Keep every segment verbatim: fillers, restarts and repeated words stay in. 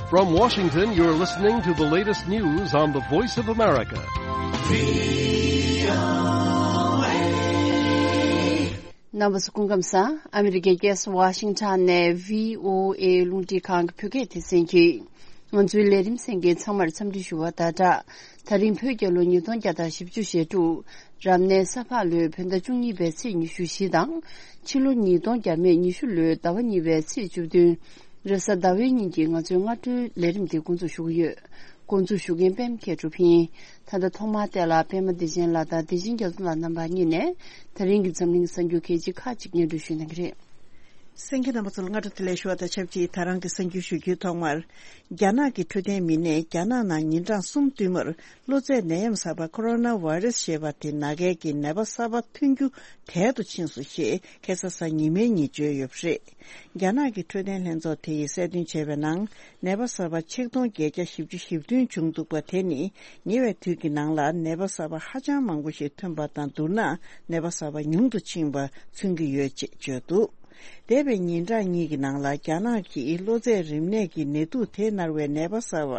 From Washington, you're listening to the latest news on the Voice of America. རྣམ་པ་ཚོ་སྐུ་ཁམས་བཟང་། ཨ་མི་རི་ཀའི་རྒྱལ་ས་ཝ་ཤིང་ཊོན་ནས་བྷི་ཨོ་ཨེ་རླུང་འཕྲིན་ཁང་གི་བོད་སྐད་སྡེ་ཚན་གྱིས་ང་ཚོའི་ལས་རིམ་གསན་མཁན་ཚང་མར་འཚམས་འདྲི་ཞུ་བ་དང་སྦྲགས། ད་རིང་བོད་རྒྱལ་ལོ་ཉིས་སྟོང་བརྒྱ་དང་བཞི་བཅུ་ཞེ་དྲུག་རབ་གནས་ས་ཕག་ལོའི་བོད་ཟླ་བཅུ་གཉིས་པའི་ཚེས་ཉི་ཤུ་བཞི་དང་། ཕྱི་ལོ་ཉིས་སྟོང་བརྒྱ་མེད་ཉི་ཤུ་ལོའི་ཟླ་བ་གཉིས་པའི་ཚེས་བཅུ་བདུན། རེས་གཟའ་ཟླ་བའི་ཉིན་གྱི་ང་ཚོའི་སྔ་དྲོའི་ལས་རིམ་འདི་འགོ་འཛུགས་ཞུ་གི་ཡོད། འགོ་འཛུགས་ཞུ་མཁན་པད་མ་མཁས་གྲུབ་ཡིན། ད་ལྟ་ཐོག་མར་བལྟས་ལ་པད་མ་བདེ་ཆེན་ལགས་དང་བདེ་ཆེན་རྒྱ་མཚོ་ལགས་རྣམ་པ་གཉིས་ནས་ད་རིང་གི་འཛམ་གླིང་གསར་འགྱུར་གལ་ཆེ་ཁག་ཅིག་སྙན་སྒྲོན་ཞུ་གནང་གི་རེད། གསན་མཁན་རྣམ་པ་ཚོ་ལ་སྔ་དྲོ་བདེ་ལེགས་ཞུ་བ་དང་ཆབས་ཅིག་ད་རང་གི་གསར་འགྱུར་ཞུ་རྒྱུའི་ཐོག་མར། རྒྱ་ནག་གི་འཕྲོད་བསྟེན་མི་སྣས་རྒྱ་ནག་ནང་ཉིན་གྲངས་གསུམ་བསྟུད་མར་གློ་ཚད་ནད་ཡམས་གསར་པ་ཁོ་རོ་ན་བྷའི་རེས་ཞེས་པ་དེ་ནང་འགལ་གྱི་ནད་པ་གསར་པ་ཐོན་རྒྱུ་དལ་དུ་ཕྱིན་སོང་ཞེས་ཁ་སང་གཟའ་ཉི་མའི་ཉིན་བརྗོད་ཡོད་པ་རེད། རྒྱ་ནག་གི་འཕྲོད་བསྟེན་ལྷན་ཚོགས་དེ་ཡིས་གསལ་སྟོན་བྱས་པའི་ནང་། ནད་པ་གསར་པ་ཆིག་སྟོང་བརྒྱད་བརྒྱ་བཞི་བཅུ་ཞེ་བདུན་བྱུང་འདུག་པ་དེ་ནི་ཉེ་བའི་དུས་ཀྱི་ནང་ལ་ནད་པ་གསར་པ་ཧ་ཅང་མང་པོ་ཞིག་ཐོན་པ་དང་བསྡུར་ན་ནད་པ་གསར་པ་ཉུང་དུ་ཕྱིན་པ་མཚོན་གྱི་ཡོད་ཅེས་བརྗོད་འདུག་འདས་པའི་ཉིན་གྲངས་གཉིས་ཀྱི་ནང་ལ་རྒྱ་ནག་གིས་གློ་ཚད་རིམས་ནད་ཀྱི་ནད་དུག་དེ་མནར་བའི་ནད་པ་གསར་པ་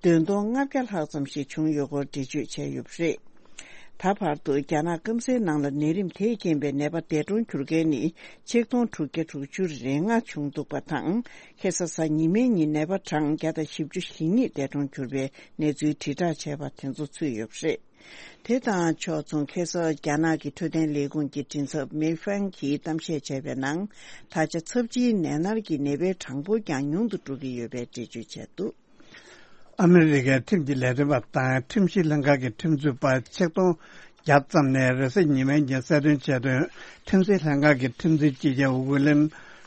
བདུན་སྟོང་ལྔ་བརྒྱ་ལྷག་ཙམ་ཞིག་བྱུང་ཡོད་སྐོར་འགྲེལ་བརྗོད་བྱས་ཡོད་པ་རེད། ད་བར་དུ་རྒྱ་ནག་སྐམ་སའི་ནང་ལ་ནད་རིམས་དེས་རྐྱེན་པས་ནད་པ་འདས་གྲོངས་གྱུར་མཁན་ནི་ཆིག་སྟོང་དྲུག་བརྒྱ་དྲུག་ཅུ་རེ་ལྔ་བྱུང་འདུག་པ་དང་། ཁ་སང་གཟའ་ཉི་མའི་ཉིན་ནད་པ་གྲངས་བརྒྱ་དང་བཞི་བཅུ་ཞེ་གཉིས་འདས་གྲོངས་གྱུར་པའི་གནས་ཚུལ་དྲིལ་བསྒྲགས་བྱས་པ་དེ་ཚོ་ཚུད་ཡོད་པ་རེད། དེ་དང་ཕྱོགས་མཚུངས་ཁ་སང་རྒྱ་ནག་གི་འཕྲོད་བསྟེན་ལས་ཁུངས་ཀྱི་མགྲིན་ཚབ་མེ་ཧྥང་གིས་གཏམ་བཤད་བྱས་པའི་ནང་། ད་ཆ་ཚབས་ཆེའི་ནད་མནར་གྱི་ནད་པའི་གྲངས་འབོར་ཀྱང་ཉུང་དུ་འགྲོ་གི་ཡོད་པའི་འགྲེལ་བརྗོད་བྱས་འདུག་ཨ་མི་རི་ཀའི་ཁྲིམས་ཀྱི་ལས་དོན་པ་དང་ཁྲིམས་ཞིབ་ལྷན་ཁང་གི་ཁྲིམས་རྩོད་པ་ཆིག་སྟོང་བརྒྱ་ཙམ་ནས་རེས་གཟའ་ཉི་མའི་ཉིན་གསལ་སྟོན་བྱས་དོན། ཁྲིམས་སྲིད་ལྷན་ཁང་གི་ཁྲིམས་འཛིན་སྤྱི་ཁྱབ་ཝི་ལིམ་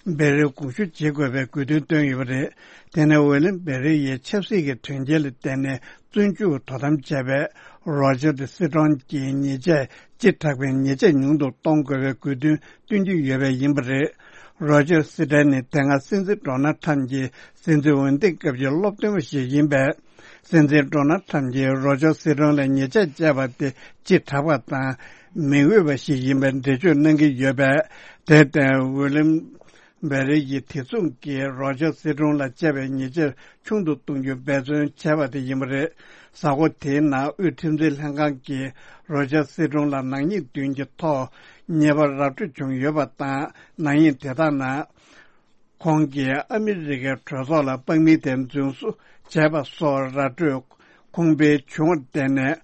བེ་རི་དགོངས་ཞུ་བྱེད་དགོས་པའི་དགོས་འདུན་བཏོན་ཡོད་པ་རེད། དེ་ནས་ཝི་ལིམ་བེ་རི་ཡིས་ཆབ་སྲིད་ཀྱི་དོན་རྐྱེན་ལ་བརྟེན་ནས་བཙོན་འཇུག་དོ་དམ་བྱས་པའི་རོ་ཇར་སི་ཀྲོན་གྱི་ཉེས་ཆད་བཅད་དྲག་པའི་ཉེས་ཆད་ཉུང་དུ་གཏོང་དགོས་པའི་དགོས་འདུན་བཏོན་གྱི་ཡོད་པ་ཡིན་པ་རེད། རོ་ཇར་སི་ཀྲོན་ནི་དེ་སྔ་སྲིད་འཛིན་ཌོ་ནལ་ཁྲམ་གྱི་སྲིད་འཛིན་འོས་འདེམས་སྐབས་ཀྱི་སློབ་སྟོན་པ་ཞིག་ཡིན་པས། སྲིད་འཛིན་ཌོ་ནལ་ཁྲམ་གྱིས་རོ་ཇར་སི་ཀྲོན་ལ་ཉེས་ཆད་བཅད་པ་དེ་ལྕི་དྲགས་པ་དང་མི་འོས་པ་ཞིག་ཡིན་པའི་འགྲེལ་བརྗོད་གནང་གི་ཡོད་པས། དེར་བརྟེན་ཝི་ལིམ་བེ་རི་ཡིས་དེ་མཚུངས་ཀྱིས་རོ་ཇར་སི་ཀྲོན་ལ་བཅད་པའི་ཉེས་ཆད་ཆུང་དུ་གཏོང་རྒྱུ་འབད་བརྩོན་བྱས་པ་དེ་ཡིན་པ་རེད། གཟའ་འཁོར་དེའི་ནང་དབུས་ཁྲིམས་འཛིན་ལྷན་ཁང་གིས་རོ་ཇར་སི་ཀྲོན་ལ་ནག་ཉེས་བདུན་གྱི་ཐོག་ཉེས་པ་ར་སྤྲོད་བྱུང་ཡོད་པ་དང་། ནག་ཉེས་དེ་དག་ནང་། ཁོང་གིས་ཨ་མི་རི་ཀའི་གྲོས་ཚོགས་ལ་དཔང་མི་དེ་རྫུན་བཟོ་བྱས་པ་སོགས་ར་སྤྲོད་ཁུངས་སྤེལ་བྱུང་བར་བརྟེན་ནས།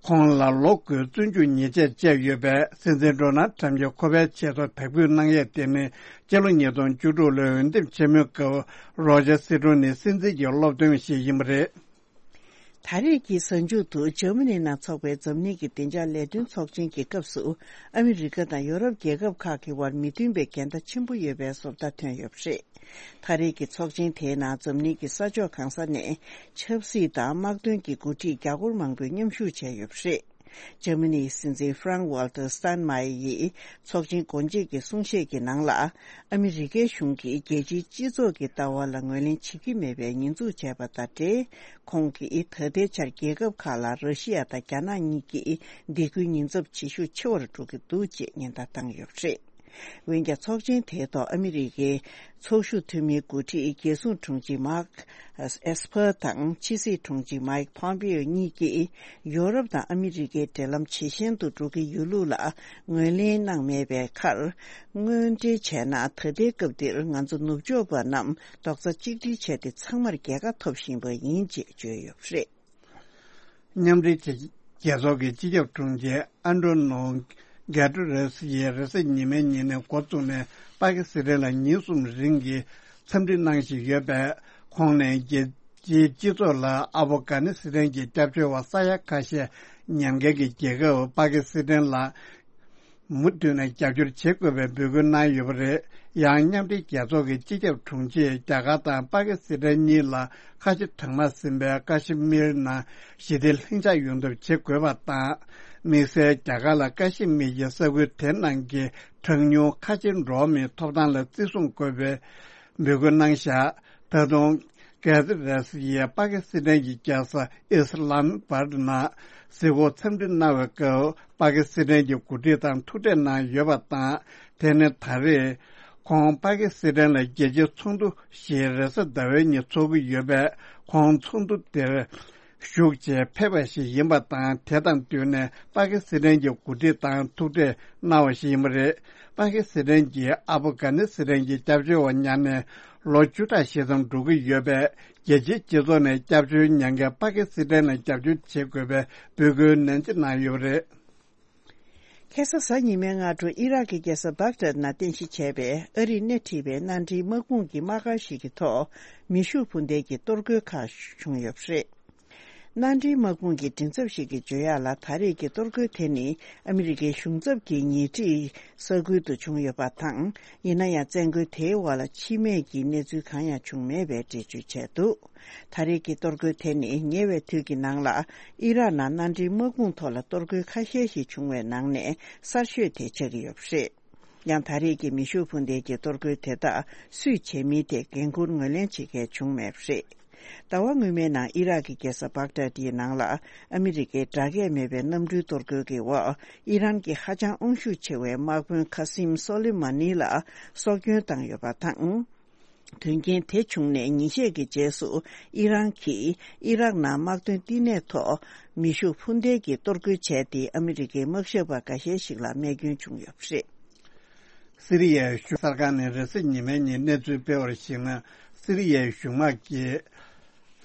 ཁོང་ལ་ལོ་དགུའི་བཙོན་འཇུག་ཉེས་ཆད་བཅད་ཡོད་པས། སྲིད་འཛིན་ཌོ་ནལ་ཁྲམ་གྱིས་ཁོ་པའི་ཆེད་དུ་དག་འབུད་གནང་ཡས་དེ་ནི། སྤྱི་ལོ་ཉིས་སྟོང་བཅུ་དྲུག་ལོའི་འོས་འདེམས་ཆེན་མོའི་སྐབས་རོ་ཇར་སི་ཀྲོན་ནི་སྲིད་འཛིན་གྱི་སློབ་སྟོན་པ་ཞིག་ཡིན་པ་རེད། ད་རེས་ཀྱི་གཟའ་མཇུག་ཏུ་འཇར་མ་ནི་ནང་འཚོགས་པའི་འཛམ་གླིང་གི་བདེ་འཇགས་ལས་དོན་ཚོགས་ཆེན་གྱི་སྐབས་སུ། ཨ་མི་རི་ཀ་དང་ཡོ་རོབ་རྒྱལ་ཁབ་ཁག་གི་དབར་མི་མཐུན་པའི་འགལ་ཟླ་ཆེན་པོ་ཡོད་པའི་བཟོ་ལྟ་ཐོན་ཡོད་པ་རེད། ད་རེས་ཀྱི་ཚོགས་ཆེན་དེའི་ནང་འཛམ་གླིང་གི་ས་ཕྱོགས་གང་ས་ནས་ཆབ་སྲིད་དང་དམག་དོན་གྱི་འགོ་ཁྲིད་རྒྱ་སྒོར་མང་པོས་མཉམ་ཞུགས་བྱས་ཡོད་པ་རེད། འཇར་མ་ནིའི་སྲིད་འཛིན་ཧྥ་རང་ཝལ་ཏར་སི་ཏན་མ་ཡེ་ཡིས་ཚོགས་ཆེན་སྒོ་འབྱེད་ཀྱི་གསུང་བཤད་ཀྱི་ནང་ལ། ཨ་མི་རི་ཀའི་གཞུང་གིས་རྒྱལ་སྤྱིའི་སྤྱི་ཚོགས་ཀྱི་ལྟ་བ་ལ་ངོས་ལེན་བྱེད་ཀྱི་མེད་པའི་ཉེས་འཛུགས་བྱས་པ་དང་འབྲེལ། ཁོང་གིས་ད་ལྟའི་ཆར་རྒྱལ་ཁབ་ཁག་ལ་ར་ཤི་ཡ་དང་རྒྱ་ནག་གཉིས་ཀྱིས་སྡིགས་སྐུལ་ཉེན་ཚབས་བྱེད་ཤུགས་ཆེ་བར་འགྲོ་གི་འདུག་ཅེས་ཉེན་བརྡ་བཏང་ཡོད་པ་རེད། འོན་ཀྱང་ཚོགས་ཆེན་དེའི་ཐོག་ཨ་མི་རི་ཀའི་ཚོགས་ཞུགས་འཐུས་མིའི་འགོ་ཁྲིད་རྒྱལ་སྲུང་དྲུང་ཆེ་མཱག་ཨེས་པར་དང་ཕྱི་སྲིད་དྲུང་ཆེ་མཱིག་ཕོམ་པེའོ་གཉིས་ཀྱིས་ཡོ་རོབ་དང་ཨ་མི་རི་ཀའི་འབྲེལ་ལམ་ཇེ་ཞན་དུ་འགྲོ་གི་ཡོད་ལུགས་ལ་ངོས་ལེན་གནང་མེད་པའི་ཁར། དངོས་འབྲེལ་བྱས་ན་ད་ལྟའི་སྐབས་འདིར་ང་ཚོ་ནུབ་ཕྱོགས་པ་རྣམས་རྡོག་རྩ་གཅིག་སྒྲིལ་བྱས་ཏེ་ཚང་མར་རྒྱལ་ཁ་ཐོབ་བཞིན་པ་ཡིན་ཅེས་བརྗོད་ཡོད་པ་རེད། མཉམ་འབྲེལ་རྒྱལ་ཚོགས་ཀྱི་སྤྱི་ཁྱབ་དྲུང་ཆེ་ཨན་ཏྲོ་ནོ་གྷེ་ཏྲོ་རེ་སི་ཡིས་རེས་གཟའ་ཉི་མའི་ཉིན་ནས་འགོ་བཙུགས་ནས་པ་ཀི་སི་ཐན་ལ་ཉིན་གསུམ་རིང་གི་འཚམས་འདྲི་གནང་བཞིན་ཡོད་པས། ཁོང་ནས་རྒྱལ་སྤྱིའི་སྤྱི་ཚོགས་ལ་ཨ་ཕོ་གྷ་ནི་སི་ཐན་གྱི་སྐྱབས་བཅོལ་བ་ས་ཡ་ཁ་ཤས་ཉམས་འགལ་གྱི་རྒྱལ་ཁབ་པ་ཀི་སི་ཐན་ལ། མུ་མཐུད་ནས་རྒྱབ་སྐྱོར་བྱེད་དགོས་པའི་འབོད་སྐུལ་གནང་ཡོད་པ་རེད། ཡང་མཉམ་འབྲེལ་རྒྱལ་ཚོགས་ཀྱི་སྤྱི་ཁྱབ་དྲུང་ཆེས་རྒྱ་གར་དང་པ་ཀི་སི་ཐན་གཉིས་ལ་ཁ་ཆེ་གྲང་དམག་ཟིན་པའི་ཀ་ཤི་མིར་ནང་ཞི་བདེ་ལྷིང་འཇགས་ཡོང་ཐབས་བྱེད་དགོས་པ་དང་། དམིགས་བསལ་རྒྱ་གར་ལ་ཀ་ཤི་མིར་གྱི་ས་ཁུལ་དེ་ནང་གི་གྲངས་ཉུང་ཁ་ཆེ་འགྲོ་བ་མིའི་ཐོབ་ཐང་ལ་བརྩི་སྲུང་དགོས་པའི་འབོད་སྐུལ་གནང་བཞག་ད་དུང་། གྷ་ཛི་རེ་སི་ཡིས་པ་ཀི་སི་ཐན་གྱི་རྒྱལ་ས་ཨི་སི་ལམ་བྷ་ཏ་ནང་གཟིགས་སྐོར་འཚམས་འདྲི་གནང་བའི་སྐབས། པ་ཀི་སི་ཐན་གྱི་འགོ་ཁྲིད་དང་ཐུག་འཕྲད་གནང་ཡོད་པ་དང་། དེ་ནི་ད་རེས་ ཁོང་པ་ཀི་སི་ཐན་ལ་རྒྱལ་སྤྱིའི་ཚོགས་འདུ་ཞིག་རེས་གཟའ་ཟླ་བའི་ཉིན་ཚོགས་ཀྱི་ཡོད་པས། ཁོང་ཚོགས་འདུ་དེར་ཞུགས་ཆེད་ཕེབས་པ་ཞིག་ཡིན་པ་དང་། དེ་དང་བསྟུན་ནས་པ་ཀི་སི་ཐན་གྱི་འགོ་ཁྲིད་དང་ཐུག་འཕྲད་གནང་བ་ཞིག་ཡིན་པ་རེད། པ་ཀི་སི་ཐན་གྱིས་ཨབ་གྷ་ནི་སི་ཐན་གྱི་སྐྱབས་བཅོལ་བ་ཉར་ནས་ལོ་བཅུ་ཕྲག་ཞིག་ཙམ་འགྲོ་གི་ཡོད་པས། རྒྱལ་སྤྱིའི་སྤྱི་ཚོགས་ནས་སྐྱབས་བཅོལ་ཉར་མཁན་པ་ཀི་སི་ཐན་ལ་རྒྱབ་སྐྱོར་བྱེད་དགོས་པའི་འབོད་སྐུལ་ནན་ཏན་གནང་ཡོད་པ་རེད། ཁ་སང་གཟའ་ཉི་མའི་སྔ་དྲོ་ཨི་རག་གི་རྒྱལ་ས་བྷག་དྷད་ནང་རྟེན་གཞི་བྱས་པའི་ཨ་རིས་སྣེ་ཁྲིད་པའི་མནའ་འབྲེལ་དམག་དཔུང་གི་དམག་སྒར་ཞིག་གི་ཐོག་མེ་ཤུགས་འཕུར་མདེལ་གྱི་གཏོར་རྒོལ་ཁག་བྱུང་ཡོད་པ་རེད། མནའ་འབྲེལ་དམག་དཔུང་གི་མགྲིན་ཚབ་ཞིག་གིས་བརྗོད་ཡག་ལ། ད་རེས་ཀྱི་གཏོར་རྒོལ་དེ་ནི་ཨ་མི་རི་ཀའི་གཞུང་ཚབ་ཀྱི་ཉེ་འཁྲིས་ས་ཁུལ་དུ་བྱུང་ཡོད་པ་དང་། ཡིན་ན་ཡང་བཙན་རྒོལ་དེའི་འོག་ལ་འཆི་རྨས་ཀྱི་གནས་ཚུལ་གང་ཡང་བྱུང་མེད་པའི་འགྲེལ་བརྗོད་བྱས་འདུག་ད་རེས་ཀྱི་གཏོར་རྒོལ་དེ་ནི་ཉེ་བའི་དུས་ཀྱི་ནང་ལ་ཨི་རག་ནང་མནའ་འབྲེལ་དམག་དཔུང་ཐོག་ལ་གཏོར་རྒོལ་ཁ་ཤས་ཤིག་བྱུང་བའི་ནང་ནས་གསར་ཤོས་དེ་ཆགས་ཀྱི་ཡོད་པ་རེད། ཡང་ད་རེས་ཀྱི་མེ་ཤུགས་འཕུར་མདེལ་གྱི་གཏོར་རྒོལ་དེ་དག་སུས་བྱས་མིན་ཐད་འགན་འཁུར་ངོས་ལེན་བྱེད་མཁན་བྱུང་མེད་པ་རེད། ཟླ་བ་སྔོན་མའི་ནང་ཨི་རག་གི་རྒྱལ་ས་བྷག་དྷད་ཡི་ནང་ལ་ཨ་མི་རི་ཀའི་དགྲ་བགེགས་མེད་པའི་གནམ་གྲུའི་གཏོར་རྒོལ་གྱི་འོག་ཨི་རན་གྱི་ཧ་ཅང་དབང་ཤུགས་ཆེ་བའི་དམག་དཔོན་ཁ་སིམ་སོ་ལི་མ་ནི་ལ་སྲོག་སྐྱོན་བཏང་ཡོད་པ་དང་། དོན་རྐྱེན་དེ་བྱུང་ནས་ཉིན་ཤས་ཀྱི་རྗེས་སུ་ཨི་རན་གྱིས་ཨི་རག་ནང་དམག་དོན་བསྟི་གནས་ཐོག་མེ་ཤུགས་འཕུར་མདེལ་གྱི་གཏོར་རྒོལ་བྱས་ཏེ། ཨ་མི་རི་ཀའི་དམག་ཞབས་པ་འགའ་ཤས་ཤིག་ལ་རྨས་སྐྱོན་བྱུང་ཡོད་པ་རེད། སི་རི་ཡའི་གཞུང་གསར་ཁང་ནས་རེས་གཟའ་ཉི་མའི་ཉིན་གནས་ཚུལ་སྤེལ་བར་གཞིགས་ན། སི་རི་ཡའི་གཞུང་དམག་གིས་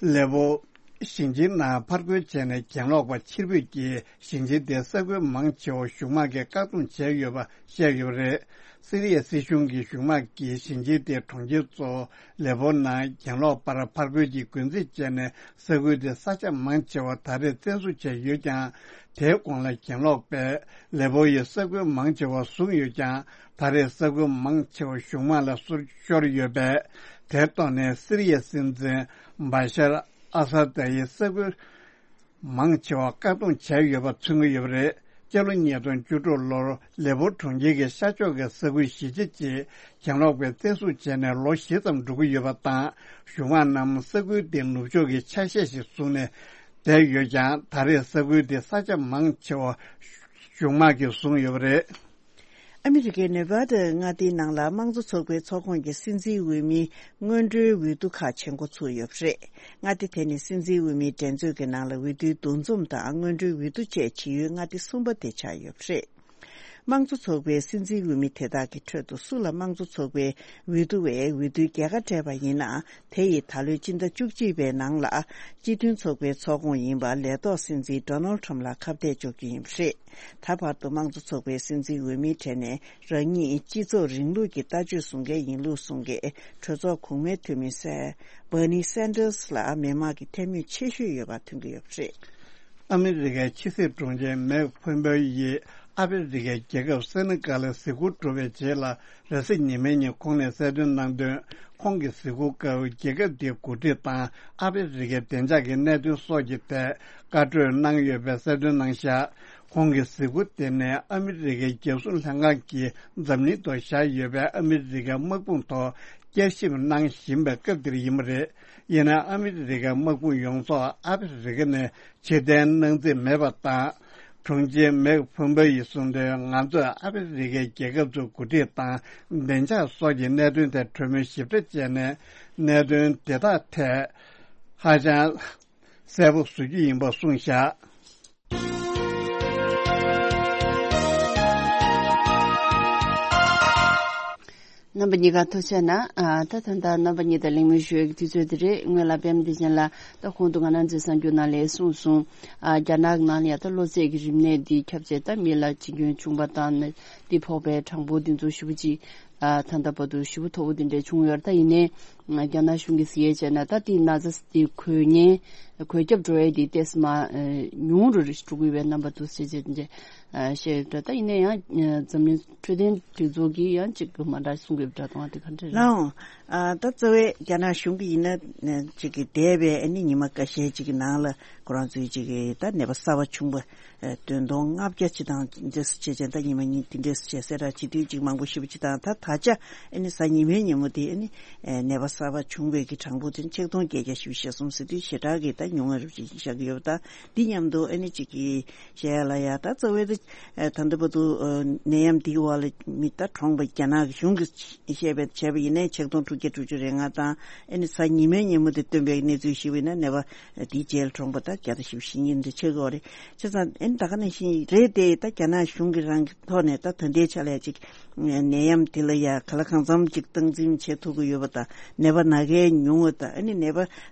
ལེ་པོ་ཞིང་ཆེན་ནང་ཕར་རྒོལ་བྱས་ནས་གྱེན་ལོག་པ་ཕྱིར་འབུད་ཀྱིས་ཞིང་ཆེན་དེའི་ས་ཁུལ་མང་ཆེ་བ་གཞུང་དམག་གིས་བཀག་སྡོམ་བྱས་ཡོད་པ་བཤད་ཡོད་པ་རེད། སི་རི་ཡའི་སྲིད་གཞུང་གི་གཞུང་དམག་གིས་ཞིང་ཆེན་དེའི་གྲོང་ཁྱེར་གཙོ་བོ་ལེ་པོ་ནང་གྱེན་ལོག་པར་ཕར་རྒོལ་གྱི་འགོ་འཛིན་བྱས་ནས་ས་ཁུལ་དེའི་ས་ཆ་མང་ཆེ་བ་ད་རེས་བཙན་བཟུང་བྱས་ཡོད་ཀྱང་། དེའི་གོང་ལ་གྱེན་ལོག་པས་ལེ་པོ་ཡི་ས་ཁུལ་མང་ཆེ་བ་བཟུང་ཡོད་ཀྱང་། ད་རེས་ས་ཁུལ་མང་ཆེ་བ་གཞུང་དམག་ལ་སོར་ཤོར་ཡོད་པས། དེར་གཏོགས་ནས་སི་རི་ཡའི་སྲིད་འཛིན་བྷ་ཤར་ཨ་ས་ད་ཡི་ས་ཁུལ་མང་ཆེ་བ་བཀག་སྡོམ་བྱས་ཡོད་པ་མཚོན་གྱི་ཡོད་པ་རེད། སྤྱི་ལོ་ཉིས་སྟོང་བཅུ་དྲུག་ལོར་ལེ་པོ་གྲོང་ཁྱེར་གྱི་ཤར་ཕྱོགས་ཀྱི་ས་ཁུལ་གཞིས་ཆགས་ཅིག་གྱེན་ལོག་པས་བཙན་བཟུང་བྱས་ནས་ལོ་བཞི་ཙམ་འགྲོ་གི་ཡོད་པ་དང་། གཞུང་དམག་རྣམས་ས་ཁུལ་དེའི་ནུབ་ཕྱོགས་ཀྱི་ཆ་ཤས་ཤིག་བཟུང་ནས་བསྡད་ཡོད་ཀྱང་། ད་རེས་ས་ཁུལ་དེའི་ས་ཆ་མང་ཆེ་བ་གཞུང་དམག་གིས་བཟུང་ཡོད་པ་རེད། ཨ་མི་རི་ཀའི་ནེ་ཝ་ཌ་མངའ་སྡེའི་ནང་ལ་དམངས་གཙོ་ཚོགས་པའི་ཚོགས་ཁོངས་ཀྱི་སྲིད་འཛིན་འོས་མིའི་སྔོན་འགྲོའི་འོས་བསྡུ་ཁག་བྱེད་འགོ་ཚུགས་ཡོད་པ་རེད། མངའ་སྡེ་དེ་ནི་སྲིད་འཛིན་འོས་མིའི་འགྲན་རྩོད་ཀྱི་ནང་ལ་འོས་བསྡུའི་འདུ་འཛོམས་དང་སྔོན་འགྲོའི་འོས་བསྡུ་བཅས་བྱེད་ཡུལ་མངའ་སྡེ་གསུམ་པ་དེ་ཆགས་ཡོད་པ་རེད། དམངས་གཙོ་ཚོགས་པའི་སྲིད་འཛིན་འོས་མི་དེ་དག་གི་ཁྲོད་དུ་སུ་ལ་དམངས་གཙོ་ཚོགས་པའི་འོས་བསྡུ་བས་འོས་བསྡུའི་རྒྱལ་ཁ་སྤྲད་པ་ཡིན་ན། དེ་ཡིས་ད་ལོའི་སྤྱི་ཟླ་བཅུ་གཅིག་པའི་ནང་ལ་སྤྱི་མཐུན་ཚོགས་པའི་ཚོགས་ཁོངས་ཡིན་པ་ལས་ཐོག་སྲིད་འཛིན་ཌོ་ནལ་ཊམ་ལ་ཁ་གཏད་གཅོག་རྒྱུ་ཡིན་པ་རེད། ད་བར་དུ་དམངས་གཙོ་ཚོགས་པའི་སྲིད་འཛིན་འོས་མིའི་གྲས་ནས་རང་ཉིད་སྤྱི་ཚོགས་རིང་ལུགས་ཀྱི་ལྟ་སྤྱོད་བཟུང་མཁན་ཡིན་ལུགས་གསུང་མཁན་གྲོས་ཚོགས་གོང་མའི་འཐུས་མི་སེ་བྷར་ནི་སན་ཌར་སི་ལ་མི་མང་གི་འཐུས་མི་ཆེ་ཤོས་ཡོད་པ་ཐོན་གྱི་ཡོད་པ་རེད། ཨ་མི་རི་ཀའི་ཕྱི་སྲིད་དྲུང་ཆེ་མེག་ཕོམ་པེ་ཡིས་ཨ་ཧྥེ་རི་ཁའི་རྒྱལ་ཁབ་སེ་ནི་ཀལ་ལ་གཟིགས་སྐོར་གྲུབ་པའི་རྗེས་ལ། རེས་གཟའ་ཉི་མའི་ཉིན་ཁོང་ནས་གསལ་སྟོན་གནང་དོན། ཁོང་གི་གཟིགས་སྐོར་སྐབས་རྒྱལ་ཁབ་དེའི་འགོ་ཁྲིད་དང་ཨ་ཧྥེ་རི་ཁའི་བདེ་འཇགས་ཀྱི་གནད་དོན་སོགས་ཀྱི་ཐད་བཀའ་གྲོས་གནང་ཡོད་པའི་གསལ་སྟོན་གནང་བཞག་ཁོང་གི་གཟིགས་སྐོར་དེ་ནི་ཨ་མི་རི་ཀའི་རྒྱལ་སྲུང་ལྷན་ཁང་གིས་འཛམ་གླིང་ཐོག་བཞག་ཡོད་པའི་ཨ་མི་རི་ཀའི་དམག་དཔུང་ཐོག་བསྐྱར་ཞིབ་གནང་བཞིན་པའི་སྐབས་འདིར་ཡིན་པ་རེད། ཡིན་ནའང་ཨ་མི་རི་ཀའི་དམག་དཔུང་ཡོངས་རྫོགས་ཨ་ཧྥེ་རི་ཁ་ནས་ཕྱིར་འཐེན་གནང་རྩིས་མེད་པ་དང་། དྲུང་ཆེ་མེག་ཕོམ་པེ་ཡིས་གསུངས་དོན། ང་ཚོས་ཨ་ཧྥེ་རི་ཁའི་རྒྱལ་ཁབ་ཚོའི་འགོ་ཁྲིད་དང་བདེ་འཇགས་སོགས་ཀྱི་གནད་དོན་ཐད་གྲོས་མོལ་ཞིབ་ཕྲ་བྱས་ནས། གནད་དོན་དེ་དག་ཐད་ཧ་ཅང་གསལ་པོ་བཟོ་རྒྱུ་ཡིན་པ་གསུངས་བཞག་རྣམ་པ་གཉིས་ཀ་ཐུགས་རྗེ་གནང་། ཨ། ད་ད་ལྟ་རྣམ་པ་གཉིས་དང་གླེང་མོལ་ཞུ་ཡག་གི་དུས་ཚོད་དེ་རེད། སྔོན་ལ་པད་མ་བདེ་ཆེན་ལགས་ད་གོང་དུ་ང་རང་ཚོའི་གསར་འགྱུར་ནང་ལ་གསུངས་སོང་། ཨ། རྒྱ་ནག་ནང་ལ་ཡ་ད་གློ་ཚད་ཀྱི་རིམས་ནད་འདི་ཁྱབ་བྱས་ད་མི་ལ་འཆི་སྐྱོན་བྱུང་བ་དང་ནད་འདི་ཕོག་པའི་གྲངས་འབོར་འདི་ཚོ་ཞེ་པོ་ཅིག་ཨ། ད་ལྟ་བར་དུ་ཞེ་པོ་མཐོ་པོ་འདི་འདྲ་བྱུང་ཡོད་རེད། ད་ཡིན་ནའི་རྒྱ་ནག་གཞུང་གིས་གཟིགས་ཡས་བྱས་ན་ད་འདི་ན་ཚ་འདི་འགོས་མཁན་འགོས་ཁྱབ་འགྲོ་ཡས་འདི་ཏོག་ཙམ་ཉུང་རུ་འགྲོ་གི་ཡོད་པའི་རྣམ་པ་འདུག་ཟེར་བྱས་འདི་འདྲ་བཤད་ཡོད་རེད། ད་ཡིན་ན་ཡང་འཛམ་གླིང་འཕྲོད་བསྟེན་སྒྲིག་འཛུགས་ཀྱིས་ཡང་ཅིག་མ་འདྲ་གསུང་གི་ཡོད་པ་འདྲ་གཏོང་བ་དེ་ག་འདྲ་རེད། ལགས་འོང་། ཨ། ད་རྩ་བའི་རྒྱ་ནག་གཞུང་གིས་ཡིན་ན་ཅིག་གི་འདས་པའི་ཨ་ནི་ཉི་མ་འགའ་ཤས་ཅིག་གི་ནང་ལ་ཁོ་རང་ཚོའི་ཅིག་གི་ད་ནད་པ་གསར་པ་བྱུང་བ་བདུན་སྟོང་ལྔ་བརྒྱ་ཅིག་དང་འདྲ་བྱས་བྱས། ད་ཉི་མ་གཉིས་དེ་འདྲ་བྱས་གསལ་བསྒྲགས་བྱེད་དུས་ཅིག་མང་པོ་ཞེ་པོ་ཅིག་དང་ད། ད་ཆ་ཨ་ནི་གཟའ་ཉི་མའི་ཉིན་མོ་དེ་ཨ་ནི་ཨེ་ནད་པ་གསར་པ་བྱུང་བའི་གི་གྲངས་འབོར་དེ་ཆིག་སྟོང་བརྒྱད་བརྒྱ་བཞི་བཅུ་ཞེ་གསུམ་ཟེར་དུས་ཞེ་དྲག་གི་ད་ཉུང་ངུ་རུ་ཅིག་བཞག་གི་ཡོད་པ། ད་འདི་མཉམ་དུ་ཨ་ནི་གཅིག་གི་བཤད་ཡ་ལ་ཡ་ད་རྩ་བའི་ད་ཨེ་ད་ལྟ་བར་དུ་ཨེ་ནད་ཡམས་འདིའི་འོག་ལ་མི་ད་གྲོངས་པ་རྒྱ་ནག་གི་གཞུང་གིས་བཤད་པའི་བྱས་པ་ཡིན་ནའི་ཆིག་སྟོང་དྲུག་བརྒྱ་དྲུག་ཅུ་རེ་ལྔ་དང་ཨ་ནི་གཟའ་ཉི་མའི་ཉིན་མོ་དེ་སྟོན་པའི་གནས་ཚུལ་ཞིག་ཡིན་ན་ནད་པ་དེའི་རྗེས་ལ་གྲོངས་པ་ད་བརྒྱ་དང་བཞི་བཅུ་ཞེ་གཉིས་འདི་ཆགས་ཀྱི་ཡོད་རེད། བྱས་ཙང་ཨ་ནི་ད་ག་ནང་བཞིན་རེད་དེ་ད་རྒྱ་ནག་གཞུང་གིས་རང་གི་ཐོག་ནས་ད་ད་ལྟའི་ཆ་ལ་ཡ་ཅིག་ནད་ཡམས་དེ་ལ་ཡ་ག་ལ་གང་འཚམ་ཅིག་སྟངས་འཛིན་བྱེད་ཐུབ་ཀྱི་ཡོད་པ་དང་ནད་པ་ན་མཁན་ཉུང་བ་དང་ཨ་ནི་ནད་པ་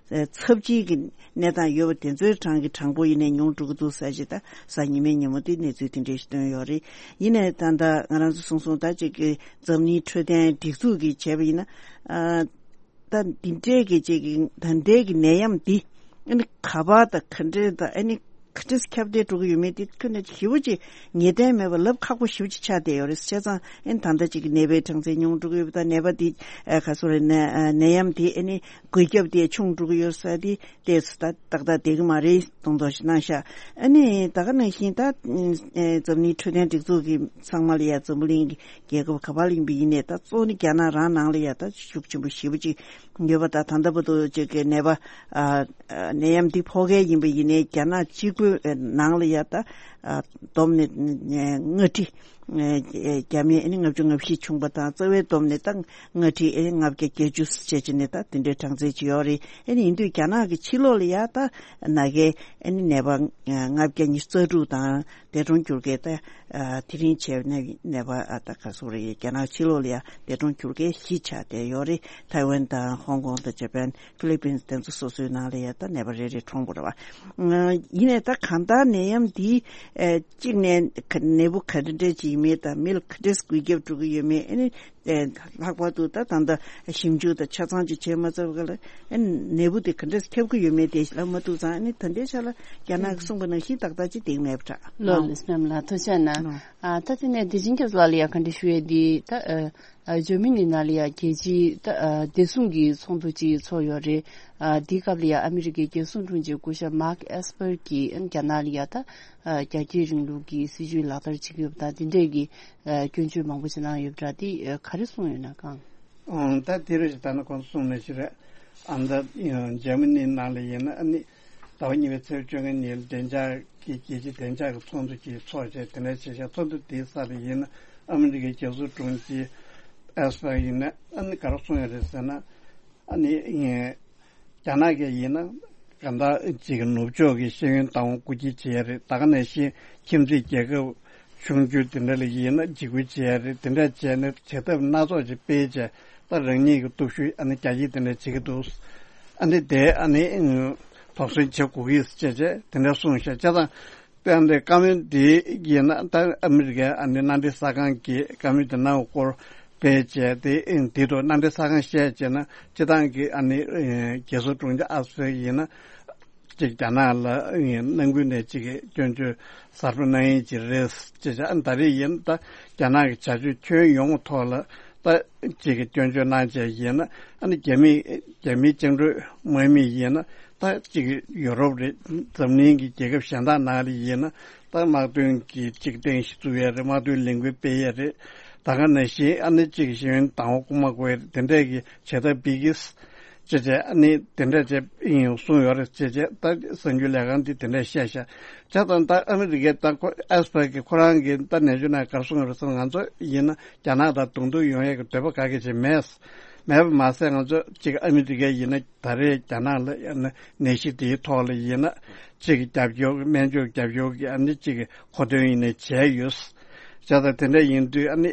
ཚབས་ཆེའི་གི་གནས་སྟངས་ཡོད་པ་དེ་ཚོའི་གྲངས་ཀྱི་གྲངས་འབོར་ཡིན་ནའི་ཉུང་འགྲོ་གི་འདུག་ཟེར་ཅིག་ད་གཟའ་ཉི་མའི་ཉིན་མོ་དེ་གནས་ཚུལ་དེ་འདྲས་ཞིག་བཏོན་ཡོད་རེད། ཡིན་ནའི་ད་ལྟ་ང་རང་ཚོ་གསུངས་སོང་ད་ཅིག་གི་འཛམ་གླིང་འཕྲོད་བསྟེན་སྒྲིག་འཛུགས་ཀྱིས་བྱས་པ་ཡིན་ན་ཨ། ད་འདི་འདྲའི་གི་ཅིག་གི་ད་ལྟའི་གི་ནད་ཡམས་འདི་ཨ་ནི་ག་པར་དང་ག་འདྲས་དང་ཨ་ནི་ག་འདྲས་ཁྱབ་གདལ་འགྲོ་གི་ཡོད་མེད་འདི་ཁྱོན་ནས་ཞེ་པོ་ཅིག་ངེས་གཏན་མེད་པ་ལབ་ཁག་པོ་ཞེ་པོ་ཅིག་ཆགས་བསྡད་ཡོད་རེད། བྱས་ཙང་ཨ་ནི་ད་ལྟ་ཅིག་གི་ནད་པའི་གྲངས་ཚད་ཉུང་འགྲོ་གི་ཡོད་པ་དང་ནད་པ་འདི་ཨ་ག་སོ་རེད་ནད་ནད་ཡམས་འདི་ཨ་ནི་འགོས་ཁྱབ་དེ་ཆུང་འགྲོ་གི་ཡོད་ས་འདི་ཏོག་ཙམ་ད་ཏག་ཏག་བསྡད་ཀྱི་མ་རེད་གསུངས་དོགས་ཤིག་གནང་ཤག་ཨ་ནི་ད་ག་ནང་བཞིན་ད་ཨེ་འཛམ་གླིང་འཕྲོད་བསྟེན་སྒྲིག་འཛུགས་ཀྱི་ཚང་མ་ལ་ཡ་འཛམ་བུ་གླིང་གི་རྒྱལ་ཁབ་ག་པར་ལ་ཡིན་པ་ཡིན་ནའི་ད་གཙོ་བོ་ནི་རྒྱ་ནག་རང་ནང་ལ་ཡ་ད་ཤུགས་ཆེན་པོ་ཞེ་པོ་ཅིག་ཡོད་པ་ད་ད་ལྟ་བར་དུ་ཅིག་གི་ནད་པ་ཨ་ཨ་ནད་ཡམས་འདི་ཕོག་མཁན་ཡིན་པ་ཡིན་ནའི་རྒྱ་ནག་གཅིག་པུའི་ནང་ལ་ཡ་ད་ཨ་བསྡོམས་ནས་ཨ་ལྔ་ཁྲི་ཨ་བརྒྱ་མེད་ཨ་ནི་ལྔ་བཅུ་ང་བཞི་བྱུང་པ་དང་རྩ་བའི་བསྡོམས་ནས་ད་ལྔ་ཁྲི་ཨ་ནི་ལྔ་བརྒྱ་བརྒྱད་ཅུ་བྱས་བྱས་ནས་ད་དེ་འདྲའི་གྲངས་ཚད་ཅིག་ཡོད་རེད། ཨ་ནི་ཡིན་དུས་རྒྱ་ནག་གི་ཕྱི་ལོགས་ལ་ཡ་ད་ན་མཁན་ཨ་ནི་ནད་པ་ལྔ་བརྒྱ་ཉི་ཤུ་རྩ་དྲུག་དང་། འདས་གྲོངས་གྱུར་མཁན་ད་ཨ་དེ་རིང་བྱས་ནས་ནད་པ་ཨ་ད་ག་ཚོད་རེད། རྒྱ་ནག་ཕྱི་ལོགས་ལ་ཡང་འདས་གྲོངས་གྱུར་མཁན་བཞི་ཆགས་བསྡད་ཡོད་རེད། ཐའེ་ཝན་དང་ཧོང་ཀོང་དང་ཇ་པན་ཕི་ལི་པིན་དེ་ཚོ་སོ་སོའི་ནང་ལ་ཡང་ད་ནད་པ་རེ་རེ་གྲོངས་པ་རེད་བ། ཡིན་ནའི་ད་གང་ལྟར་ནད་ཡམས་འདི་ཨ་གཅིག་ནས་ནད་འབུ་ག་འདྲ་འདྲ་ཅིག་ཡིན་མིན་དང་མི་ལ་ག་འདྲས་འགོས་ཁྱབ་འགྲོ་གི་ཡོད་མེད་ཨ་ནི། ཨེ། ལྷག་པར་དུ་ད་ད་ལྟ་ཞིབ་འཇུག་དང་ཆ་ཚང་ཅིག་བྱས་མ་ཚར་བ་ལ་ཨེ་ནད་འབུ་དེ་ག་འདྲས་ཁྱབ་ཀྱི་ཡོད་མེད་དེ་ལབ་མ་ཐུབ་ཙང་ཨ་ནི་ད་ལྟའི་ཆ་ལ་རྒྱ་ནག་གིས་གསུངས་པ་ནང་བཞིན་ཏག་ཏག་ཅིག་བསྡད་མེད་པ་འདྲ། ལགས་ལགས་སོ་སྙམ་ལ་ཐུགས་རྗེ་གནང་། ལགས། ཨ་ད་དེ་ནས་བདེ་ཆེན་སྐྱབས་ལགས་ལ་ཡང་བཀའ་འདྲི་ཞུ་ཡས་འདི་ད་ཨ་ཨ་འཇར་མ་ནི་ནང་ལ་ཡང་རྒྱལ་སྤྱིའི་ད་ཨ་བདེ་སྲུང་གི་ཚོགས་འདུ་ཅིག་ཚོགས་ཡོད་རེད། ཨ་འདིའི་སྐབས་ལ་ཡང་ཨ་མི་རི་ཀའི་རྒྱལ་སྲུང་དྲུང་ཆེ་སྐུ་ཞབས་མཱག་ཨེས་པར་གྱིས་ཨ་རྒྱ་ནག་ལ་ཡང་ད་ཨ་རྒྱ་སྐྱེད་རིང་ལུགས་ཀྱི་སྲིད་བྱུས་ལག་བསྟར་བྱེད་ཀྱི་ཡོད་པ་དང་དེ་འདྲས་ཀྱི་ཨ་སྐྱོན་བརྗོད་མང་པོ་ཞིག་གནང་ཡོད་པ་འདྲ། དེ་ཨ་ག་རེ་གསུངས་ཡོད་ན་གང་། ཨང་། ད་དེ་རེད། ད་ནི་ཁོང་གསུངས་ནས་ཞིག་རེད། ཨ་ད་འཇར་མ་ནི་ནང་ལ་ཡིན་ན་ཨ་ནི་ཟླ་བ་གཉིས་པའི་ཚེས་བཅོ་ལྔ་ཉིན་བདེ་འཇགས་ཀྱི་རྒྱལ་སྤྱིའི་བདེ་འཇགས་ཀྱི་ཚོགས་འདུ་ཅིག་ཚོགས་བྱས་དེ་འདྲ་བྱས་ཤག་ཚོགས་འདུ་དེའི་སར་ཡིན་ན་ཨ་མི་རི་ཀའི་རྒྱལ་སྲུང་དྲུང་ཆེ་ཨེས་པར་ཡིན་ན་ཨ་ནི་ག་རེ་གསུངས་ཡོད་རེད་ཟེར་ན་ཨ་ནི། རྒྱ་ནག་གིས་ཡིན་ན་གང་ལྟར་ཅིག་ནུབ་ཕྱོགས་ཀྱི་ཤེས་ཡོན་བདག་དབང་རྐུ་འཁྱེར་བྱེད་ཡ་རེད། ད་ག་ནང་བཞིན་ཁྱིམ་མཚེས་རྒྱལ་ཁབ་ཆུང་ཆུང་དེ་འདྲ་ལ་ཡིན་ན་འཇིགས་སྐུལ་བྱེད་ཡ་རེད། དེ་འདྲ་བྱས་ནས་བྱེད་ཐབས་སྣ་ཚོགས་ཅིག་སྤེལ་བྱས་ད་རང་ཉིད་ཀྱི་སྟོབས་ཤུགས་ཨ་ནི་རྒྱ་སྐྱེད་དེ་འདྲ་བྱེད་ཀྱི་འདུག་ཨ་ནི་དེ་ཨ་ནི་དོགས་ཟོན་བྱེད་དགོས་ཀྱི་ཟེར་བྱས་བྱས་དེ་འདྲ་གསུངས་ཤག་བྱས་ཙང་། དཔེ་འདི་བཀའ་མོལ་འདི་ཡིན་ན་ད་ཨ་མི་རི་ཀའི་ཨ་ནི་མནའ་འབྲེལ་གསར་ཁང་གིས་བཀའ་མོལ་འདི་གནང་བའི་སྐོར་སྤེལ་བྱས་ཏེ་འདི་ཐོག་མནའ་འབྲེལ་གསར་ཁང་བཤད་བྱས་ན་སྤྱི་བཏང་གི་ཨ་ནི་རྒྱལ་སྲུང་དྲུང་ཆེ་ཨ་སི་ཡིན་ན་ཅིག་རྒྱ་ནག་ལ་ནང་ཁུལ་ནས་ཅིག་སྐྱོན་བརྗོད་གསར་པ་གནང་ཡིན་གྱི་རེད་ཅེས་བྱས། ཨ་ནི་ད་རེས་ཡིན་ད་རྒྱ་ནག་གི་བྱ་སྤྱོད་ཁྱོན་ཡོངས་ཐོག་ལ་ད་ཅིག་གི་སྐྱོན་བརྗོད་གནང་བྱས་ཡིན་ན་ཨ་ནི་རྒྱ་མི་རྒྱ་མིའི་བཅིངས་འགྲོལ་དམག་མི་ཡིན་ན། ད་ཅིག་ཡུ་རོབ་རེད། འཛམ་གླིང་གི་རྒྱལ་ཁབ་གཞན་དག་ནང་ལ་ཡིན་ན་ད་དམག་དོན་གྱི་ཅིག་རྟེན་གཞི་བཙུགས་ཡས་རེད། དམག་དོན་ལས་འགུལ་སྤེལ་ཡས་རེད། ད་ག་ནང་བཞིན་ཨ་ནི་ཅིག་ཤེས་ཡོན་བདག་དབང་རྐུ་མ་དགོས་ཡས་རེད། དེ་འདྲས་ཀྱི་བྱེད་ཐབས་སྤེལ་གྱི་ཅེས་བྱས་ཨ་ནི་དེ་འདྲས་བྱས་ཨིན་གསུངས་ཡོད་རེད་ཅེས་བྱས་ད་གསར་འགྱུར་ལས་ཁང་འདི་དེ་འདྲས་བཤད་ཤག་བྱས་ཙང་ད་ཨ་མི་རི་ཀའི་ད་ཁོ་ཨེས་པར་གྱི་ཁོ་རང་གི་ད་ནན་ཇུ་ནང་ག་རེ་གསུངས་ཡོད་རེད་ཟེར་ན་ང་ཚོ་ཡིན་ན་རྒྱ་ནག་དང་གདོང་ཐུག་ཡོང་ཡས་ཀྱི་འདོད་པ་ག་གེ་ཅིག་མེད། མེད་པ་མ་ཟད་ང་ཚོ་ཅིག་ཨ་མི་རི་ཀ་ཡིན་ན་ད་རེས་རྒྱ་ནག་ལ་ཡང་ན་ནད་གཞི་དེའི་ཐོག་ལ་ཡིན་ན་ཅིག་རྒྱབ་སྐྱོར་སྨན་བཅོས་རྒྱབ་སྐྱོར་གྱི་ཨ་ནི་ཅིག་མཁོ་འདོན་ཡིན་ནའི་བྱས་ཡོད། བྱས་ཙང་དེ་འདྲ་ཡིན་དུས་ཨ་ནི་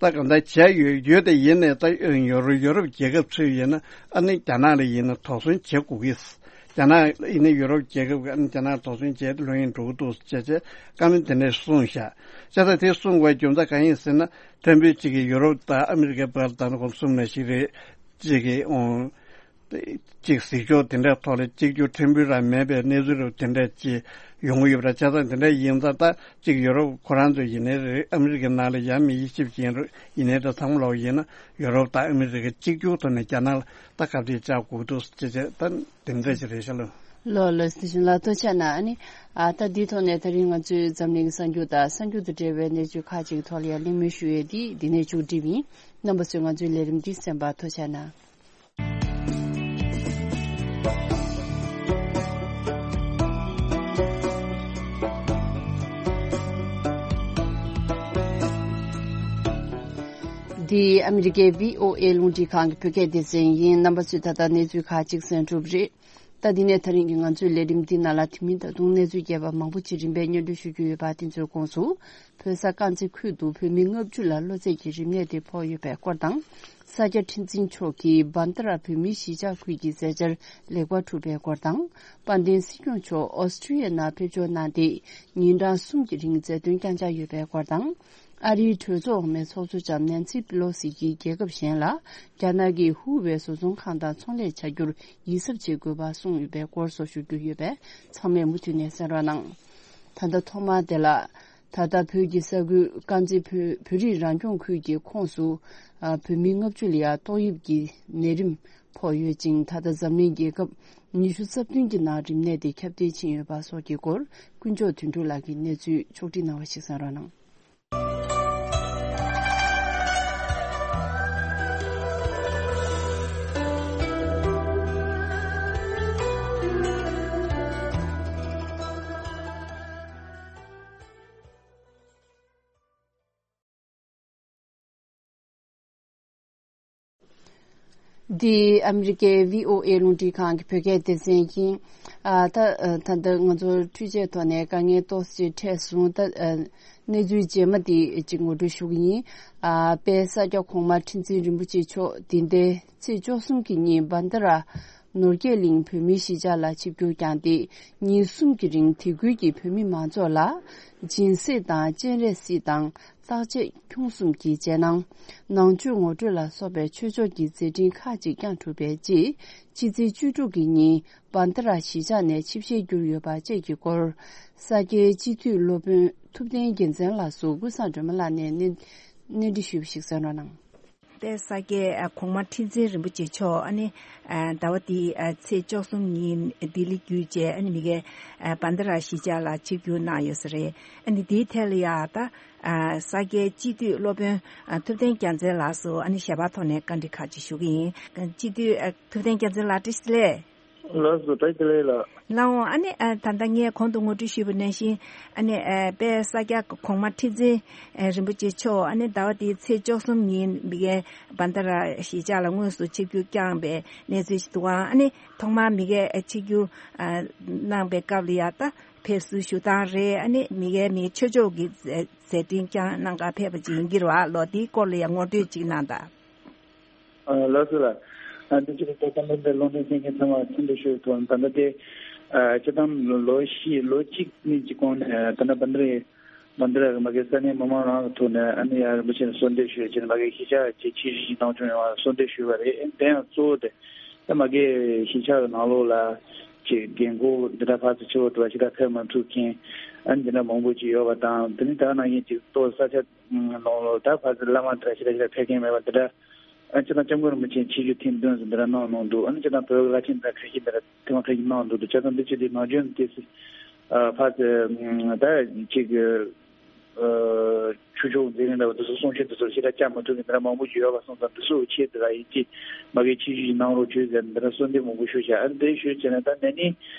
ད་གང་ལྟར་བྱས་ཡོད་ཡོད་དེ་ཡིན་ནའི་ད་ཡོ་རོབ་ཡོ་རོབ་རྒྱལ་ཁབ་ཚོས་ཡིན་ན་ཨ་ནི་རྒྱ་ནག་ལ་ཡིན་ན་དོགས་ཟོན་བྱེད་དགོས་ཀྱི། རྒྱ་ནག་ཡིན་ན་ཡོ་རོབ་རྒྱལ་ཁབ་ཀྱིས་ཨ་ནི་རྒྱ་ནག་དོགས་ཟོན་བྱས་ཏེ་ལྷོད་གཡེང་འགྲོ་གི་འདུག་ཅེས་བྱས་བཀའ་མོལ་དེ་འདྲ་གསུངས་ཤག་བྱས་ཙང་དེ་གསུངས་པའི་རྒྱུ་མཚན་གང་ཡིན་ཟེར་ན། ཕྲན་བུ་གཅིག་གིས་ཡུ་རོབ་དང་ཨ་མི་རི་ཀའི་བར་ལ་ད་ནི་ཁོང་གསུམ་ནས་ཤིག་རེད། གཅིག་གིས་ཨོང་། གཅིག་གཟིགས་ཕྱོགས་དེ་འདྲའི་ཐོག་ལ་གཅིག་གྱུར་ཕྲན་བུ་རང་མེད་པའི་གནས་ཚུལ་རུ་དེ་འདྲ་ཅིག་ཡོང་གི་ཡོད་པ་རེད། བྱས་ཙང་དེ་འདྲ་ཡིན་ཙང་ད་གཅིག་ཡུ་རོབ་ཁོ་རང་ཚོ་ཡིན་ནའི་རེད། ཨ་མི་རི་ཀའི་ནང་ལ་ཡང་མི་དབྱེ་ཞིབ་ཅན་རུ་ཡིན་ནའི་རེད། ཚང་མ་ལོག་ཡིན་ན་ཡུ་རོབ་དང་ཨ་མི་རི་ཀ་གཅིག་གྱུར་ཐོག་ནས་རྒྱ་ནག་ལ་ད་ཁ་གཏད་བཅག་དགོས་འདུག་ཅེས་བྱས་ད་དེ་འདྲ་ཅིག་རེད་ཤག་ལོ། ལོ་ལོ་སི་ཤུན་ལ་ཐུགས་རྗེ་གནང་། ཨ་ནི་ཨ་ད་འདིའི་ཐོག་ནས་ད་རིང་ང་ཚོའི་འཛམ་གླིང་གསར་འགྱུར་དང་གསར་འགྱུར་དང་འབྲེལ་བའི་གནས་ཚུལ་ཁག་ཅིག་ཐོག་ལ་ཡང་གླེང་མོལ་ཞུ་ཡས་འདི་འདི་ནས་མཇུག་སྒྲིལ་ཡིན། རྣམ་པ་ཚོས་ང་ཚོའི་ལས་རིམ་འདི་གསན་པར་ཐུགས་རྗེ་གནང་། འདི་ཨ་མི་རི་ཀའི་བྷི་ཨོ་ཨེ་རླུང་འཕྲིན་ཁང་གི་བོད་སྐད་སྡེ་ཚན་ཡིན། རྣམ་པ་ཚོས་ད་ལྟ་གནས་ཚུལ་ཁག་ཅིག་གསན་གྲུབ་རེད། ད་འདི་ནས་ད་རིང་གི་ང་ཚོའི་ལས་རིམ་འདི་ནང་ལ་དེ་མིན་ད་དུང་གནས་ཚུལ་རྒྱས་པ་མང་པོ་ཅིག་རིམ་པས་སྙན་སྒྲོན་ཞུ་རྒྱུ་ཡོད་པ་དེ་ཚོའི་ཁོངས་སུ། བོད་ས་དཀར་མཛེས་ཁུལ་དུ་བོད་མི་ལྔ་བཅུ་ལ་གློ་ཚད་ཀྱི་རིམས་ནད་དེ་ཕོག་ཡོད་པའི་སྐོར་དང་། ས་སྐྱ་ཁྲི་འཛིན་མཆོག་གིས་བྷན་དྷ་ར་བོད་མིའི་གཞིས་ཆགས་ཁུལ་གྱི་མཛད་འཆར་ལེགས་པར་གྲུབ་པའི་སྐོར་དང་། དཔལ་ལྡན་སྲིད་སྐྱོང་མཆོག་ཨོ་སི་ཀྲི་ཡའི་ནང་ཕེབས་འབྱོར་གནང་སྟེ་ཉིན་གྲངས་གསུམ་གྱི་རིང་མཛད་དོན་བསྐྱངས་འཆར་ཡོད་པའི་སྐོར་དང་། ཨ་རིའི་གྲོས་ཚོགས་འོག་མའི་ཚོགས་གཙོ་ལྕམ་ནན་སི་པི་ལོ་སི་ཡིས་རྒྱལ་ཁབ་གཞན་ལ་རྒྱ་ནག་གིས་ཧུའུ་ཝེ་བཟོ་ཚོང་ཁང་དང་ཚོང་ལས་བྱ་རྒྱུར་ཡིད་གཟབ་བྱེད་དགོས་པ་གསུངས་ཡོད་པའི་སྐོར་སོགས་ཞུ་རྒྱུ་ཡོད་པས་ཚང་མས་མུ་མཐུད་ནས་གསན་རོགས་གནང་། ད་ལྟ་ཐོག་མར་དེ་ལ། ད་ལྟ་བོད་ཀྱི་ས་ཁུལ་དཀར་མཛེས་བོད་བོད་རིགས་རང་སྐྱོང་ཁུལ་གྱི་ཁོངས་སུ་ཨ་བོད་མི་ལྔ་བཅུ་ལ་ཡང་ཏོག་དབྱིབས་ཀྱི་ནད་རིམས་ཕོག་ཡོད་ཅིང་། ད་ལྟ་འཛམ་གླིང་རྒྱལ་ཁབ་ཉི་ཤུ་རྩ་བདུན་གྱི་ནང་རིམས་ནད་དེ་ཁྱབ་གདལ་ཕྱིན་ཡོད་པ་སོགས་ཀྱི་སྐོར་ཀུན་མཆོག་དོན་གྲུབ་ལགས་ཀྱིས་གནས་ཚུལ་ཕྱོགས་སྒྲིག་གནང་བ་ཞིག་གསན་རོགས་གནང་། འདི་ཨ་མི་རི་ཀའི་བྷི་ཨོ་ཨེ་རླུང་འཕྲིན་ཁང་གི་བོད་སྐད་སྡེ་ཚན་ཡིན། ཨ་ད་ཨ་ད་ལྟ་ང་ཚོར་འཕྲུལ་ཆས་ཐོག་ནས་དཀའ་ངལ་ཏོག་ཙམ་འཕྲད་སོང་། ད་ཨ་གནས་ཚུལ་རྗེས་མ་འདི་ཅིག་ངོ་སྤྲོད་ཞུ་གི་ཡིན། ཨ་དཔལ་ས་སྐྱ་གོང་མ་ཁྲི་འཛིན་རིན་པོ་ཆེ་མཆོག་འདི་ཟླའི་ཚེས་བཅུ་གསུམ་གྱི་ཉིན་བྷན་དྷ་ར་ནོར་རྒྱས་གླིང་བོད་མིའི་གཞིས་ཆགས་ལ་ཆིབས་བསྒྱུར་བསྐྱངས་ཏེ། ཉིན་གསུམ་གྱི་རིང་དེ་ཁུལ་གྱི་བོད་མི་མང་ཚོགས་ལ་སྦྱིན་སྲེག་དང་སྤྱན་རས་གཟིགས་དང་། བརྟག་དཔྱད་ཁྱུང་གསུམ་གྱི་རྗེས་གནང་། ནང་ཆོས་ངོ་སྤྲོད་ལ་སོགས་པའི་ཆོས་ཕྱོགས་ཀྱི་མཛད་འཕྲིན་ཁག་ཅིག་བསྐྱངས་གྲུབ་པའི་རྗེས། ཕྱི་ཚེས་བཅུ་དྲུག་གི་ཉིན་བྷན་དྷ་ར་གཞིས་ཆགས་ནས་ཆིབས་ཞལ་བསྒྱུར་ཡོད་པ་བཅས་ཀྱི་སྐོར། ས་སྐྱའི་སྤྱི་འཐུས་སློབ་དཔོན་ཐུབ་བསྟན་རྒྱལ་མཚན་ལགས་སུ་ཀུན་བཟང་སྒྲོལ་མ་ལགས་ནས་གནས་གནས་འདྲི་ཞུས་པ་ཞིག་གསན་རོགས་གནང་། དཔལ་ས་སྐྱའི་ཨ་གོང་མ་ཁྲི་འཛིན་རིན་པོ་ཆེ་མཆོག་ཨ་ནི་ཨ་ཟླ་བ་འདིའི་ཨ་ཚེས་བཅུ་གསུམ་ཉིན་ལྡི་ལི་བརྒྱུད་བྱས་ཨ་ནི་མི་གའི་ཨ་བྷན་དྷ་ར་གཞིས་ཆགས་ལ་ཆིབས་བསྒྱུར་གནང་ཡོད་ས་རེད། ཨ་ནི་འདིའི་ཐད་ལ་ཡ་ད་ཨ་ས་སྐྱའི་སྤྱི་འཐུས་སློབ་དཔོན་ཨ་ཐུབ་བསྟན་རྒྱལ་མཚན་ལགས་སུ་ཨ་ནི་ཞལ་པར་ཐོག་ནས་བཀའ་འདྲི་ཁག་ཅིག་ཞུ་གི་ཡིན། སྤྱི་འཐུས་ཨ་ཐུབ་བསྟན་རྒྱལ་མཚན་ལགས་བཀྲ་ཤིས་བདེ་ལེགས། ལགས་སོ། བཀྲ་ཤིས་བདེ་ལེགས་ལགས། ལགས་འོང་། ཨ་ནི་ཨ་ད་ལྟ་ངས་གོང་དུ་ངོ་སྤྲོད་ཞུས་པ་ནང་བཞིན་ཨ་ནི་ཨ་དཔལ་ས་སྐྱ་གོང་མ་ཁྲི་འཛིན་ཨ་རིན་པོ་ཆེ་མཆོག་ཨ་ནི་ཟླ་བ་འདིའི་ཚེས་བཅུ་གསུམ་ཉིན་མི་གའི་བྷན་དྷ་ར་གཞིས་ཆགས་ལ་དངོས་སུ་ཆིབས་བསྒྱུར་བསྐྱངས་པའི་གནས་ཚུལ་ཞིག་འདུག་ཨང་། ཨ་ནི་ཐོག་མར་མི་གའི་ཨ་ཆིབས་བསྒྱུར་ཨ་གནང་པའི་སྐབས་ལ་ཡ་ད་ཕེབས་བསུ་ཞུ་སྟངས་རེད། ཨ་ནི་མི་གའི་མི་ཆོས་ཕྱོགས་ཀྱི་མཛད་མཛད་འཕྲིན་བསྐྱངས་གནང་གར་ཕེབས་པ་ཅིག་ཡིན་གྱི་རེད་བ། ལོ་འདིའི་སྐོར་ལ་ཡ་ངོ་སྤྲོད་ཅིག་གནང་དང་། ཨ་ལགས་སོ་ལགས། ཨ་འདི་ཕྱི་དྲོ་ད་ལྟ་འདི་ལུང་འདྲེན་མཁན་ཚང་མ་འཚམས་འདྲི་ཞུ་ཐུབ། ད་ལྟ་དེ་ཨ་སྤྱི་བཏང་ལོ་བཞི་ལོ་གཅིག་གཉིས་ཀྱི་གོང་ནས་ད་ལྟ་བྷན་དྷ་ར་བྷན་དྷ་ར་གི་མ་གི་ས་གནས་མི་མང་རང་གི་ཐོག་ནས་ཨ་ནི་ཡ་རིན་པོ་ཆེ་ལ་གསོལ་འདེབས་ཞུས་བྱས་ནས་མ་གི་གཞིས་ཆགས་ཀྱི་ཆིབས་བསྒྱུར་གནང་བྱུང་ཡོང་བ་གསོལ་འདེབས་ཞུས་པ་རེད། དེ་ཡང་གཙོ་བོ་དེ་ད་མ་གི་གཞིས་ཆགས་ཀྱི་ནང་ལོགས་ལ་ཅིག་རྒན་གོག་འདི་འདྲ་ཕར་ཚུར་ཕྱི་པོ་འགྲོ་བ་ཞིག་ད་ཕེབས་མ་ཐུབ་མཁན་ཨ་ནི་འདི་འདྲ་མང་པོ་ཅིག་ཡོད་པ་དང་། དེ་ནི་ད་ནང་བཞིན་ཅིག་ཏོག་ས་ཆ་ནང་ལོགས་ད་ཕར་ཚུར་བླ་མ་འདྲ་ཞིག་ད་ཞིག་ད་ཕེབས་མཁན་མེད་པ་འདི་འདྲ། ཨ་སྤྱིར་བཏང་སྐྱབས་མགོན་རིན་པོ་ཆེ་ཆིབས་བསྒྱུར་ཐེངས་བདུན་ཙམ་འདི་འདྲ་གནང་གནང་འདུག་ཨ་ནི་སྤྱིར་བཏང་བོད་ཀྱི་བླ་ཆེན་འདི་འདྲ་ཁ་ཤས་འདི་འདྲ་ཐེངས་མ་ཁ་ཤས་གནང་འདུག་འདུག་བྱས་ཙང་འདི་ཕྱི་དེ་ནང་བྱོན་དེ་སྲིད་ཨ་ཕར་ཚུར་ད་ཅིག་ཨ་ཆོས་ཕྱོགས་མཛད་རིམ་འདྲ་བ་འདི་ཚོ་གསུང་ཆོས་འདི་ཚོ་ཞེ་དྲག་བཅར་མ་ཐུབ་མཁན་འདི་འདྲ་མང་པོ་ཞིག་ཡོད་པ་སོང་ཙང་འདི་ཚོའི་ཆེད་དུ་ལ་ཡིན་གཅིག་མ་གི་ཆིབས་བསྒྱུར་ཞིག་གནང་རོགས་བྱོས་ཟེར་འདི་འདྲ་གསོལ་འདེབས་མང་པོ་ཞུས་བཞག་ཨ་ནི་དེ་ཞུས་བྱས་ནས་ད་ནས་ནི་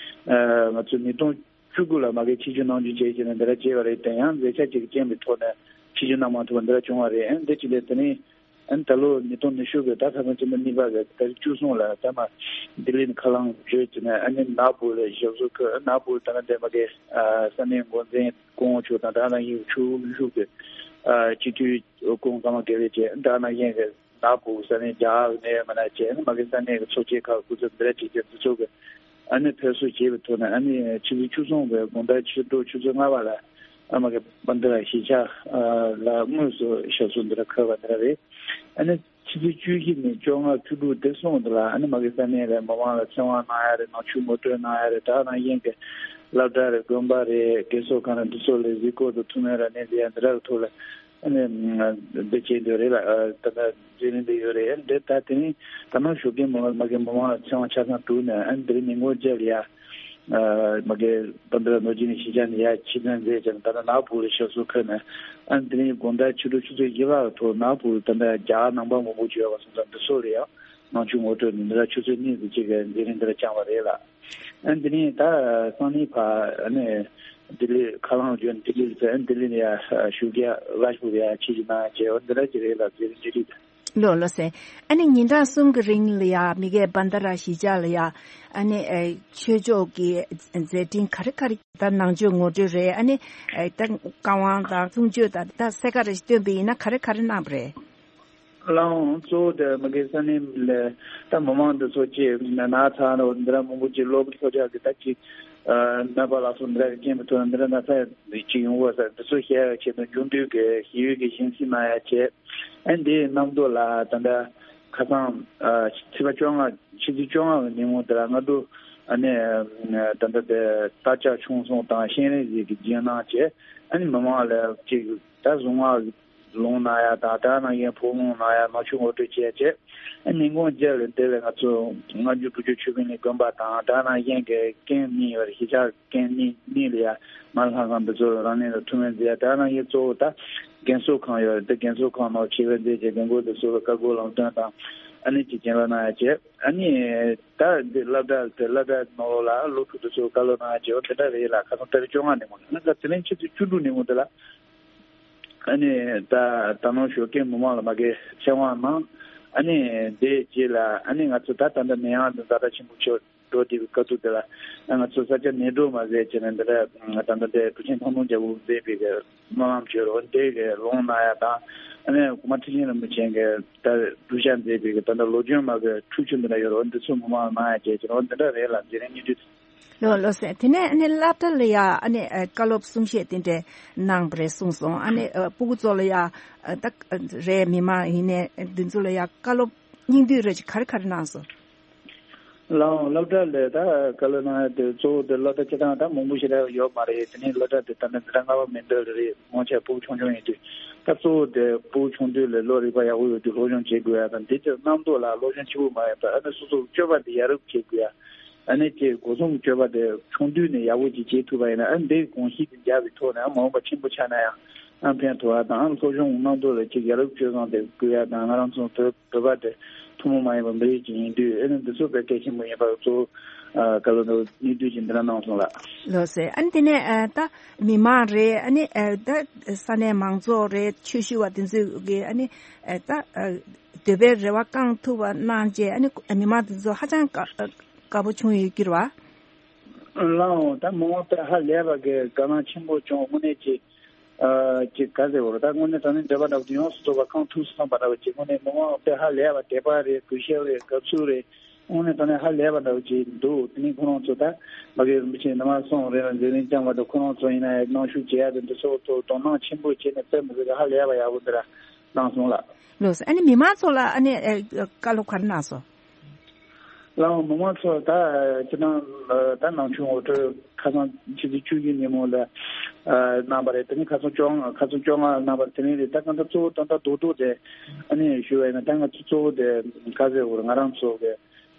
ཨ་ང་ཚོ་ཉིས་སྟོང་བཅུ་དགུ་ལ་མ་གི་ཆིབས་བསྒྱུར་གནང་རྒྱུ་བྱས་བྱས་ནས་འདི་འདྲ་བྱས་པ་རེད། དེ་ཡང་མཛད་འཆར་ཅིག་རྐྱེན་པའི་ཐོག་ནས་ཆིབས་བསྒྱུར་གནང་མ་ཐུབ་པ་འདི་འདྲ་བྱུང་བ་རེད། ཨ་ནི་དེ་ཅི་ལས་དེ་ནས། ཨ་ནི་ད་ལོ་ཉིས་སྟོང་ཉི་ཤུ་གི་ཟླ་ཁ་སང་སྤྱི་ཟླ་གཉིས་པ་གི་ཟླ་བཅུ་གསུམ་ལ་ད་མ་ལྡི་ལི་ནས་ཁ་ལག་བརྗོད་ཀྱི་ནས་ཨ་ནི་ནག་སྦུག་ལ་ཞབས་སོར་འཁོད། ནག་སྦུག་ད་ནི་འདས་མ་གི་ས་གནས་འགོ་འཛིན་སྐུ་ངོ་མཆོག་དང་ད་ནང་བཞིན་ཆུ་ཤུགས་ཀྱི་སྤྱི་འཐུས་སྐུ་ངོ་ཀརྨ་དགེ་ལེགས་བཅས་ད་ནང་བཞིན་གི་ནག་སྦུག་ས་གནས་རྒྱ་གར་ནས་མ་ན་བཅས་ཨ་ནི་མ་གི་ས་གནས་ཀྱི་ཚོགས་ཆེན་ཁག་སྐུ་ཚབ་འདི་འདྲ་བྱེད་མཁན་འདི་ཚོ་གི་ཨ་ནི་ཕེབས་བསུ་བྱས་པའི་ཐོག་ནས་ཨ་ནི་ཕྱི་ཚེས་བཅུ་གསུམ་པའི་དགོང་དག་ཕྱི་དྲོ་ཆུ་ཚོད་ལྔ་པ་ལ་ཨ་མ་གི་བྷན་དྷ་ར་གཞིས་ཆགས་ལ་དངོས་སུ་ཞབས་སོར་འདི་འདྲ་འཁོད་པ་འདི་འདྲ་རེད། ཨ་ནི་ཕྱི་ཚེས་བཅུ་བཞི་ནས་བཅོ་ལྔ་བཅུ་དྲུག་དེ་གསུམ་དུ་ལ་ཨ་ནི་མ་གི་ས་གནས་ལ་མི་མང་ལ་ཚེ་དབང་གནང་ཡ་རེད། ནང་ཆོས་ངོ་སྤྲོད་གནང་ཡ་རེད། ད་ནང་བཞིན་གི་སློབ་གྲྭ་རེད། དགོན་པ་རེད། རྒས་གསོ་ཁང་རེད། འདི་ཚོ་ལ་གཟིགས་སྐོར་དང་ཐུགས་སྨོན་རབ་གནས་མཛད་ཡ་འདི་འདྲ་གི་ཐོག་ལ་ཨ་ནི་འདི་བྱེད་འདོད་རེད་ལ་ད་ལྟ་མཛད་རིམ་འདི་ཡོད་རེད། འདི་ད་དེ་ནི་ད་ནང་བཞུགས་མཁན་མི་མང་མ་གི་མི་མང་ལ་ཚེ་དབང་ཆ་ཚང་བསྒྲུབས་ནས་ཨ་ནི་འདི་རིང་ཉིན་གུང་རྗེས་ལ་ཡ་ མ་གི་ད་ལྟ་ནོར་གྱི་ནི་ཤེས་བྱ་ནི་ཡ་ཕྱི་ཚན་མཛད་ཅན་ད་ལྟ་ནག་པུ་རི་ཤོ་སུ་ཁ་ནས། ཨ་ནི་དེ་རིང་དགོང་དག་ཕྱི་དྲོ་ཆུ་ཚོད་བཞི་ལ་ཐོག་ནག་པུ་རི་ད་ལྟ་རྒྱ་ནང་པ་མང་པོ་བྱོས་པ་སོང་ཙང་འདི་ཚོ་ལ་ཡང་ནང་ཆོས་ངོ་སྤྲོད་ནི་འདི་ལ་ཆུ་ཚོད་གཉིས་ཙམ་ཅིག་གི་མཛད་རིམ་འདི་ལ་བཅངས་པ་རེད་ལ། ཨ་ནི་དེ་རིང་ད་སང་ཉིན་ཕ་ཨ་ནི་ལྡི་ལི་ཁ་ལང་བརྗོད་ལྡི་ལི་ལ་ཨ་ནི་ལྡི་ལི་ནས་ཡ་ཞུགས་རྒྱ་རཱཇ་པུར་ཡ་ཆེད་ཀྱི་ནང་ཡ་བྱས་འོ་འདི་འདྲ་ཅིག་རེད་ལ་མཛད་རིམ་ཅིག་རེད། ལོ་ལོ་སེ། ཨ་ནི་ཉིན་གྲངས་གསུམ་གྱི་རིང་ལ་ཡ་མི་གའི་བན་ད་ར་གཞིས་ཆགས་ལ་ཡ་ཨ་ནི་ཨེ་ཆོས་ཕྱོགས་ཀྱི་མཛད་འཕྲིན་ག་རེ་ག་རེ་ད་ནང་ཆོས་ངོ་སྤྲོད་རེད། ཨ་ནི་ཨེ་ད་བཀའ་དབང་དང་གསུང་ཆོས་དང་ད་གསལ་ཁ་རེ་ཞིག་བཏོན་པ་ཡིན་ན་ག་རེ་ག་རེ་གནང་བ་རེད། ལའང་གཙོ་བོ་དེ་མི་གའི་ས་གནས་ལ་ད་མི་མང་འདི་ཚོ་ཅིག་ན་ཚ་ནོ་འདི་འདྲ་མང་པོ་ཅིག་སློབ་སློབ་གྲྭ་གི་ད་ཅིག་ནད་པ་ལ་སོགས་འདི་འདྲ་གི་རྐྱེན་པས་ཐོག་འདི་འདྲ་ན་ཚ་ཅིག་ཡོང་བ་ས་འདི་ཚོ་བཤད་ཡ་ཆེད་དུ་མཇུག་སྡུད་ཀྱི་ཞི་གཡོག་གི་སྦྱིན་སྲེག་གནང་ཡ་བྱས། ཨ་འདིའི་གནམ་ཐོག་ལ་ད་ལྟ་ཁ་སང་ཕྱི་ཚེས་བཅོ་ལྔ་ཕྱི་ཚེས་བཅོ་ལྔ་གི་ཉིན་མོ་དེ་ལ་སྔ་དྲོ་ཨ་ནི་ད་ལྟ་དེ་སྟག་ལྕགས་ཆུང་གསུམ་དང་གཤེན་རིགས་ཟིག་གི་རྒྱུན་གནང་བྱས། ཨ་ནི་མི་མང་ལ་ཅིག་ད་གཟུངས་སྔགས་ལུང་གནང་ཡ་དང་དེ་ནང་བཞིན་ཕོ་ལུང་གནང་ཡ་ནང་ཆོས་ངོ་སྤྲོད་བྱས་བྱས། ཨ་ཉིན་གུང་རྗེས་ལ་དེ་ལ་ང་ཚོ་སྔ་འགྱུར་བོད་ཀྱི་ཆོས་འཕེལ་གླིང་དགོན་པ་དང་དེ་ནང་བཞིན་གྱི་རྐྱེན་གཉིས་ཡོད་རེད། གཞིས་ཆགས་རྐྱེན་གཉིས་གཉིས་ལ་ཡ་མར་ལྷ་ཁང་འདི་ཚོ་རང་ལས་ལ་ཐུགས་སྨོན་མཛད་ཡ། དེ་ནང་བཞིན་གཙོ་བོ་ད་རྒན་གསོ་ཁང་ཡོད་རེད། དེ་རྒན་གསོ་ཁང་ནང་ཆེད་ཕེབས་མཛད་བྱས་རྒན་རྒོན་འདི་ཚོ་ལ་བཀའ་བསྒོ་ལམ་སྟོན་དང་ཨ་ནི་ཅིག་སྦྱིན་བདག་གནང་ཡ་བྱས། ཨ་ནི་ད་འདི་སློབ་གྲྭ་དེ་སློབ་གྲྭ་ནང་ལོགས་ལ་སློབ་ཕྲུག་འདི་ཚོ་བཀའ་སློབ་གནང་ཡ་བྱས་འོ་དེ་འདྲ་རེད་ལ། ཁ་སང་ཏ་རིག་བཅོ་ལྔ་ནས་མོ་ནས་ད་དེ་རིང་ཆུ་ཚོད་བཅུ་དྲུག་ནས་མོ་དེ་ལ། ཨ་ནི་ད་ད་ནང་ཞོགས་ཀས་མི་མང་ལ་མ་གི་ཚེ་དབང་གནང་། ཨ་ནི་དེའི་རྗེས་ལ་ཨ་ནི་ང་ཚོ་ད་ད་ལྟ་ནད་ཡམས་འདི་ཛ་དྲག་ཆེན་པོ་ཆགས་འགྲོ་བསྡད་པའི་སྐབས་དུས་དེ་ལ་ང་ཚོ་ས་ཆ་ནད་གྲོལ་མ་མཛད་བྱས་ནས་འདི་འདྲ་ད་ལྟ་འདི་ཀྲུའུ་ཆེན་ཐང་སྟོང་རྒྱལ་པོ་མཛད་པའི་གི་སྨོན་ལམ་བྱོས་རོགས་འདི་གི་ལུང་གནང་ཡ་དང་། ཨ་ནི་གོང་མ་ཁྲི་ཆེན་རིན་པོ་ཆེ་གི་ད་བསྡུ་བཞག་མཛད་པའི་གི་ད་ལྟ་ལོ་རྒྱུས་མ་གི་འཁྲུག་ཆེན་འདི་འདྲ་ཡོད་རོགས་འདི་ཚོ་མི་མང་གནང་ཡ་བྱས་བྱས་རོགས་འདི་འདྲ་རེད་ལ་མཛད་རིམ་གཉིས་བསྡུས། ལོ་ལོ་ཟེར། དེ་ནས་ཨ་ནི་སློབ་གྲྭ་ལ་ཡ་ཨ་ནི་ཨ་བཀའ་སློབ་གསུང་བཤད་དེ་འདྲ་གནང་བ་རེད་གསུངས་སོང་། ཨ་ནི་ཨ་སྤུ་གུ་ཚོ་ལ་ཡ་ཨ་ད་རེད་མི་མང་ཡིན་ནའི་འདི་ཚོ་ལ་ཡ་བཀའ་སློབ་སྙིང་བསྡུས་རེ་ཅིག་ག་རེ་ག་རེ་གནང་སོང་། ལའང་སློབ་གྲྭ་ལ་ད་བཀའ་སློབ་གནང་ཡ་དེ་གཙོ་བོ་དེ་སློབ་གྲྭ་སྤྱི་བཏང་ད་མང་པོ་ཞིག་རག་ཡོད་མ་རེད། དེ་ནས་སློབ་གྲྭ་དེ་ད་ནི་འཛིན་གྲྭ་ལྔ་པ་མིན་འདོད་རེད། སྔོན་ཆད་སྤུ་གུ་ཆུང་ཆུང་ཡིན་དུས་ད་གཙོ་བོ་དེ་སྤུ་གུ་ཆུང་དུས་ལ་བློ་རིག་པ་ཡག་པོ་ཡོད་དུས་སློབ་སྦྱོང་བྱེད་དགོས་ཡ་དང་འདི་ཚོ་རྣམ་རྟོག་ལ་སློབ་སྦྱོང་ཆེན་པོ་མ་ཡོད་པ་ཨ་ནི་སོ་སོ་སྤྱོད་པ་དེ་ཡག་རུ་བྱེད་དགོས་ཡ། ཨ་ནི་ཅིག་སྒོ་གསུམ་སྤྱོད་པ་དེ་ཆུང་དུས་ནས་ཡག་པོ་ཅིག་བྱེད་ཐུབ་པ་ཡིན་ན་ཨ་འདིའི་གོམས་གཤིས་དེ་འཇགས་པའི་ཐོག་ནས་ཨ་མ་འོངས་པ་ཆེན་པོ་ཆགས་ན་ཡང་ཨ་ཕན་ཐོགས་པ་དང་ཨ་སློབ་སྦྱོང་རྣམ་རྟོག་ལ་ཅིག་ཡག་རུ་སྤྱོད་སྟངས་དེ་དགོས་ཡ་དང་ང་རང་ཚོ་བོད་བོད་པ་དེ་ཐུན་མོང་མ་ཡིན་པ་མི་རིགས་ཅིག་ཡིན་དུས་ཨ་ནི་འདི་ཚོ་དཔེ་གལ་ཆེན་པོ་ཡིན་པ་གཙོ་བོ་བཀའ་སློབ་འདི་སྙིང་བསྡུས་ཅིག་འདི་འདྲ་གནང་སོང་ལགས། ལགས་སེ། ཨ་ནི་དེ་ནས་ཨ་ད་མི་མང་རེད། ཨ་ནི་ཨ་ད་ས་གནས་མང་ཚོགས་རེད། ཆོས་ཞུ་བ་དེ་ཚོས་ཀྱི་ཨ་ནི་ཨ་ད་ཨ་འདོད་པའི་རེ་བ་བསྐང་ཐུབ་པ་གནང་རྗེས་ཨ་ནི་མི་མང་དེ་ཚོ་ཧ་ཅང་དགའ་དགའ་པོ་བྱུང་ཡོད་ཀྱི་རེད་བ། ལའང་ད་མི་མང་དཔེ་ཧ་ལས་པ་གི་དགའ་སྣང་ཆེན་པོ་བྱུང་། དངོས་གནས་ཀྱི་ཨ་ཅིག་ག་ཟེར་བ་རེད། ད་དངོས་གནས་དྲང་གནས་འདོད་པ་འདྲ་བོ་དེ་ཡོངས་སུ་རྫོགས་པ་བསྐང་ཐུབ་སོང་བ་འདྲ་བོ་ཅིག་དངོས་གནས་མི་མང་དཔེ་ཧ་ལས་པ་དད་པ་རེད། གུས་ཞབས་རེད། དགའ་བསུ་རེད། དངོས་གནས་དྲང་གནས་ཧ་ལས་པ་འདྲ་བོ་ཅིག་འདུག་དེ་ནས་ཁོ་རང་ཚོ་ད་མ་གི་རིན་པོ་ཆེ་ནི་མ་སོང་རེད་ལ་མཛད་རིམ་བསྐྱངས་པ་དང་ཁོ་རང་ཚོ་ཡིན་ན་ཡང་གནང་ཞུ་བྱེད་ཡ་དེ་འདི་ཚོ་ཐོག་དོ་སྣང་ཆེན་པོ་བྱས་ནས་དཔེ་མི་སྲིད་ཀྱི་ཧ་ལས་པ་ཡག་པོ་འདི་ར་གནང་སོང་ལགས། ལགས་སོ། ཨ་ནི་མི་མང་ཚོ་ལ་ཨ་ནི་ཨ་བཀའ་སློབ་ག་རེ་གནང་སོང་། ལའང་མི་མང་ཚོ་ད་ཅི་ནང་ད་ནང་ཆོས་ངོ་སྤྲོད་ཁ་སང་ཕྱི་ཚེས་བཅུ་བཞི་ཉིན་མོ་ལ་གནང་བ་རེད། དེ་ནས་ཁ་སང་བཅོ་ལྔ་ཁ་སང་བཅོ་ལྔ་གནང་བ་དེ་རིང་རེད། ད་གང་ལྟར་གཙོ་བོ་ད་ལྟ་རྡོག་རྡོག་དེ་ཨ་ནི་ཞུ་བ་ཡིན་ན་ད་ང་ཚོ་གཙོ་བོ་དེ་ག་ཟེར་བར་ང་རང་ཚོ་གི་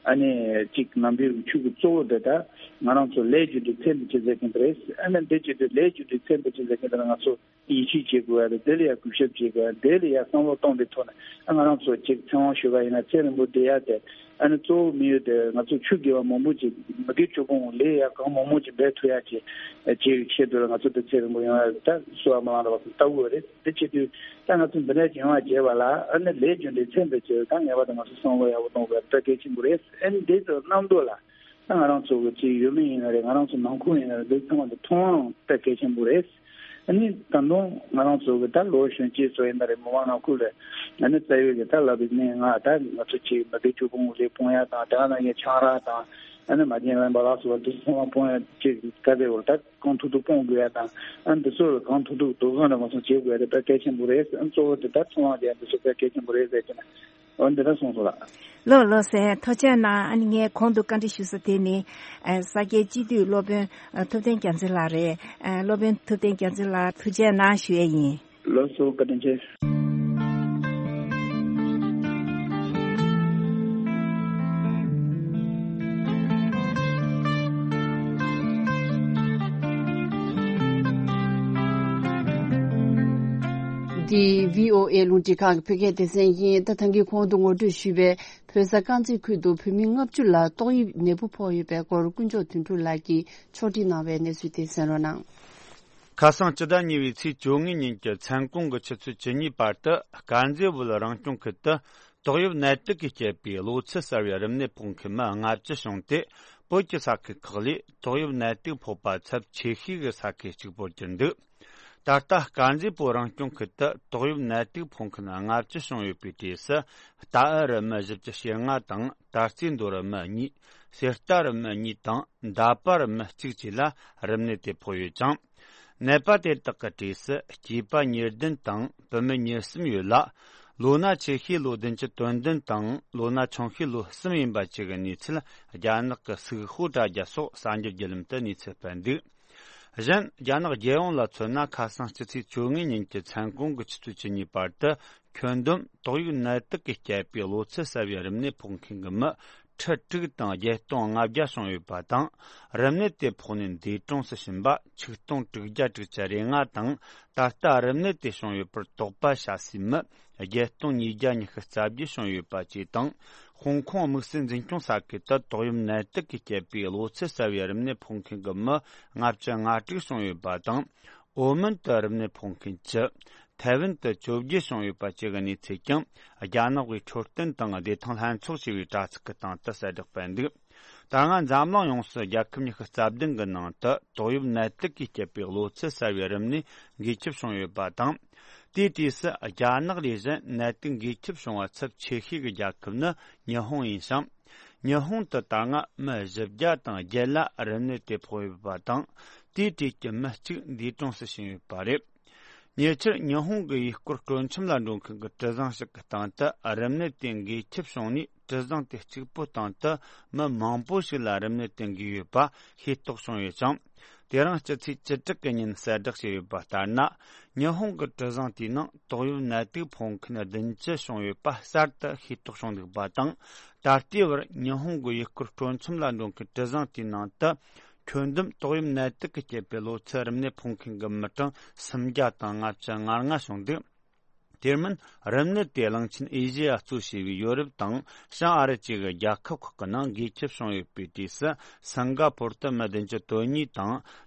ཨ་ནི་གཅིག་ནམ་རྒྱུན་གྱི་ཆོས་ཀྱི་གཙོ་བོ་དེ་ད་ང་རང་ཚོ་ལས་རྒྱུ་འབྲས་ཚེ་འདི་ཕྱི་ཟེར་གྱིན་དེ་རེད། ཨ་ནི་འདི་བྱེད་དུས་ལས་རྒྱུ་འབྲས་ཚེ་འདི་ཕྱི་ཟེར་གྱིན་དེ་ལ་ང་ཚོ་ཡིད་ཆེས་བྱེད་དགོས་ཡ་དེ་དེ་ལ་ཡ་གུས་ཞབས་བྱེད་དགོས་ཡ་དེ་ལ་ཡ་བསམ་བློ་གཏོང་པའི་ཐོག་ནས་ཨ་ང་རང་ཚོ་གཅིག་ཚེ་དབང་ཞུ་བ་ཡིན་ན་ཚེ་རིང་པོ་བསྡད་ཡ་དེ་ཨ་ནི་གཙོ་བོ་དམིགས་ཡུལ་དེ་ང་ཚོ་ཆོས་དགེ་བ་མང་པོ་ཅིག་མི་དགེ་བཅུ་སྤོང་ལས་ཡ་གང་མང་མང་ཅིག་འབད་ཐུབ་ཡ་ཅིག་བྱེད་ཡའི་ཆེད་དུ་ལ་ང་ཚོ་དེ་ཚེ་རིང་པོ་ཡོང་ཡ་ད་གསོལ་བ་སྨོན་ལམ་རེད་བ་ལྟ་བུ་རེད། དེ་བྱེད་དུས་ད་ང་ཚོ་འདི་འདྲ་ཅིག་ཡོང་བ་བྱེད་པ་ལ་ཨ་ནི་ལས་རྒྱུ་འབྲས་ཚེ་འདི་བྱེད་ད་ངེས་པར་དུ་ང་ཚོ་བསམ་བློ་ཡག་པོ་གཏོང་དགོས་ཡ་ད་གལ་ཆེན་པོ་རེད། ཨ་ནི་འདི་ཚོ་རྣམ་རྟོག་ལ། ད་ང་རང་ཚོ་གི་ཅིག་ཡུལ་མི་ཡིན་ན་རེད། ང་རང་ཚོ་ནང་ཁུལ་ཡིན་ན་རེད། འདི་ཚང་མ་འདི་མཐོང་དབང་དཔེ་གལ་ཆེན་པོ་རེད། ཨ་ནི་ད་དུང་ང་རང་ཚོ་གི་ད་ལོ་གཞོན་སྐྱེས་ཚོ་ཡིན་ན་རེད། མི་མང་ནང་ཁུལ་ལ་ཨ་ནི་རྩ་བའི་གི་ད་ལབ་པའི་གནས་ལྔ་ད་ང་ཚོ་ཅིག་མི་དགེ་བཅུ་སྤོང་ལས་སྤོང་ཡ་དང་དེ་ག་ནང་བཞིན་ཆང་རག་དང་ཨ་ནི་མ་བརྗེད་ལེན་པ་ལ་སོགས་པ་འདི་ཚང་མ་སྤོང་ཡ་ཅིག་ག་རེ་བར་ད་གང་ཐུབ་ཐུབ་སྤོང་དགོས་ཡ་དང་ཨ་ནི་འདི་ཚོ་ལ་གང་ཐུབ་ཐུབ་དོ་དགོང་ར་མ་སོང་བྱེད་དགོས་ཡ་དེ་དཔེ་གལ་ཆེན་པོ་རེད། ཨ་ནི་གཙོ་བོ་དེ་ད་མཐོང་བ་དེ་འདི་ཚོ་དཔེ་གལ་ཆེན་པོ་རེད་ཟེར་གྱི་ན། འོ་འདི་འདྲ་གསུངས་སོང་ལགས། ལགས་ལགས་སེ། ཐུགས་རྗེ་གནང་། ཨ་ནི་ངས་གོང་དུ་བཀའ་འདྲི་ཞུ་ས་དེ་ནི་ཨ་ས་སྐྱའི་སྤྱི་འཐུས་སློབ་དཔོན་ཨ་ཐུབ་བསྟན་རྒྱ་མཚོ་ལགས་རེད། ཨ་སློབ་དཔོན་ཐུབ་བསྟན་རྒྱ་མཚོ་ལགས་ཐུགས་རྗེ་གནང་ཞུ་ཡས་ཡིན། ལགས་སོ། བཀའ་དྲིན་ཆེ། འདི་བྷི་ཨོ་ཨེ་རླུང་འཕྲིན་ཁང་གི་བོད་སྐད་སྡེ་ཚན་ཡིན། ད་ཐང་གི་གོང་དུ་ངོ་སྤྲོད་ཞུས་པའི་བོད་ས་དཀར་མཛེས་ཁུལ་དུ་བོད་མི་ལྔ་བཅུ་ལ་ཏོག་དབྱིབས་ནད་འབུ་ཕོག་ཡོད་པའི་སྐོར་དཀོན་མཆོག་དོན་གྲུབ་ལགས་ཀྱིས་ཕྱོགས་སྒྲིག་གནང་བའི་གནས་ཚུལ་དེ་གསན་རོགས་གནང་། ཁ་སང་སྤྱི་ཟླ་གཉིས་པའི་ཚེས་བཅོ་ལྔ་ཉིན་གྱི་མཚན་གུང་གི་ཆུ་ཚོད་བཅུ་གཉིས་བར་དུ་དཀར་མཛེས་བོད་རང་སྐྱོང་ཁུལ་དུ་ཏོག་དབྱིབས་ནད་དུག་གིས་བསྐྱེད་པའི་གློ་ཚད་གསར་བའི་རིམས་ནད་ཕོག་མཁན་མི་ལྔ་བཅུ་བྱུང་སྟེ། བོད་ཀྱི་ས་ཁུལ་ཁག་ལས་ཏོག་དབྱིབས་ནད་དུག་ཕོག་པ་ཚབས་ཆེ་ཤོས་ཀྱི་ས་ཁུལ་གཅིག་པུར་གྱུར་འདུག་ད་ལྟ་དཀར་མཛེས་བོད་རང་སྐྱོང་ཁུལ་དུ་ཏོག་དབྱིབས་ནད་དུག་ཕོག་མཁན་ལྔ་བཅུ་བྱུང་ཡོད་པའི་གྲས་སུ། རྟའུ་རུ་མི་བཞི་བཅུ་ཞེ་ལྔ་དང་། དར་རྩེ་མདོ་རུ་མི་གཉིས། གསེར་རྟ་རུ་མི་གཉིས་དང་། མདའ་པ་རུ་མི་གཅིག་བཅས་ལ་རིམས་ནད་དེ་ཕོག་ཡོད་ཅིང་། ནད་པ་དེ་དག་གི་གྲས་སུ་སྐྱེས་པ་ཉེར་བདུན་དང་བུད་མེད་ཉེར་གསུམ་ཡོད་ལ། ལོ་ན་ཆེ་ཤོས་ལོ་བདུན་ཅུ་དོན་བདུན་དང་། ལོ་ན་ཆུང་ཤོས་ལོ་གསུམ་ཡིན་པ་བཅས་ཀྱི་གནས་ཚུལ་རྒྱ་ནག་གི་སུག་ཧོ་དྲ་རྒྱ་སོགས་གསར་འགྱུར་བརྒྱུད་ལམ་དུ་གནས་ཚུལ་སྤེལ་འདུག་གཞན། རྒྱ་ནག་རྒྱལ་ཡོངས་ལ་མཚོན་ན། ཁ་སང་སྤྱི་ཚེས་བཅོ་ལྔ་ཉིན་གྱི་མཚན་གུང་གི་ཆུ་ཚོད་བཅུ་གཉིས་བར་དུ། ཁྱོན་བསྡོམས་ཏོག་དབྱིབས་ནད་དུག་གིས་བསྐྱེད་པའི་གློ་ཚད་གསར་བའི་རིམས་ནད་ཕོག་མཁན་གྱི་མི་ཁྲི་དྲུག་དང་བརྒྱད་སྟོང་ལྔ་བརྒྱ་བྱུང་ཡོད་པ་དང་། རིམས་ནད་དེ་ཕོག་ནས་འདས་གྲོངས་སུ་ཕྱིན་པ་ཆིག་སྟོང་དྲུག་བརྒྱ་དྲུག་ཅུ་རེ་ལྔ་དང་། ད་ལྟ་རིམས་ནད་དེ་བྱུང་ཡོད་པར་དོགས་པ་བྱ་སའི་མི་བརྒྱད་སྟོང་ཉིས་བརྒྱ་ཉི་ཤུ་རྩ་བརྒྱད་བྱུང་ཡོད་པ་བཅས་དང་། ཧོང་ཀོང་དམིགས་བསལ་འཛིན་སྐྱོང་ས་ཁུལ་དུ་ཏོག་དབྱིབས་ནད་དུག་གིས་བསྐྱེད་པའི་གློ་ཚད་གསར་བའི་རིམས་ནད་ཕོག་མཁན་གྱི་མི་ལྔ་བཅུ་ང་དྲུག་བྱུང་ཡོད་པ་དང་། ཨོ་མོན་དུ་རིམས་ནད་ཕོག་མཁན་བཅུ། ཐའེ་ཝན་དུ་བཅོ་བརྒྱད་བྱུང་ཡོད་པ་བཅས་ཀྱི་གནས་ཚུལ་ཀྱང་རྒྱ་ནག་གི་འཕྲོད་བསྟེན་དང་བདེ་ཐང་ལྷན་ཚོགས་ཞེས་པའི་དྲ་ཚིགས་ཀྱི་སྟེང་དུ་གསལ་བསྒྲགས་སྤེལ་འདུག་ད་སྔ་འཛམ་གླིང་ཡོངས་སུ་རྒྱལ་ཁབ་ཉི་ཤུ་རྩ་བདུན་གྱི་ནང་དུ་ཏོག་དབྱིབས་ནད་དུག་གིས་བསྐྱེད་པའི་གློ་ཚད་གསར་བའི་རིམས་ནད་འགོས་ཁྱབ་བྱུང་ཡོད་པ་དང་། དེའི་གྲས་སུ་རྒྱ་ནག་ལས་གཞན་ནད་དུག་འགོས་ཁྱབ་བྱུང་བ་ཚབས་ཆེ་ཤོས་ཀྱི་རྒྱལ་ཁབ་ནི་ཉི་ཧོང་ཡིན་ཞིང་། ཉི་ཧོང་དུ་ད་སྔ་མི་བཞི་བརྒྱ་དང་བརྒྱད་ལ་རིམས་ནད་དེ་ཕོག་ཡོད་པ་དང་། དེའི་གྲས་ཀྱི་མི་གཅིག་འདས་གྲོངས་སུ་ཕྱིན་ཡོད་པ་རེད། ཉེ་ཆར་ཉི་ཧོང་གི་ཡུལ་སྐོར་སྤྲོ་འཆམ་ལ་འགྲོ་མཁན་གྱི་གྲུ་གཟིངས་ཤིག་གི་སྟེང་དུ་རིམས་ནད་དེ་འགོས་ཁྱབ་བྱུང་ནས། གྲུ་གཟིངས་དེ་གཅིག་པུའི་སྟེང་དུ་མི་མང་པོ་ཞིག་ལ་རིམས་ནད་དེ་འགོས་ཡོད་པ་ཤེས་རྟོགས་བྱུང་ཡོད་ཅིང་། དེ་རིང་སྤྱི་ཚེས་བཅུ་དྲུག་གི་ཉིན་གསལ་བསྒྲགས་བྱས་ཡོད་པ་ལྟར་ན། ཉི་ཧོང་གི་གྲུ་གཟིངས་དེའི་ནང་ཏོག་དབྱིབས་ནད་དུག་ཕོག་མཁན་བདུན་ཅུ་བྱུང་ཡོད་པ་གསར་དུ་ཤེས་རྟོགས་བྱུང་འདུག་པ་དང་། ད་ལྟའི་བར་ཉི་ཧོང་གི་ཡུལ་སྐོར་སྤྲོ་འཆམ་ལ་འགྲོ་མཁན་གྲུ་གཟིངས་དེའི་ནང་དུ། ཁྱོན་བསྡོམས་ཏོག་དབྱིབས་ནད་དུག་གིས་བསྐྱེད་པའི་གློ་ཚད་རིམས་ནད་ཕོག་མཁན་གྱི་མི་གྲངས་སུམ་བརྒྱ་དང་ལྔ་བཅུ་ང་ལྔ་བྱུང་འདུག་དེ་མིན། རིམས་ནད་དེ་གླིང་ཆེན་ཨེ་ཤེ་ཡ་གཙོ་བྱས་པའི་ཡོ་རོབ་དང་བྱང་ཨ་རི་བཅས་ཀྱི་རྒྱལ་ཁབ་ཁག་གི་ནང་འགོས་ཁྱབ་བྱུང་ཡོད་པའི་གྲས་སུ། སིང་ག་པོར་དུ་མི་བདུན་ཅུ་དོན་གཉིས་དང་།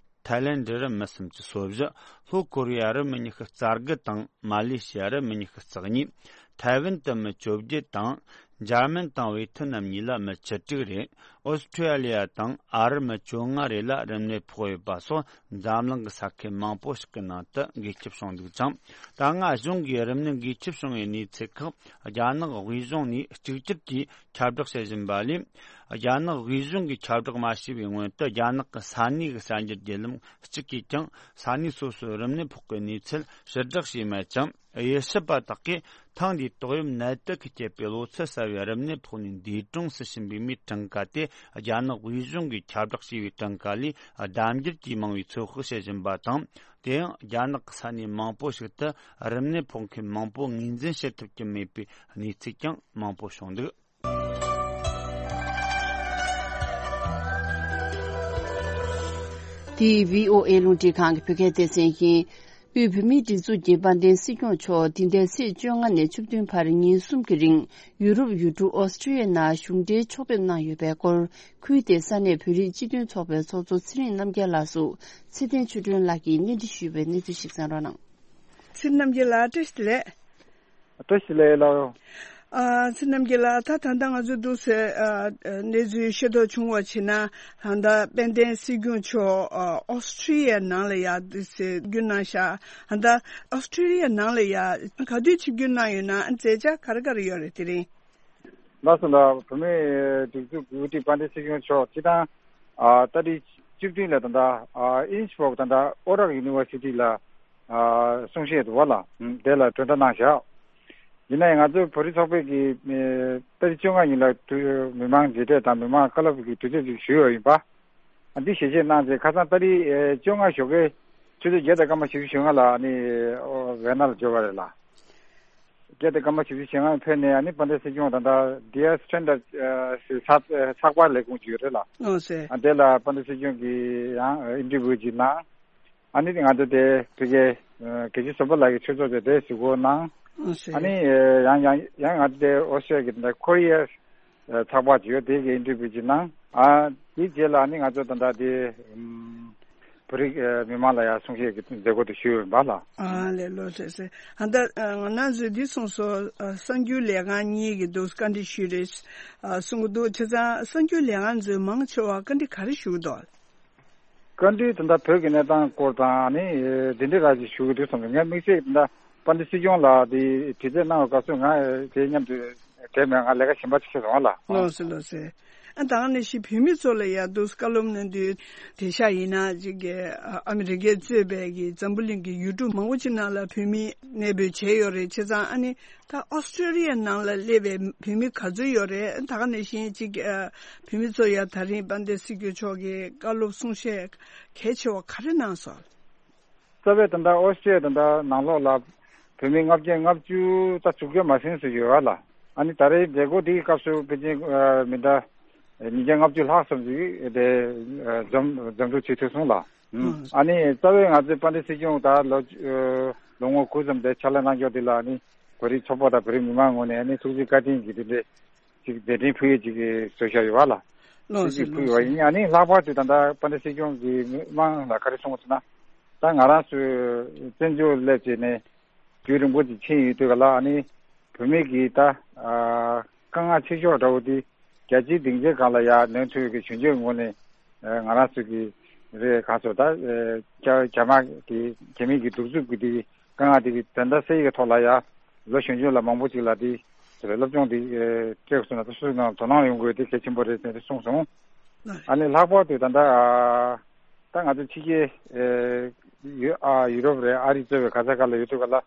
ཐའི་ལེན་ཌི་རུ་མི་སུམ་ཅུ་སོ་བཞི། ལྷོ་ཀོ་རི་ཡ་རུ་མི་ཉི་ཤུ་རྩ་དགུ་དང་། མ་ལེ་ཤི་ཡ་རུ་མི་ཉི་ཤུ་རྩ་གཉིས། ཐའེ་ཝན་དུ་མི་བཅོ་བརྒྱད་དང་། འཇར་མན་དང་ཝེ་ཐི་ནམ་གཉིས་ལ་མི་བཅུ་དྲུག་རེ། ཨོ་སི་ཁྲུ་ལི་ཡ་དང་ཨ་རི་མི་བཅོ་ལྔ་རེ་ལ་རིམས་ནད་ཕོག་ཡོད་པ་སོགས། འཛམ་གླིང་གི་ས་ཁུལ་མང་པོ་ཞིག་གི་ནང་དུ་འགོས་ཁྱབ་བྱུང་འདུག་ཅིང་། ད་སྔ་གཞུང་གིས་རིམས་ནད་འགོས་ཁྱབ་བྱུང་བའི་གནས་ཚུལ་ཁག་རྒྱ་ནག་དབུས་གཞུང་ནས་གཅིག་གྱུར་གྱིས་ཁྱབ་བསྒྲགས་བྱེད་བཞིན་པ་ལས། རྒྱ་ནག་དབུས་གཞུང་གིས་ཁྱབ་བསྒྲགས་མ་བྱས་པའི་སྔོན་དུ། རྒྱ་ནག་གི་ས་གནས་ཀྱི་གསར་འགྱུར་བརྒྱུད་ལམ་གཅིག་གིས་ཀྱང་ས་གནས་སོ་སོའི་རིམས་ནད་ཕོག་པའི་གནས་ཚུལ་ཕྱིར་བསྒྲགས་བྱས་མེད་ཅིང་། དབྱེ་ཞིབ་པ་དག་གིས་ཐེངས་འདིའི་ཏོག་དབྱིབས་ནད་དུག་གིས་བསྐྱེད་པའི་གློ་ཚད་གསར་བའི་རིམས་ནད་ཕོག་ནས་འདས་གྲོངས་སུ་ཕྱིན་པའི་མིའི་གྲངས་ཀ་དེ། རྒྱ་ནག་དབུས་གཞུང་གིས་ཁྱབ་བསྒྲགས་བྱས་པའི་གྲངས་ཀ་ལས་ལྡབ་འགྱུར་གྱིས་མང་བའི་ཚོད་དཔག་བྱེད་བཞིན་པ་དང་། དེ་ཡང་རྒྱ་ནག་གི་ས་གནས་མང་པོ་ཞིག་ཏུ་རིམས་ནད་ཕོག་མཁན་མང་པོ་ངོས་འཛིན་བྱེད་ཐུབ་ཀྱི་མེད་པའི་གནས་ཚུལ་ཀྱང་མང་པོ་བྱུང་འདུག་འདི་བྷི་ཨོ་ཨེ་རླུང་འཕྲིན་ཁང་གི་བོད་སྐད་སྡེ་ཚན་ཡིན། དབུས་བོད་མིའི་སྒྲིག་འཛུགས་ཀྱི་དཔལ་ལྡན་སྲིད་སྐྱོང་མཆོག་འདི་ཟླའི་ཚེས་བཅོ་ལྔ་ནས་བཅུ་བདུན་བར་ཉིན་གསུམ་གྱི་རིང་ཡུ་རོབ་ཡུལ་གྲུ་ཨོ་སི་ཀྲི་ཡའི་ནང་གཞུང་འབྲེལ་ཕྱོགས་ཕེབས་གནང་ཡོད་པའི་སྐོར། ཁུལ་དེའི་ས་གནས་བོད་རིགས་སྤྱི་མཐུན་ཚོགས་པའི་ཚོགས་གཙོ་ཚེ་རིང་རྣམ་རྒྱལ་ལགས་སུ་ཚེ་བརྟན་ཆོས་སྒྲོན་ལགས་ཀྱིས་གནས་འདྲི་ཞུས་པའི་གནས་ཚུལ་ཞིག་གསན་རོགས་གནང་། ཚེ་རིང་རྣམ་རྒྱལ་ལགས། བཀྲ་ཤིས་བདེ་ལེགས། བཀྲ་ཤིས་བདེ་ལེགས་ལགས། ཨ། ཚེ་རིང་རྣམ་རྒྱལ་ལགས། ད་ད་ལྟ་ང་ཚོས་འདུག་སེ། ཨ། གནས་ཚུལ་ཤེས་རྟོགས་བྱུང་བ་བྱས་ན། ད་ལྟ་དཔལ་ལྡན་སྲིད་སྐྱོང་མཆོག་ཨ། ཨོ་སི་ཀྲི་ཡའི་ནང་ལ་ཡ་འདུག་སེ་བརྒྱུད་གནང་ཤག་ད་ལྟ་ཨོ་སི་ཀྲི་ཡའི་ནང་ལ་ཡ་ག་དུས་ཆིབས་བསྒྱུར་གནང་ཡོད་ན། མཛད་འཆར་ག་རེ་ག་རེ་ཡོད་རེད། དེ་རིང་། ལགས་སོ་ལགས། བོད་མིའི་སྒྲིག་འཛུགས་ཀྱི་དབུ་ཁྲིད་དཔལ་ལྡན་སྲིད་སྐྱོང་མཆོག་སྤྱིར་བཏང་། ཨ། ཏ་རིག་བཅུ་བདུན་ལ་ད་ལྟ། ཨ། ཨིན་སྦོག་ད་ལྟ་ཨོ་རག་ཡུ་ནི་ཝར་སི་ཊི་ལ། ཨ། གསུང་བཤད་འདུག་པ་ལགས། དེ་ལ་གྲོས་བསྡུར་གནང་བཞག་ཡིན་ནའི་ང་ཚོའི་བོད་རིགས་ཚོགས་པའི་གི། ཨེ། ཏ་རིག་བཅོ་ལྔ་ཉིན་ལ་དུ་མི་མང་མཇལ་འཕྲད་དང་མི་མང་བཀའ་སློབ་ཀྱི་དུས་ཚོད་ཅིག་ཞུས་ཡོད་ཡིན་པ། ཨ། འདི་ཞལ་བཞེས་གནང་རྗེས་ཁ་སང་ཏ་རིག་ཨེ། བཅོ་ལྔ་ཞོགས་ཀའི་ཆུ་ཚོད་བརྒྱད་དང་སྐར་མ་བཞི་བཅུ་ཞེ་ལྔ་ལ་ཨ་ནི། ཨོ། ཝེ་ན་ལ་འབྱོར་བ་རེད་ལགས། བརྒྱད་དང་སྐར་མ་བཞི་བཅུ་ཞེ་ལྔ་ཕེབས་ནས་ཨ་ནི་དཔལ་ལྡན་སྲིད་སྐྱོང་ད་ལྟ་ཌི་ཨར་སི་ཊན་ཌར་ཨ། ཚགས་ཚགས་པར་ལས་ཁུངས་ཅིག་ཡོད་རེད་ལགས། ཨོ་ཟེར། ཨ། དེ་ལ་དཔལ་ལྡན་སྲིད་སྐྱོང་གིས་ཡང་ཨིན་ཊར་བིའུ་ཅིག་གནང་། ཨ་ནི་ང་ཚོ་དེ་ཕ་གིའི་ རྒྱལ་སྤྱི་ཟུར་པ་ལགས་ཀྱི་ཆོས་ཚོགས་དེ་དེ་གཟིགས་སྐོར་གནང་། ཨ་ནི་ཡང་ཡང་ཡང་ང་དེ་ཨོ་སི་ཀྲི་ཡ་གི་དེ་ཁོ་རི་ཡ་ཚགས་པར་ཅིག་ཡོད། དེ་གི་ཨིན་ཊར་བིའུ་ཅིག་གནང་། ཨ་དེའི་རྗེས་ལ་ཨ་ནི་ང་ཚོ་ད་ལྟ་དེ་བོད་རིགས་མི་མང་ལ་ཡང་གསུང་བཤད་ཀྱི་མཛད་སྒོ་དེ་ཞུས་ཡོད་པ་ལ། ཨ་ལས་ལོ་ཟེར་ཟེར། ཨ་ད་ང་རང་ཚོས་འདི་གསུངས་སོ། གསར་འགྱུར་ལས་ཁང་གཉིས་ཀྱི་འདུག་བཀའ་འདྲི་ཞུས་རེད་གསུང་གི་འདུག་བྱས་ཙང་གསར་འགྱུར་ལས་ཁང་ཚོས་མང་ཆེ་བ་བཀའ་འདྲི་ག་རེ་ཞུ་གི་འདུག་བཀའ་འདྲི་དེ་འདྲ་བོད་ཀྱི་གནས་སྟངས་སྐོར་དང་ནི་དེ་འདྲའི་ར་ཞིག་ཞུ་གི་འདུག་བསམ་གི། ངས་དམིགས་བསལ་དེ་འདྲ་དཔལ་ལྡན་སྲིད་སྐྱོང་ལ་དེ་དྲི་རྩད་གནང་བའི་སྐབས་སུ་ང་དེ་མཉམ་དུ་བསྡད་མེད། ང་ལས་ཀ་གཞན་པ་ཅིག་བྱེད་སོང་ལ། ལགས་སོ་ལགས་སོ། ཨ་ད་ག་ནང་བཞིན་བོད་མི་ཚོ་ལ་ཡང་འདུག་བཀའ་སློབ་གནང་དུས་དེང་སང་ཡིན་ན་ཅིག་གི་ཨ་མི་རི་ཀས་གཙོས་པའི་གི་འཛམ་བུ་གླིང་གི་ཡུལ་གྲུ་མང་པོ་ཅིག་ནང་ལ་བོད་མི་གནས་སྤོས་བྱས་ཡོད་རེད། བྱས་ཙང་ཨ་ནི། ད་ཨོ་སི་ཀྲི་ཡ་ནང་ལ་སླེབས་པའི་བོད་མི་ག་ཚོད་ཡོད་རེད། ད་ག་ནང་བཞིན་ཅིག་ཨ་བོད་མི་ཚོ་ཡ་ད་རིང་དཔལ་ལྡན་སྲིད་སྐྱོང་མཆོག་གིས་བཀའ་སློབ་གསུང་བཤད་གལ་ཆེ་བ་ག་རེ་གནང་སོང་། རྩ་བའི་ད་ལྟ་ཨོ་སི་ཀྲི་ཡ་ད་ལྟ་ནང་ལོགས་ལ་བོད་མི་ལྔ་བརྒྱ་ལྔ་བཅུ་ད་དྲུག་བརྒྱ་མ་ཟིན་ཙམ་ཡོད་པ་ལ། ཨ་ནི་ད་རེས་མཛད་སྒོ་འདིའི་སྐབས་སུ་ཕལ་ཆེར་མི་ད་ཉིས་བརྒྱ་ལྔ་བཅུ་ལྷག་ཙམ་ཞིག་དེ་འཛོམས་འཛོམས་འགྲོ་བྱེད་ཐུབ་སོང་ལ། ཨ་ནི་རྩ་བའི་ང་ཚོའི་དཔལ་ལྡན་སྲིད་སྐྱོང་ད་ལོ་ལོ་ངོ་དགུ་ཙམ་དེ་ཕྱག་ལས་གནང་ཕྱོགས་འདི་ལ་ཨ་ནི་བོད་རིགས་ཚོགས་པ་དང་བོད་རིགས་མི་མང་ངོས་ནས་ཨ་ནི་ཐུགས་རྗེ་བཀའ་དྲིན་གྱི་དེ་འདྲའི་ཅིག་མཛད་འཕྲིན་ཕུལ་ཡས་ཅིག་བཟོས་བཞག་ཡོད་པ་ལ། ལགས་སོ་ཐུགས་རྗེ་ཕུལ་ཡོད་པ་ཡིན། ཨ་ནི་ལྷག་པར་དུ་ད་ལྟ་དཔལ་ལྡན་སྲིད་སྐྱོང་གིས་མི་མང་ལ་ག་རེ་གསུངས་པ་ཟེར་ན། ད་ང་རང་ཚོའི་བཙན་བྱོལ་སླེབས་བྱས་ནས་རྒྱུན་རིང་པོ་ཅིག་ཕྱིན་ཡོད་དུས་ག་ལ། ཨ་ནི་བོད་མི་གི་ད་དཀའ་ངལ་ཆེ་ཤོས་འདྲ་བོ་དེ་རྒྱལ་སྤྱིའི་སྡིངས་ཆའི་སྒང་ལ་ཡར་ལེན་ཐུབ་ཡས་ཀྱི་གཞོན་སྐྱེས་ངོས་ནས་ང་རང་ཚོ་གི་རེད་ག་ཚོད་ད་རྒྱ་རྒྱ་དམར་གི་རྒྱ་མི་གི་གདུག་རྩུབ་ཀྱི་དེ་དཀའ་ངལ་དེ་གི་དོན་དག་སེལ་ཡས་ཀྱི་ཐོག་ལ་ཡ་ལོ་གཞོན་གཞོན་ལ་མང་པོ་ཅིག་ལ་དེ་སློབ་སྦྱོང་དེ་སྤྲད་སོང་ན་ད་སུ་ནང་དོ་སྣང་ཡོང་དགོས་དེ་གལ་ཆེན་པོ་རེད་ཟེར་ཏེ་གསུངས་སོང་། ཨ་ནི་ལྷག་པར་དུ་ད་ལྟ་ད་ང་ཚོ་ཕྱི་རྒྱལ་ཡུ་ཨ་ཡུ་རོབ་རེད། ཨ་རི་གཙོས་པའི་ག་ས་ག་ལ་ཡོད་དུས་ག་ལ་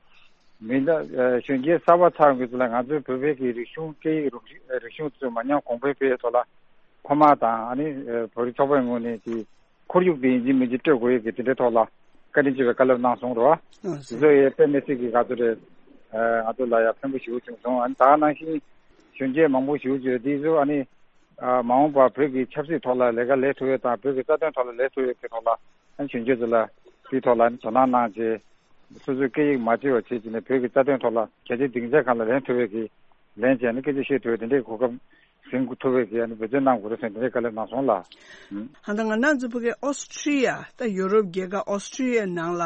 མི་འདྲ་གཞོན་སྐྱེས་གསར་པ་ཚང་གི་ཚོ་ལ་ང་ཚོའི་བོད་པའི་གི་རིག་གཞུང་སྐད་ཡིག་རིག་གཞུང་ཚོ་མ་ཉམས་གོང་འཕེལ་སྤེལ་ཐོག་ལ་ཕ་མ་དང་ཨ་ནི་བོད་རིགས་ཚོགས་པའི་ངོས་ནས་ཀྱི་ཁོར་ཡུག་དེ་ཡིན་གཅིག་མིན་གཅིག་སྤྲོད་དགོས་ཡས་ཀྱི་དེ་འདྲའི་ཐོག་ལ་བཀའ་དྲིན་ཆེ་བའི་བཀའ་སློབ་གནང་སོང་རོ། ཨ་དེ་ཚོ་ཡས་དཔེ་མི་སྲིད་ཀྱི་ག་ཚོད་རེད། ང་ཚོ་ལ་ཡང་ཕན་པོ་ཞེ་པོ་བྱུང་སོང་། ཨ་ནི་ད་ག་ནང་བཞིན་གཞོན་སྐྱེས་མང་པོ་ཞེ་པོ་ཅིག་དེ་ཚོ་ཨ་ནི་མ་འོངས་པར་བོད་ཀྱི་ཆབ་སྲིད་ཐོག་ལ་ལས་ཀ་ལས་ཐུབ་ཡས་དང་བོད་ཀྱི་རྩ་དོན་ཐོག་ལ་ལས་ཐུབ་ཡས་ཀྱི་ཐོག་ལ་ཨ་ནི་གཞོན་སྐྱེས་ཚོ་ལ་དེའི་ཐོག་ལ་ཨ་ནི་དོ་སྣང་གནང་རྗེས་སོ་སོའི་སྐད་ཡིག་མ་བརྗེད་པ་བྱེད་ཀྱི་ནས་བོད་ཀྱི་རྩ་དོན་ཐོག་ལ་རྒྱལ་སྤྱིའི་སྡིངས་ཆའི་སྒང་ལ་ལེན་ཐུབ་ཡས་ཀྱི་ལེན་བྱས་ནས་སྐད་ཆ་བཤད་ཐུབ་ཡས་དེ་འདྲའི་གོ་སྐབས་ཟིན་ཐུབ་པའི་གི་ཨ་ནི་འབད་བརྩོན་གནང་དགོས་རེད་ཟེར་དེ་འདྲའི་བཀའ་སློབ་གནང་སོང་ལ། ཨ་ད་ང་རང་ཚོ་ཕ་གི་ཨོ་སི་ཀྲི་ཡ་ད་ཡུ་རོབ་རྒྱལ་ཁབ་ཨོ་སི་ཀྲི་ཡ་ནང་ལ་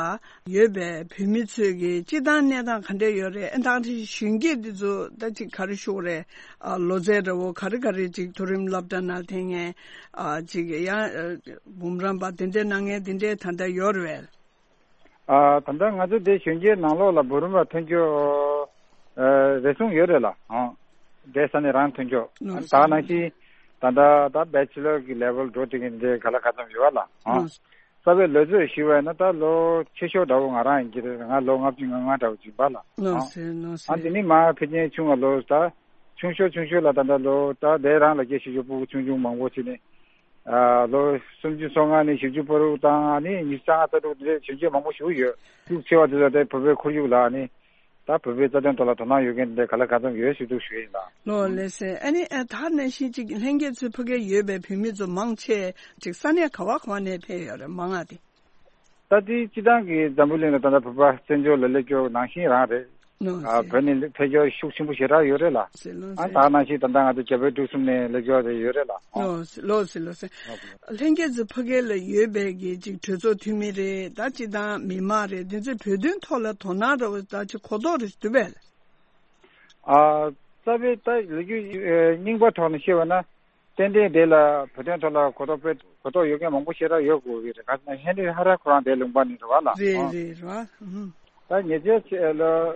ཡོད་པའི་བོད་མི་ཚོས་གི་སྤྱི་བཏང་གནས་སྟངས་ག་འདྲ་ཡོད་རེད། ཨ་ད་གཞོན་སྐྱེས་འདི་ཚོ་ད་ཅིག་ག་རེ་ཞུ་དགོས་རེད། ཨ་ལོ་ཚད་འདྲ་བོ་ག་རེ་ག་རེ་ཅིག་མཐོ་རིམ་སློབ་གྲྭ་ནང་ཐོན་མཁན་ཨ་ཅིག་ཡང་འབུམ་རམས་པ་དེ་འདྲའི་གནང་མཁན་དེ་འདྲའི་ད་ལྟ་ཡོད་རེད། ཨ་ད་ལྟ་ང་ཚོ་འདི་གཞོན་སྐྱེས་ནང་ལོགས་ལ་འབུམ་རམས་པ་ཐོན་ཆོག་ཨ་རེ་ཟུང་ཡོད་རེད་ལ། ཨང་། འདི་ས་ནས་རང་ཐོན་ཆོག་ཨ་ནི་ད་ག་ནང་བཞིན་ད་ལྟ་ད་བེ་ཆི་ལར་གྱི་ལེ་ཝལ་འགྲོ་བསྡད་མཁན་འདི་ག་ལ་ག་ཙམ་ཡོད་པ་ལ། ཨང་། རྩ་བའི་ལོ་ཚོད་ཞུས་པ་ཡིན་ན་ད་ལོ་ཆེ་ཤོས་འདྲ་བོ་ང་རང་ཡིན་གྱི་རེད། ང་ལོ་ལྔ་བཅུ་ང་ལྔ་འདྲ་བོ་ཅིག་ཡིན་པ་ལ། ཨང་། ཨ་འདི་ནི་མ་ཕལ་ཆེར་ཆུང་བ་ལོ་ད་ཆུང་ཤོས་ཆུང་ཤོས་ལ་ད་ལྟ་ལོ་ད་དེ་རང་ལ་སྐྱེས་ཤོས་ཤོས་སྤུ་གུ་ཆུང་ཆུང་མང་པོ་ཅིག་ནི། ལོ་སུམ་ཅུ་སོ་ལྔ་ནས་བཞི་བཅུ་བར་དུ་དང་ཨ་ནི་ཉི་ཤུ་རྩ་ལྔ་རྩ་དྲུག་དེ་འདྲའི་གཞོན་སྐྱེས་མང་པོ་ཞིག་ཡོད། ཤུགས་ཆེ་བ་དེ་ཚོ་དེ་བོད་པའི་ཁོར་ཡུག་ལ་ཨ་ནི་ད་བོད་པའི་རྩ་དོན་ཐོག་ལ་དོ་སྣང་ཡོད་མཁན་དེ་འདྲ་ག་ལ་གང་འཚམ་ཡོད་ཞུ་གཏུག་ཞུ་ཡིན་ལ། ལོ་ལགས་སེ། ཨ་ནི་ཨ་ད་ནང་བཞིན་ཅིག་ལྷན་རྒྱས་ཚོའི་ཕ་གིར་ཡོད་པའི་བོད་མི་ཚོ་མང་ཆེ་ཅིག་ས་གནས་ག་བ་ག་བ་ནས་ཕེབས་ཡོད་རེད་མང་ང་དེ། ད་ལྟའི་སྤྱི་བཏང་གི་འཛམ་བུ་གླིང་ལ་ད་ལྟ་བོད་པ་བཙན་བྱོལ་ལ་སླེབས་ཀྱོག་ནང་བཞིན་རང་རེད། ལགས་ཨ་སེ། བོད་ནས་ཕེབས་ཀྱོག་ཤུགས་ཆེན་པོ་ཞེ་དྲག་ཡོད་རེད་ལ། ལགས་སེ་ལགས་ཨ་སེ། ད་ནང་བཞིན་ད་ལྟ་ང་ཚོ་རྒྱ་བལ་འབྲུག་གསུམ་ནས་སླེབས་ཀྱོག་རེ་ཡོད་རེད་ལ། ལགས་སེ་ལགས་སེ་ལགས་སེ། ལྷན་རྒྱས་ཚོ་ཕ་གི་ལ་ཡོད་པའི་གི་ཅིག་གྲོས་ཚོགས་འཐུས་མི་རེད། ད་སྤྱི་བཏང་མི་མང་རེད། འདི་ཚོས་བོད་དོན་ཐོག་ལ་དོ་སྣང་འདྲ་བོ་ད་ཅིག་གོ་རྟོགས་རེ་འདུག་པས། ཨ་རྩ་བའི་ད་ལོ་རྒྱུས་རྙིང་པ་ཐོག་ནས་བཤད་པ་ན། ཏན་ཏན་དེ་ལ་བོད་དོན་ཐོག་ལ་གོ་རྟོགས་སྤེལ་གོ་རྟོགས་ཡོད་མཁན་མང་པོ་ཞེ་དྲག་ཡོད་དགོས་ཀྱི་རེད། ག་ཟེར་ན་ཧེན་རི་ཧ་ར་ཁོ་རང་དེ་ལུང་པ་ནས་རེད་བ་ལ། རེད་རེད་རེད་བ། ད་ཉེ་ཆར་ལོ་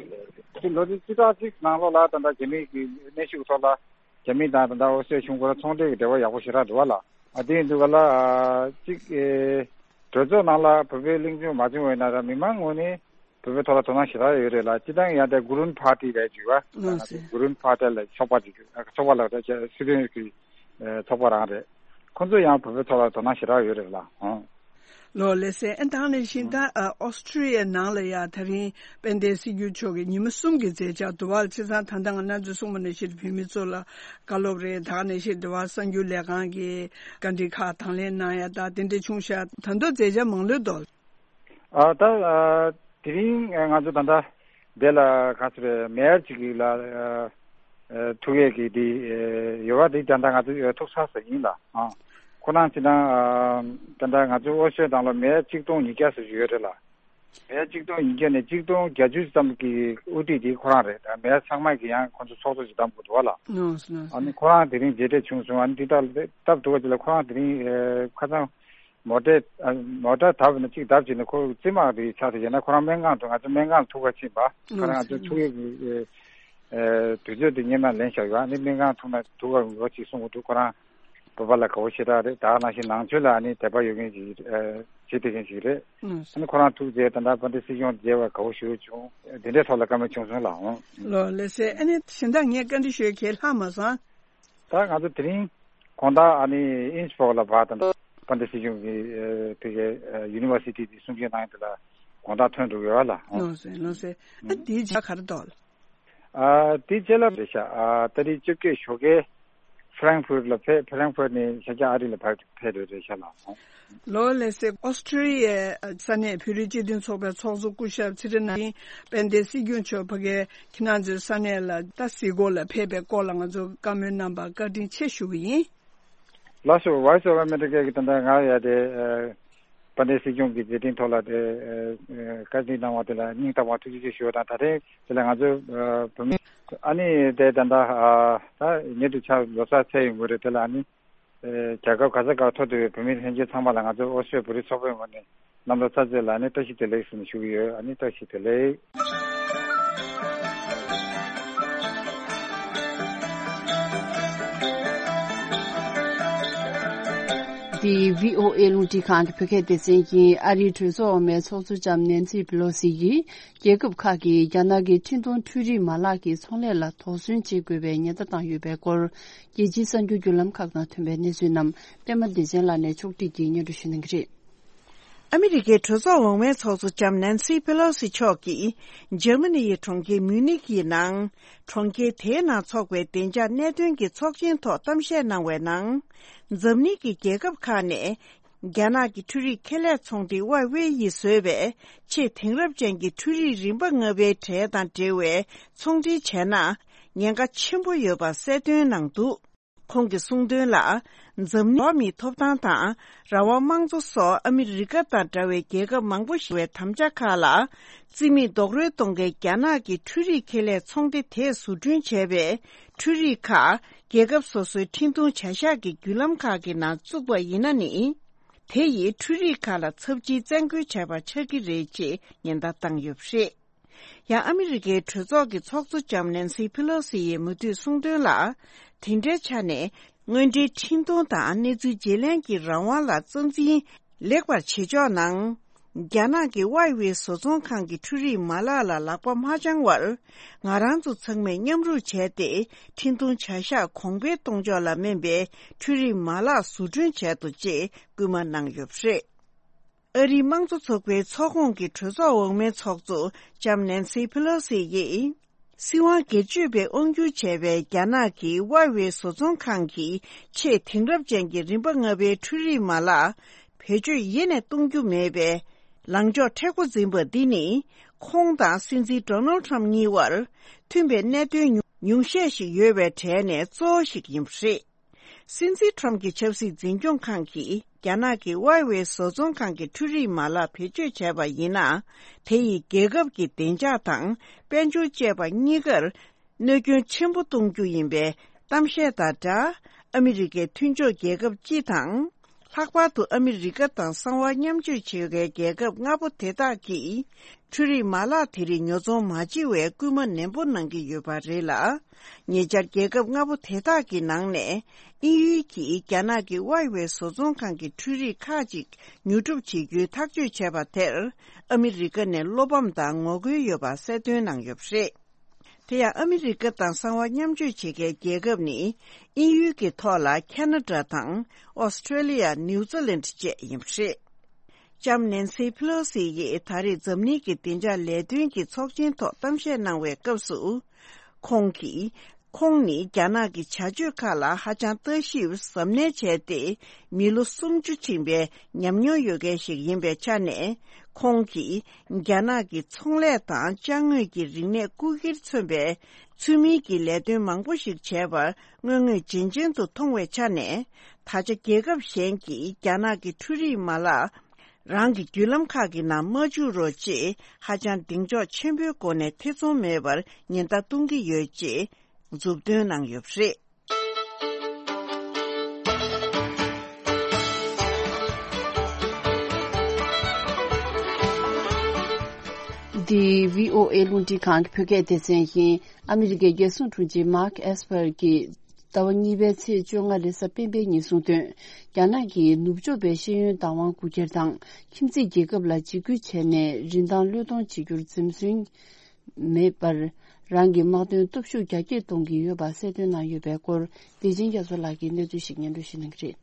ལོ་རེ་བཅུ་ཕྲག་གཅིག་ནང་ལོགས་ལ་ད་ལྟ་རྒྱ་མིའི་གི་གནོན་ཤུགས་ཐོག་ལ་རྒྱ་མི་དང་ད་ལྟ་ཨོ་སི་ཀྲི་ཡ་གཞུང་སྐོར་ཚོང་འབྲེལ་གྱི་འབྲེལ་བ་ཡག་པོ་ཞེ་དྲག་འདུག་བ་ལ། ཨ་དེ་ཡིན་དུས་ག་ལ་གཅིག་གྲོས་ཚོགས་ནང་ལ་བོད་པའི་གླེང་བརྗོད་མ་བྱུང་བས་ན་ར་མི་མང་ངོས་ནས། བོད་པའི་ཐོག་ལ་དོ་སྣང་ཞེ་དྲག་ཡོད་རེད་ལ། སྤྱི་བཏང་ཡང་དེ་གུ་རུན་ཕར་ཊི་རེད་ཅིག་བ། ལགས་སེ། གུ་རུན་ཕར་ཊི་ལ་ཚོགས་པ་ཅིག་ཚོགས་པ་ལ་ད་སྲིད་དོན་གྱི་ཚོགས་པ་རང་རེད། ཁོང་ཚོ་ཡང་བོད་པའི་ཐོག་ལ་དོ་སྣང་ཞེ་དྲག་ཡོད་རེད་ལ། ལོ་ལགས་སེ། ཨ་ད་ནང་བཞིན་ད་ཨོ་སི་ཀྲི་ཡ་ནང་ལ་ཡ་ད་རིང་དཔལ་ལྡན་སྲིད་སྐྱོང་མཆོག་གིས་ཉི་མ་གསུམ་གྱི་མཛད་འཆར་འདུག་བ། བྱས་ཙང་ད་ལྟ་ང་རང་ཚོས་གསུངས་པ་ནང་བཞིན་བོད་མི་ཚོ་ལ་བཀའ་སློབ་རེད། ད་ནང་བཞིན་འདུག་བ། གསར་འགྱུར་ལས་ཁང་གི་བཀའ་འདྲི་ཁག་དང་ལེན་གནང་ཡ་ད་དེ་འདྲ་བྱུང་ཤག་ད་དུང་མཛད་འཆར་མང་ལོས་འདུག་ཨ་ད་ཨ་ དེ་རིང་ང་ཚོ་ད་ལྟ་འདི་ལ་ག་ཚོད་རེད། མེ་ཡར་གཅིག་ལ་ཐུག་ཡས་ཀྱི་དེ་ཡོད་པ། དེ་ད་ལྟ་ང་ཚོ་ཐུག་ཚར་ས་ཡིན་ལ། ཁོ་རང་ཅི་ན་ད་ལྟ་ང་ཚོ་ཨོ་སི་ཊེ་ལི་ཡ་ནང་ལ་མེ་ཡར་གཅིག་སྟོང་ཉིས་བརྒྱ་ཙམ་ཞིག་ཡོད་རེད་ལ། མེ་ཡར་གཅིག་སྟོང་ཉིས་བརྒྱ་ནས་གཅིག་སྟོང་བརྒྱད་ཅུ་ཙམ་གྱི་དབུ་ཁྲིད་དེ་ཁོ་རང་རེད། ད་མེ་ཡར་ཚང་མ་གི་ཡང་ཁོ་ཚོ་ཚོགས་གཙོ་ཞིག་བདམས་དགོས་འདུག་བ་ལ། ཨ་ནི་ཁོ་རང་དེ་རིང་མཇལ་འཕྲད་བྱུང་སོང་། ཨ་ནི་དེ་ལྟར་སྟབས་བདེ་བ་ཅིག་ལ་ཁོ་རང་དེ་རིང་ཁ་སང་མོ་ཊ་མོ་ཊ་བརྡབས་ན་གཅིག་བརྡབས་བྱས་ནས་ཁོ་རྩེད་མོ་དེ་ཆགས་ཏེ་ཡིན་ན། ཁོ་རང་སྨན་ཁང་དུ་ང་ཚོ་སྨན་ཁང་ལ་ཐུག་ག་ཕྱིན་པ། ཁོ་རང་ང་ཚོ་ཐུག་ཡས་ཀྱི་དུས་ཚོད་དེ་སྔོན་མ་ལེན་བཞག་ཡོད། ཨ་ནི་སྨན་ཁང་ཐུག་ན་ཐུག་ག་འོས་ཅིག་གསུང་གི་འདུག་ཁོ་རང་བོད་པ་ལ་དགའ་བོ་ཞེ་དྲག་རེད། ད་ག་ནང་བཞིན་ནང་ཆོས་ལ་ཨ་ནི་དད་པ་ཡོད་མཁན་ཞིག་བྱེད་བསྡད་མཁན་ཞིག་རེད། ཨ་ནི་ཁོ་རང་ཐུག་རྗེས་ད་ལྟ་དཔལ་ལྡན་སྲིད་སྐྱོང་མཇལ་བར་དགའ་བོ་ཞེ་པོ་བྱུང་། དེ་འདྲའི་ཐོག་ལ་བཀའ་མོལ་བྱུང་སོང་ལགས། ལགས་སེ། ཨ་ནི་གཞན་དག་ངས་བཀའ་འདྲི་ཞུ་ཡས་གང་ཡང་ལྷག་མ་སོང་། ད་ང་ཚོ་དེ་རིང་དགོང་དག་ཨ་ནི་ཨིན་སི་བྷོག་ལ་ཕར་ད་ལྟ་དཔལ་ལྡན་སྲིད་སྐྱོང་གི་དེ་གའི་ཡུ་ནི་ཝར་སི་ཊི་དེ་གསུང་བཤད་གནང་ཡས་དེ་ལ་དགོང་དག་ཐོན་འགྲོ་གི་ཡོད་ལ། ལགས་སེ། ལགས་སེ། ཨ་དེའི་རྗེས་ག་རེ་འདུག་ལགས། ཨ་དེ་རྗེས་ལ་རེད་ཤག་ཨ་ད་རེས་བཅོ་བརྒྱད་ཞོགས་ཀས་ཧྥ་རན་ཧྥུར་ལ་ཕེབས། ཧྥ་རན་ཧྥུར་ནས་ཤར་རྒྱག་ཨ་རི་ལ་ཕར་ཕེབས་རེད། རེད་ཤག་ལགས། ལགས་སེ། ཨོ་སི་ཀྲི་ལི་ཡའི་ས་གནས་བོད་རིགས་སྤྱི་མཐུན་ཚོགས་པའི་ཚོགས་གཙོ་སྐུ་ཞབས་ཚེ་རིང་ནོར་བུ་དཔལ་ལྡན་སྲིད་སྐྱོང་མཆོག་ཕ་གིའི་ཁྱེད་རང་ཚོའི་ས་གནས་ལ་ད་གཟིགས་སྐོར་ལ་ཕེབས་པའི་སྐོར་ལ་ང་ཚོ་བཀའ་མོལ་གནང་བར་བཀའ་དྲིན་ཆེ་ཞུ་གི་ཡིན། ལགས་སོ། Voice of America གི་ད་ལྟ་ང་ཡ་དེ་ཨ་དཔལ་ལྡན་སྲིད་སྐྱོང་གི་མཛད་འཕྲིན་ཐོག་ལ་དེ་ཨ་བཀའ་དྲིན་གནང་བ་དེ་ལ་སྙིང་ཐག་པ་ཐུགས་རྗེ་ཆེ་ཞུ་བ་དང་། ད་རེས་དེ་ལ་ང་ཚོ་ཨ་བོད་མི་ཨ་ནི་དེ་ད་ལྟ་ཨ་ད་ཉེ་དུ་ཆར་ལོ་གསར་ཚེས་ཡོང་གི་རེད། དེ་ལ་ཨ་ནི་ཨ་རྒྱལ་ཁབ་ག་ས་ག་ཐོག་ཏུ་ཡོད་བོད་མི་ལྷན་རྒྱས་ཚང་མ་ལ་ང་ཚོ་ཨོ་སི་ཀྲི་ལི་ཡ་བོད་རིགས་ཚོགས་པའི་ངོས་ནས་གནམ་ལོ་གསར་ཚེས་ལ་ཨ་ནི་བཀྲ་ཤིས་བདེ་ལེགས་ཟེར་ནས་ཞུ་གི་ཡོད། ཨ་ནི་བཀྲ་ཤིས་བདེ་ལེགས། འདི་བྷི་ཨོ་ཨེ་རླུང་འཕྲིན་ཁང་གི་བོད་སྐད་སྡེ་ཚན་ཡིན། ཨ་རིའི་གྲོས་ཚོགས་འོག་མའི་ཚོགས་གཙོ་ལྕམ་ནེན་སི་པེ་ལོ་སི་ཡིས་རྒྱལ་ཁབ་ཁག་གིས་རྒྱ་ནག་གི་འཕྲིན་གཏོང་འཕྲུལ་རིག་མ་ལག་གི་ཚོང་ལས་ལ་དོགས་ཟོན་བྱེད་དགོས་པའི་ཉེན་བརྡ་བཏང་ཡོད་པའི་སྐོར། རྒྱལ་སྤྱིའི་གསར་འགྱུར་བརྒྱུད་ལམ་ཁག་ནང་ཐོན་པའི་གནས་ཚུལ་རྣམས་པད་མ་བདེ་ཆེན་ལགས་ནས་ཕྱོགས་སྒྲིག་གིས་སྙན་སྒྲོན་ཞུ་གནང་གི་རེད། ཨ་མི་རི་ཀའི་གྲོས་ཚོགས་འོག་མའི་ཚོགས་གཙོ་ལྕམ་ནན་སི་པེ་ལོ་སི་མཆོག་གིས་འཇར་མ་ནི་ཡི་གྲོང་ཁྱེར་མིའུ་ནིག་ཡི་ནང་། གྲོང་ཁྱེར་དེའི་ནང་འཚོགས་པའི་བདེ་འཇགས་གནད་དོན་གྱི་ཚོགས་ཆེན་ཐོག་གཏམ་བཤད་གནང་བའི་ནང་། འཛམ་གླིང་གི་རྒྱལ་ཁབ་ཁག་ནས་རྒྱ་ནག་གི་འཕྲུལ་རིག་ཁེ་ལས་ཚོང་སྡེ་ཝའེ་ཝེ་ཡིས་བཟོས་པའི་ཆེས་དེང་རབས་ཅན་གྱི་འཕྲུལ་རིག་རིམ་པ་ལྔ་པའི་གྲས་དང་འབྲེལ་བའི་ཚོང་འབྲེལ་བྱས་ན་ཉེན་ཁ་ཆེན་པོ་ཡོད་པ་གསལ་སྟོན་གནང་འདུག་ཁོང་གིས་གསུངས་དོན་ལ། འཛམ་གླིང་འགྲོ་བ་མིའི་ཐོབ་ཐང་དང་རང་དབང་དམངས་གཙོ་སོགས་ཨ་མི་རི་ཀ་དང་འདྲ་བའི་རྒྱལ་ཁབ་མང་པོ་ཞིག་བའི་དམ་བཅའ་ཁག་ལ། རྩིས་མེད་རྡོག་རོལ་གཏོང་མཁན་རྒྱ་ནག་གི་འཕྲུལ་རིག་ཁེ་ལས་ཚོང་སྡེ་དེས་བཟོ་སྐྲུན་བྱས་པའི་འཕྲུལ་རིག་ཁག་རྒྱལ་ཁབ་སོ་སོའི་འཕྲིན་གཏོང་བྱ་གཞག་གི་བརྒྱུད་ལམ་ཁག་གི་ནང་བཙུགས་པ་ཡིན་ན་ནི། དེ་ཡིས་འཕྲུལ་རིག་ཁག་ལ་ཚབས་ཆེའི་བཙན་རྒོལ་བྱས་པ་ཆགས་ཀྱི་རེད་ཅེས་ཉེན་བརྡ་བཏང་ཡོད་པ་རེད། ཡང་ཨ་མི་རི་ཀའི་གྲོས་ཚོགས་ཀྱི་ཚོགས་གཙོ་ལྕམ་ནན་སི་ཕི་ལོ་སི་ཡིས་མུ་མཐུད་གསུངས་དོན་ལ། དེ་འདྲའི་ཆ་ནས་དངོས་འབྲེལ་འཕྲིན་གཏོང་དང་གནས་ཚུལ་བརྗེ་ལེན་གྱི་རང་དབང་ལ་རྩ་འཛིན་ལེགས་པར་བྱེད་ཕྱོགས་ནང་། རྒྱ་ནག་གི་ཝའེ་ཝེ་བཟོ་ཚོང་ཁང་གི་འཕྲུལ་རིག་མ་ལག་ལ་ལག་པ་མ་འཆང་བར། ང་རང་ཚོ་ཚང་མས་མཉམ་རུབ་བྱས་ཏེ། འཕྲིན་གཏོང་བྱ་གཞག་གོང་འཕེལ་གཏོང་ཕྱོགས་ལ་སྨན་པའི་འཕྲུལ་རིག་མ་ལག་བཟོ་སྐྲུན་བྱས་འདུག་ཅེས་སྐུལ་མ་གནང་ཡོད་པ་རེད། ཨ་རིའི་དམངས་གཙོ་ཚོགས་པའི་ཚོགས་ཁོངས་ཀྱི་གྲོས་ཚོགས་འོག་མའི་ཚོགས་གཙོ་ལྕམ་ནན་སི་ཕི་ལོ་སི་ཡིས། སྲིད་དབང་སྒེར་གཅོད་པས་དབང་སྒྱུར་བྱས་པའི་རྒྱ་ནག་གི་ཝའེ་ཝེ་བཟོ་ཚོང་ཁང་གི་ཆེས་དེང་རབས་ཅན་གྱི་རིམ་པ་ལྔ་པའི་འཕྲུལ་རིག་མ་ལག་བེད་སྤྱོད་ཡེ་ནས་གཏོང་རྒྱུ་མེད་པའི་ལངས་ཕྱོགས་མཁྲེགས་པོ་འཛིན་པ་འདི་ནི། ཁོང་དང་སྲིད་འཛིན་ཌོ་ནལ་ཁྲམ་གཉིས་བར་མཐུན་པའི་གནད་དོན་ཉུང་ཉུང་ཤས་ཤིག་ཡོད་པའི་གྲས་ནས་གཙོ་བོ་ཞིག་ཡིན་པ་རེད། སྲིད་འཛིན་ཁྲོམ་གྱི་ཆབ་སྲིད་འཛིན་སྐྱོང་ཁང་གིས་རྒྱ་ནག་གི་ཝའེ་ཝེ་བཟོ་ཚོང་ཁང་གི་འཕྲུལ་རིག་མ་ལག་བེད་སྤྱོད་བྱས་པ་ཡིན་ན། དེ་ཡིས་རྒྱལ་ཁབ་ཀྱི་བདེ་འཇགས་དང་དཔལ་འབྱོར་བཅས་པ་གཉིས་ཀར་གནོད་སྐྱོན་ཆེན་པོ་གཏོང་རྒྱུ་ཡིན་པའི་གཏམ་བཤད་དང་སྦྲགས། ཨ་མི་རི་ཀའི་མཐུན་ཕྱོགས་རྒྱལ་ཁབ་སྤྱི་དང་། ལྷག་པར་དུ་ཨ་མི་རི་ཀ་དང་གསང་བ་མཉམ་སྤྱོད་བྱེད་མཁན་རྒྱལ་ཁབ་ལྔ་པོ་དེ་དག་གིས། འཕྲུལ་རིག་མ་ལག་དེ་རིགས་ཉོ་ཚོང་མ་བྱེད་པའི་སྐུལ་མ་ནན་པོ་གནང་གི་ཡོད་པ་རེད་ལ། ཉེ་ཆར་རྒྱལ་ཁབ་ལྔ་པོ་དེ་དག་གི་ནང་ནས་དབྱིན་ཡུལ་གྱིས་རྒྱ་ནག་གི་ཝའེ་ཝེ་བཟོ་ཚོང་ཁང་གི་འཕྲུལ་རིག་ཁག་ཅིག་ཉོ་སྒྲུབ་བྱེད་རྒྱུའི་ཐག་གཅོད་བྱས་པ་དེར། ཨ་མི་རི་ཀ་ནས་བློ་ཕམ་དང་ངོ་རྒོལ་ཡོད་པ་གསལ་སྟོན་གནང་ཡོད་པ་རེད། དེ་ཡང་ཨ་མི་རི་ཀ་དང་གསང་བ་མཉམ་སྤྱོད་བྱེད་མཁན་རྒྱལ་ཁབ་ནི། དབྱིན་ཡུལ་གྱི་ཐོག་ལ་ཁ་ན་ཌ་དང་། ཨོ་སི་ཀྲེ་ལི་ཡ། ནིའུ་ཛི་ལན་བཅས་ཡིན་པ་རེད། ལྕམ་ནན་སི་ཕི་ལོ་སི་ཡིས་ད་རེས་འཛམ་གླིང་གི་བདེ་འཇགས་ལས་དོན་གྱི་ཚོགས་ཆེན་ཐོག་གཏམ་བཤད་གནང་བའི་སྐབས་སུ། ཁོང་གིས། ཁོང་ནི་རྒྱ་ནག་གི་བྱ་སྤྱོད་ཁག་ལ་ཧ་ཅང་ལྟ་ཞིབ་གཟབ་ནན་བྱས་ཏེ། མི་ལོ་སུམ་ཅུ་ཕྱིན་པའི་ཉམས་མྱོང་ཡོད་མཁན་ཞིག་ཡིན་པའི་ཆ་ནས། ཁོང་གིས་རྒྱ་ནག་གི་ཚོང་ལས་དང་ཅ་དངོས་ཀྱི་རིག་གནས་རྐུ་འཁྱེར་མཚོན་པའི་ཚུལ་མིན་གྱི་ལས་དོན་མང་པོ་ཞིག་བྱས་པ་དངོས་དངོས་རྗེན་རྗེན་དུ་མཐོང་བའི་ཆ་ནས། ད་ཆ་རྒྱལ་ཁབ་གཞན་གྱིས་རྒྱ་ནག་གི་འཕྲུལ་རིག་མ་ལག་རང་གི་བརྒྱུད་ལམ་ཁག་གི་ནང་མ་བཅུག་རོགས་ཅེས་ཧ་ཅང་གདེང་འཇོག་ཆེན་པོའི་སྒོ་ནས་ཐེ་ཚོམ་མེད་པར་ཉེན་བརྡ་གཏོང་གི་ཡོད་ཅེས་མཛུབ་སྟོན་གནང་ཡོད་པ་རེད། འདི་བྷི་ཨོ་ཨེ་རླུང་འཕྲིན་ཁང་གི་བོད་སྐད་སྡེ་ཚན་ཡིན། ཨ་མི་རི་ཀའི་རྒྱལ་སྲུང་དྲུང་ཆེ་མཱག་ཨེས་པར་གྱིས་ཟླ་བ་གཉིས་པའི་ཚེས་བཅོ་ལྔ་རེས་གཟའ་སྤེན་པའི་ཉིན་གསུངས་དོན། རྒྱ་ནག་གིས་ནུབ་ཕྱོགས་པའི་ཤེས་ཡོན་བདག་དབང་རྐུ་འཁྱེར་དང་ཁྱིམ་མཚེས་རྒྱལ་ཁབ་ལ་འཇིགས་སྐུལ་བྱས་ནས་རིན་ཐང་བློས་གཏོང་བྱེད་རྒྱུར་འཛེམ་ཟོན་མེད་པར་རང་གི་དམག་དོན་སྟོབས་ཤུགས་རྒྱ་སྐྱེད་གཏོང་གི་ཡོད་པ་གསལ་སྟོན་གནང་ཡོད་པའི་སྐོར། བདེ་ཆེན་རྒྱ་མཚོ་ལགས་ཀྱིས་གནས་ཚུལ་ཞིག་སྙན་སྒྲོན་ཞུ་གནང་གི་རེད།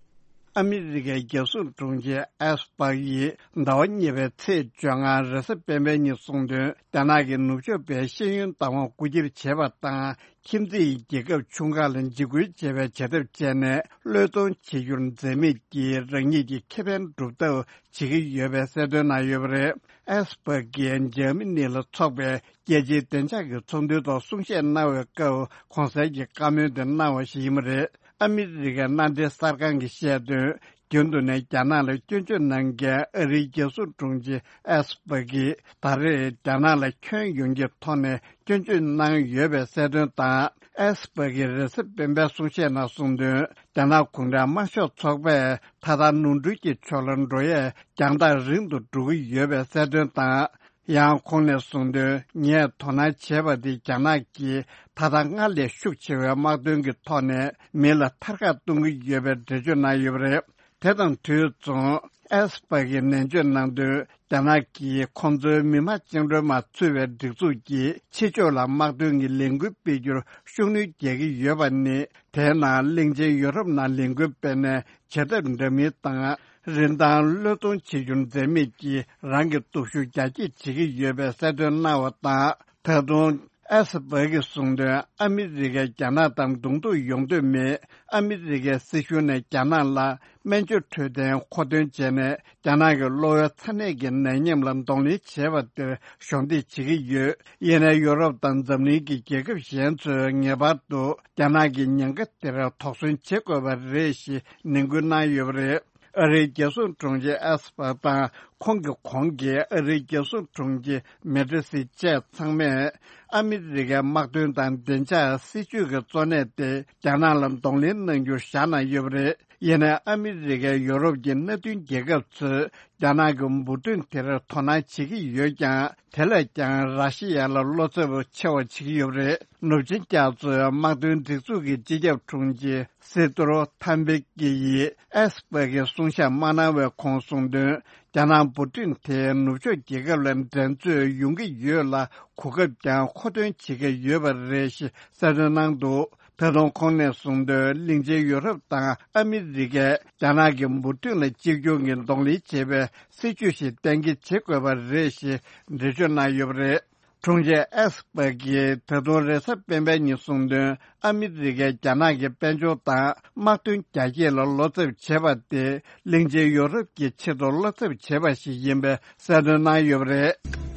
ཨ་མི་རི་ཀའི་རྒྱལ་སྲུང་དྲུང་ཆེ་ཨེས་པར་ཡིས་ཟླ་བ་གཉིས་པའི་ཚེས་བཅོ་ལྔ་རེས་གཟའ་སྤེན་པའི་ཉིན་གསུངས་དོན། རྒྱ་ནག་གིས་ནུབ་ཕྱོགས་པའི་ཤེས་ཡོན་བདག་དབང་རྐུ་འཁྱེར་བྱས་པ་དང་། ཁྱིམ་མཚེས་རྒྱལ་ཁབ་ཆུང་ཁག་ལ་འཇིགས་སྐུལ་བྱེད་པའི་བྱ་ཐབས་སྤྱད་ནས་བློས་གཏོང་བྱེད་རྒྱུར་འཛེམ་མེད་ཀྱིས་རང་ཉིད་ཀྱི་ཁེ་ཕན་སྒྲུབ་ཐབས་བྱེད་ཀྱི་ཡོད་པའི་གསལ་སྟོན་གནང་ཡོད་པ་རེད། ཨེས་པར་གྱིས་འཇར་མ་ནི་ལ་འཚོགས་པའི་རྒྱལ་སྤྱིའི་བདེ་འཇགས་ཀྱི་ཚོགས་འདུའི་ཐོག་གསུང་བཤད་གནང་བའི་སྐབས། གོང་གསལ་གྱི་བཀའ་མོལ་དེ་གནང་བ་ཞིག་ཡིན་པ་རེད། ཨ་མི་རི་ཀའི་མནའ་འབྲེལ་གསར་ཁང་གིས་བཤད་དོན། རྒྱུན་དུ་ནས་རྒྱ་ནག་ལ་སྐྱོན་བརྗོད་གནང་མཁན་ཨ་རིའི་རྒྱལ་སྲུང་དྲུང་ཆེ་ཨེས་པར་གྱིས། ད་རེས་རྒྱ་ནག་ལ་ཁྱོན་ཡོངས་ཀྱི་ཐོག་ནས་སྐྱོན་བརྗོད་གནང་ཡོད་པའི་གསལ་སྟོན་དང་། ཨེས་པར་གྱིས་རེས་གཟའ་སྤེན་པའི་གསུང་བཤད་ནང་གསུངས་དོན། རྒྱ་ནག་གུང་ཁྲན་དམར་ཤོག་ཚོགས་པས་ད་ལྟ་ནོར་འཁྲུལ་གྱི་ཕྱོགས་ལ་འགྲོ་ཡས་རྒྱང་ཐག་རིང་དུ་འགྲོ་གི་ཡོད་པའི་གསལ་སྟོན་དང་། ཡང་ཁོང་ནས་གསུངས་དོན། ངས་དོ་སྣང་བྱས་པ་དེ་རྒྱ་ནག་གིས་ད་ལྟ་སྔར་ལས་ཤུགས་ཆེ་བའི་དམག་དོན་གྱི་ཐོག་ནས་མི་ལ་ཐར་ཁ་གཏོང་གི་ཡོད་པའི་འགྲེལ་བརྗོད་གནང་ཡོད་པ་རེད། དེ་དང་དུས་མཚུངས། ཨེས་པར་གྱིས་ནན་བརྗོད་གནང་དོན། རྒྱ་ནག་གིས་ཁོང་ཚོའི་མི་དམངས་བཅིངས་འགྲོལ་དམག་ཚུད་པའི་སྒྲིག་འཛུགས་ཀྱིས་ཕྱི་ཕྱོགས་ལ་དམག་དོན་གྱི་ལས་འགུལ་སྤེལ་རྒྱུར་ཤུགས་སྣོན་རྒྱག་གི་ཡོད་པ་ནི། དེའི་ནང་གླིང་ཆེན་ཡུ་རོབ་ནང་ལས་འགུལ་སྤེལ་ནས་བྱེད་ཐབས་འདྲ་མིན་དང་། རིན་ཐང་བློས་གཏོང་བྱེད་རྒྱུར་འཛེམ་མེད་ཀྱིས་རང་གི་སྟོབས་ཤུགས་རྒྱ་སྐྱེད་བྱེད་ཀྱི་ཡོད་པའི་གསལ་སྟོན་གནང་བ་དང་། ད་དུང་ཨེས་པར་གྱིས་གསུངས་དོན། ཨ་མི་རི་ཀས་རྒྱ་ནག་དང་གདོང་ཐུག་ཡོང་འདོད་མེད། ཨ་མི་རི་ཀའི་སྲིད་གཞུང་ནས་རྒྱ་ནག་ལ་སྨན་བཅོས་འཕྲོད་བསྟེན་མཁོ་འདོན་བྱས་ནས། རྒྱ་ནག་གི་གློ་བའི་ཚ་ནད་ཀྱི་ནད་ཡམས་ལ་གདོང་ལེན་བྱས་པ་དེར་གཞོགས་འདེགས་བྱེད་ཀྱི་ཡོད། ཡིན་ནའི་ཡུ་རོབ་དང་འཛམ་གླིང་གི་རྒྱལ་ཁབ་གཞན་ཚོས་ངེས་པར་དུ་རྒྱ་ནག་གི་ཉེན་ཁ་དེར་དོགས་ཟོན་བྱེད་དགོས་པ་རེད་ཞེས་ནན་སྐུལ་གནང་ཡོད་པ་རེད། ཨ་རིའི་རྒྱལ་སྲུང་དྲུང་ཆེ་ཨེས་པར་དང་ཁོང་གི་གོང་གི་ཨ་རིའི་རྒྱལ་སྲུང་དྲུང་ཆེ་མེ་ཏི་སི་བཅས་ཚང་མས། ཨ་མི་རི་ཀའི་དམག་དོན་དང་བདེ་འཇགས་སྲིད་ཇུས་ཀྱི་གཙོ་གནད་དེ་རྒྱ་ནག་ལ་གདོང་ལེན་གནང་རྒྱུར་བཞག་གནང་ཡོད་པ་རེད། ཡིན་ནའི་ཨ་མི་རི་ཀས་ཡོ་རོབ་ཀྱི་མནའ་མཐུན་རྒྱལ་ཁབ་ཚོས་རྒྱ་ནག་གི་འབུར་ཐོན་དེར་དོ་སྣང་བྱེད་ཀྱི་ཡོད་ཀྱང་། དེ་ལས་ཀྱང་ར་ཤི་ཡ་ལ་བློ་འཚབ་ཆེ་བ་བྱེད་ཀྱི་ཡོད་པ་རེད། ནུབ་ཆིངས་རྒྱ་མཚོའི་དམག་དོན་སྒྲིག་འཛུགས་ཀྱི་སྤྱི་ཁྱབ་དྲུང་ཆེ་སི་ཏུ་རོ་ཐམ་པེ་ཀེ་ཡིས་ཨེས་པར་གྱི་གསུང་བཤད་མ་གནང་བའི་གོང་གསུངས་དོན། རྒྱ་ནག་འབུར་ཐོན་དེ་ནུབ་ཕྱོགས་རྒྱལ་ཁབ་ལ་འགྲན་རྩོད་ཡོང་གི་ཡོད་ལ། གོ་སྐབས་ཀྱང་མཁོ་འདོན་བྱེད་ཀྱི་ཡོད་པ་རེད་ཞེས་གསལ་སྟོན་གནང་འདུག་ད་དུང་ཁོང་ནས་གསུངས་དོན། གླིང་ཆེན་ཡུ་རོབ་དང་ཨ་མི་རི་ཀས་རྒྱ་ནག་གི་འབུར་ཐོན་ལ་གཅེས་སྐྱོང་གི་གདོང་ལེན་བྱེད་པའི་སྲིད་ཇུས་ཤིག་གཏན་འཁེལ་བྱེད་དགོས་པ་རེད་ཞེས་འགྲེལ་བརྗོད་གནང་ཡོད་པ་རེད། དྲུང་ཆེ་ཨེས་པར་གྱིས་ད་དུང་རེས་གཟའ་སྤེན་པའི་ཉིན་གསུངས་དོན། ཨ་མི་རི་ཀས་རྒྱ་ནག་གི་དཔལ་འབྱོར་དང་དམག་དོན་རྒྱ་སྐྱེད་ལ་བློ་འཚབ་བྱེད་པ་དེ་གླིང་ཆེན་ཡོ་རོབ་ཀྱི་ཆེད་དུ་བློ་འཚབ་བྱེད་པ་ཞིག་ཡིན་པའི་གསལ་སྟོན་གནང་ཡོད་པ་རེད།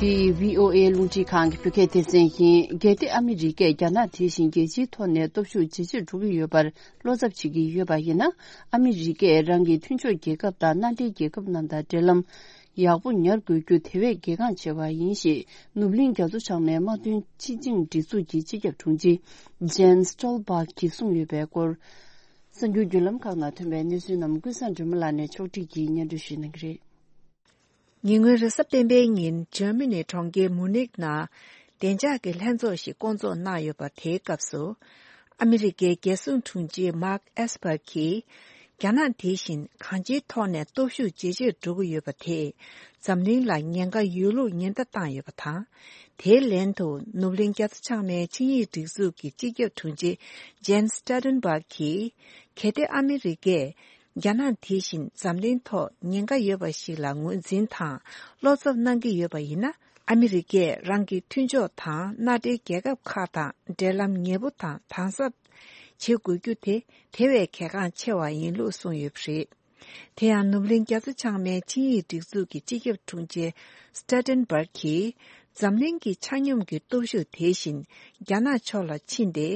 འདི་བྷི་ཨོ་ཨེ་རླུང་འཕྲིན་ཁང་གི་བོད་སྐད་སྡེ་ཚན་ཡིན། གལ་ཏེ་ཨ་མི་རི་ཀས་རྒྱ་ནག་དེ་བཞིན་རྒྱལ་སྤྱིའི་ཐོག་ནས་སྟོབས་ཤུགས་ཇེ་ཆེར་འགྲོ་གི་ཡོད་པར་བློ་འཚབ་བྱེད་ཀྱི་ཡོད་པ་ཡིན་ན། ཨ་མི་རི་ཀས་རང་གི་མཐུན་ཕྱོགས་རྒྱལ་ཁབ་དང་མནའ་འབྲེལ་རྒྱལ་ཁབ་རྣམས་དང་འབྲེལ་ལམ་ཡག་པོ་ཉར་དགོས་རྒྱུ་དེ་བས་གལ་འགངས་ཆེ་བ་ཡིན་ཞེས། ནུབ་གླིང་རྒྱ་མཚོ་བྱང་མའི་དམག་དོན་སྤྱི་ཆིངས་སྒྲིག་འཛུགས་ཀྱི་སྤྱི་ཁྱབ་དྲུང་ཆེ་ཇན་སི་ཊོལ་པག་གིས་གསུངས་ཡོད་པའི་སྐོར། གསར་འགྱུར་བརྒྱུད་ལམ་ཁག་ནང་ཐོན་པའི་གནས་ཚུལ་རྣམས་ཀུན་བཟང་སྒྲོལ་མ་ལགས་ནས་ཕྱོགས་སྒྲིག་གིས་སྙན་སྒྲོན་ཞུ་གནང་གི་རེད། ཉེ་སྔོན་རེས་གཟའ་སྤེན་པའི་ཉིན་འཇར་མ་ནི་གྲོང་ཁྱེར་མུ་ནིག་ནང་བདེ་འཇགས་ཀྱི་ལྷན་ཚོགས་ཤིག་བསྐོང་ཚོགས་གནང་ཡོད་པ། དེའི་སྐབས་སུ་ཨ་མི་རི་ཀའི་རྒྱལ་སྲུང་དྲུང་ཆེ་མཱག་ཨེས་པར་གྱིས། རྒྱ་ནག་དེ་བཞིན་གང་ཅིའི་ཐོག་ནས་སྟོབས་ཤུགས་ཇེ་ཆེར་འགྲོ་གི་ཡོད་པ་དེས་འཛམ་གླིང་ལ་ཉེན་ཁ་ཡོད་ལུགས་ཉེན་བརྡ་བཏང་ཡོད་པ་དང་། དེའི་ལན་དུ་ནུབ་གླིང་རྒྱ་མཚོ་བྱང་མའི་ཆིངས་ཡིག་སྒྲིག་འཛུགས་ཀྱི་སྤྱི་ཁྱབ་དྲུང་ཆེ་Jens Stoltenberg་གིས། གལ་ཏེ་ཨ་མི་རི་ཀས་རྒྱ་ནག་དེ་བཞིན་འཛམ་གླིང་ཐོག་ཉེན་ཁ་ཡོད་པ་ཞིག་ལ་ངོས་འཛིན་དང་བློ་འཚབ་གནང་གི་ཡོད་པ་ཡིན་ན། ཨ་མི་རི་ཀས་རང་གི་མཐུན་ཕྱོགས་དང་མནའ་འབྲེལ་རྒྱལ་ཁབ་ཁག་དང་འབྲེལ་ལམ་ཉེ་པོ་དང་དམ་ཟབ་བྱེད་དགོས་རྒྱུ་དེ་དེ་བས་གལ་འགངས་ཆེ་བ་ཡིན་ལུགས་གསུངས་ཡོད་པ་རེད། དེ་ཡང་ནུབ་གླིང་རྒྱ་མཚོ་བྱང་མའི་ཆིངས་ཡིག་སྒྲིག་འཛུགས་ཀྱི་སྤྱི་ཁྱབ་དྲུང་ཆེ་Stoltenberg་གིས། འཛམ་གླིང་གི་ཆ་སྙོམས་ཀྱི་སྟོབས་ཤུགས་དེ་བཞིན་རྒྱ་ནག་ཕྱོགས་ལ་ཕྱིན་ཏེ།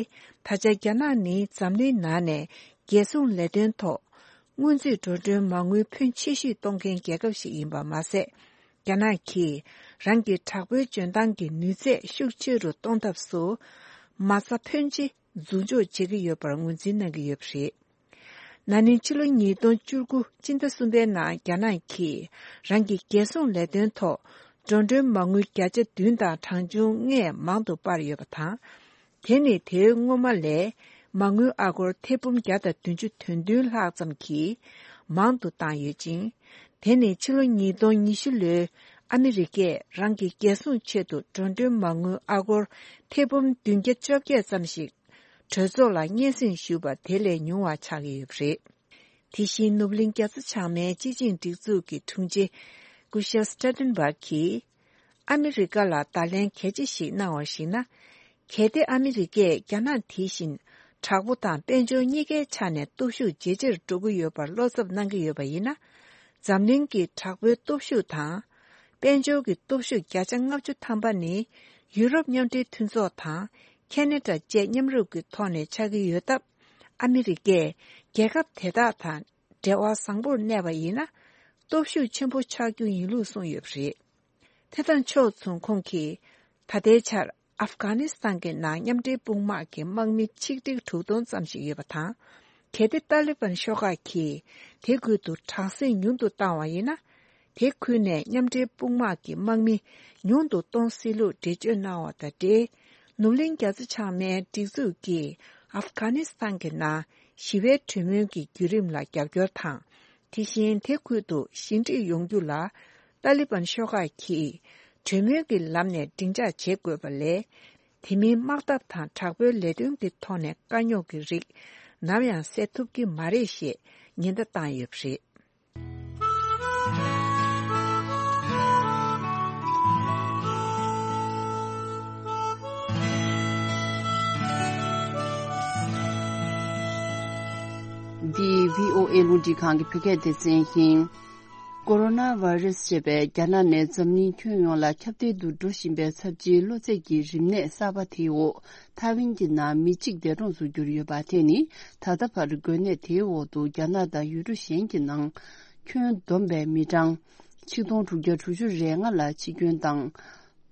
ད་ཆ་རྒྱ་ནག་ནི་འཛམ་གླིང་ནང་ནས་རྒྱལ་སྲུང་ལས་དོན་ཐོག་སྔོན་རྩིས་འགྲོ་གྲོན་མ་དངུལ་ཕོན་ཆེ་ཤོས་གཏོང་མཁན་རྒྱལ་ཁབ་ཞིག་ཡིན་པ་མ་ཟད། རྒྱ་ནག་གིས་རང་གི་དྲག་པོའི་འཇོན་ཐང་གི་ནུས་ཚད་ཤུགས་ཆེ་རུ་གཏོང་ཐབས་སུ་མ་རྩ་ཕོན་ཆེ་འཛུགས་འཇོག་བྱེད་ཀྱི་ཡོད་པར་ངོས་འཛིན་གནང་གི་ཡོད་པ་རེད། ན་ནིང་ཕྱི་ལོ་ཉིས་སྟོང་བཅུ་དགུ་སྤྱི་ཟླ་གསུམ་པའི་ནང་རྒྱ་ནག་གིས་རང་གི་རྒྱལ་སྲུང་ལས་དོན་ཐོག་འགྲོ་གྲོན་མ་དངུལ་བརྒྱ་ཆ་བདུན་དང་གྲངས་ཆུང་ལྔས་མང་དུ་སྤར་ཡོད་པ་དང་། དེ་ནི་དེའི་སྔོན་མ་ལས་མ་དངུལ་ཨ་སྒོར་ཐེར་འབུམ་བརྒྱ་དང་བདུན་ཅུ་དོན་བདུན་ལྷག་ཙམ་གྱིས་མང་དུ་བཏང་ཡོད་ཅིང་། དེ་ནི་ཕྱི་ལོ་ཉིས་སྟོང་ཉི་ཤུ་ལོའི་ཨ་མི་རི་ཀས་རང་གི་རྒྱལ་སྲུང་ཆེད་དུ་འགྲོ་གྲོན་མ་དངུལ་ཨ་སྒོར་ཐེར་འབུམ་བདུན་བརྒྱ་བཅོ་བརྒྱད་ཙམ་ཞིག་གྲོས་ཚོགས་ལ་སྙན་སེང་ཞུས་པ་དེ་ལས་ཉུང་བ་ཆགས་ཀྱི་ཡོད་པ་རེད། དེ་བཞིན་ནུབ་གླིང་རྒྱ་མཚོ་བྱང་མའི་སྤྱི་ཆིངས་སྒྲིག་འཛུགས་ཀྱི་དྲུང་ཆེ་སྐུ་ཞབས་སི་ཊོལ་ཊེན་བྷག་གིས། ཨ་མི་རི་ཀ་ལ་བརྡ་ལན་གལ་ཆེ་ཞིག་གནང་བར་གཞིགས་ན། གལ་ཏེ་ཨ་མི་རི་ཀས་རྒྱ་ནག་དེ་བཞིན་དྲག་པོ་དང་དཔལ་འབྱོར་གཉིས་ཀའི་ཆ་ནས་སྟོབས་ཤུགས་ཇེ་ཆེར་འགྲོ་གི་ཡོད་པར་བློ་འཚབ་གནང་གི་ཡོད་པ་ཡིན་ན། འཛམ་གླིང་གི་དྲག་པོའི་སྟོབས་ཤུགས་དང་། དཔལ་འབྱོར་གྱི་སྟོབས་ཤུགས་བརྒྱ་ཆ་ལྔ་བཅུ་ཐམ་པ་ནི་ཡུ་རོབ་མཉམ་འབྲེལ་མཐུན་ཚོགས་དང་ཁེ་ན་ཌ་བཅས་མཉམ་རུབ་ཀྱི་ཐོག་ནས་ཆགས་ཀྱི་ཡོད་སྟབས། ཨ་མི་རི་ཀས་རྒྱལ་ཁབ་དེ་དག་དང་འབྲེལ་བ་བཟང་པོར་གནས་པ་ཡིན་ན། སྟོབས་ཤུགས་ཆེན་པོ་ཆགས་རྒྱུ་ཡིན་ལུགས་གསུངས་ཡོད་པ་རེད། དེ་དང་ཕྱོགས་མཚུངས་ཁོང་གིས། ད་ལྟའི་ཆར་ཨབ་གྷ་ནི་སི་ཐན་གྱི་ནང་མཉམ་འབྲེལ་དཔུང་དམག་གི་དམག་མི་ཆིག་ཁྲི་དྲུག་སྟོང་ཙམ་ཞིག་ཡོད་པ་དང་། གལ་ཏེ་ཏཱ་ལི་བན་ཤོག་ཁག་གིས་དེ་ཁུལ་དུ་དྲག་ཟིང་ཉུང་དུ་བཏང་བ་ཡིན་ན། དེ་ཁུལ་ནས་མཉམ་འབྲེལ་དཔུང་དམག་གི་དམག་མི་ཉུང་དུ་གཏོང་སྲིད་ལུགས་འགྲེལ་བརྗོད་གནང་བ་དང་འབྲེལ། ནུབ་གླིང་རྒྱ་མཚོ་བྱང་མའི་སྒྲིག་འཛུགས་ཀྱིས་ཨབ་གྷ་ནི་སི་ཐན་གྱི་ནང་ཞི་བའི་གྲོས་མོལ་གྱི་བརྒྱུད་རིམ་ལ་རྒྱབ་སྐྱོར་དང་། དེ་བཞིན་དེ་ཁུལ་དུ་ཞི་འགྲིག་ཡོང་རྒྱུ་ལ། ཏཱ་ལི་བན་ཤོག་ཁག་གིས་གྲོས་མོལ་གྱི་ལམ་ནས་སྡིངས་ཆ་བྱེད་དགོས་པ་ལས། དེ་མིན་དམག་འཐབ་དང་དྲག་པོའི་ལས་དོན་གྱི་ཐོག་ནས་དཀའ་རྙོག་གི་རིགས་ནམ་ཡང་སེལ་ཐུབ་ཀྱི་མ་རེད་ཞེས་ཉེན་བརྡ་བཏང་ཡོད་པ་རེད། འདི་བྷི་ཨོ་ཨེ་རླུང་འཕྲིན་ཁང་གི་བོད་སྐད་སྡེ་ཚན་ཡིན། ཀོ་རོ་ན་བྷ་རེ་སི་ཞེས་པའི་རྒྱ་ནག་ནས་འཛམ་གླིང་ཁྱོན་ཡོངས་ལ་ཁྱབ་གདལ་དུ་འགྲོ་བཞིན་པའི་ཚབས་ཆེའི་གློ་ཚད་ཀྱི་རིམས་ནད་གསར་པ་དེའི་འོག་ཐའེ་ཝན་གྱི་ནང་མི་གཅིག་འདས་གྲོངས་སུ་གྱུར་ཡོད་པ་དེ་ནི། ད་ལྟ་བར་འགོས་ནད་དེའི་འོག་ཏུ་རྒྱ་ནག་དང་ཡུལ་གྲུ་གཞན་གྱི་ནང་ཁྱོན་བསྡོམས་པའི་མི་གྲངས་ཆིག་སྟོང་དྲུག་བརྒྱ་དྲུག་ཅུ་རེ་ལྔ་ལ་འཆི་སྐྱོན་དང་།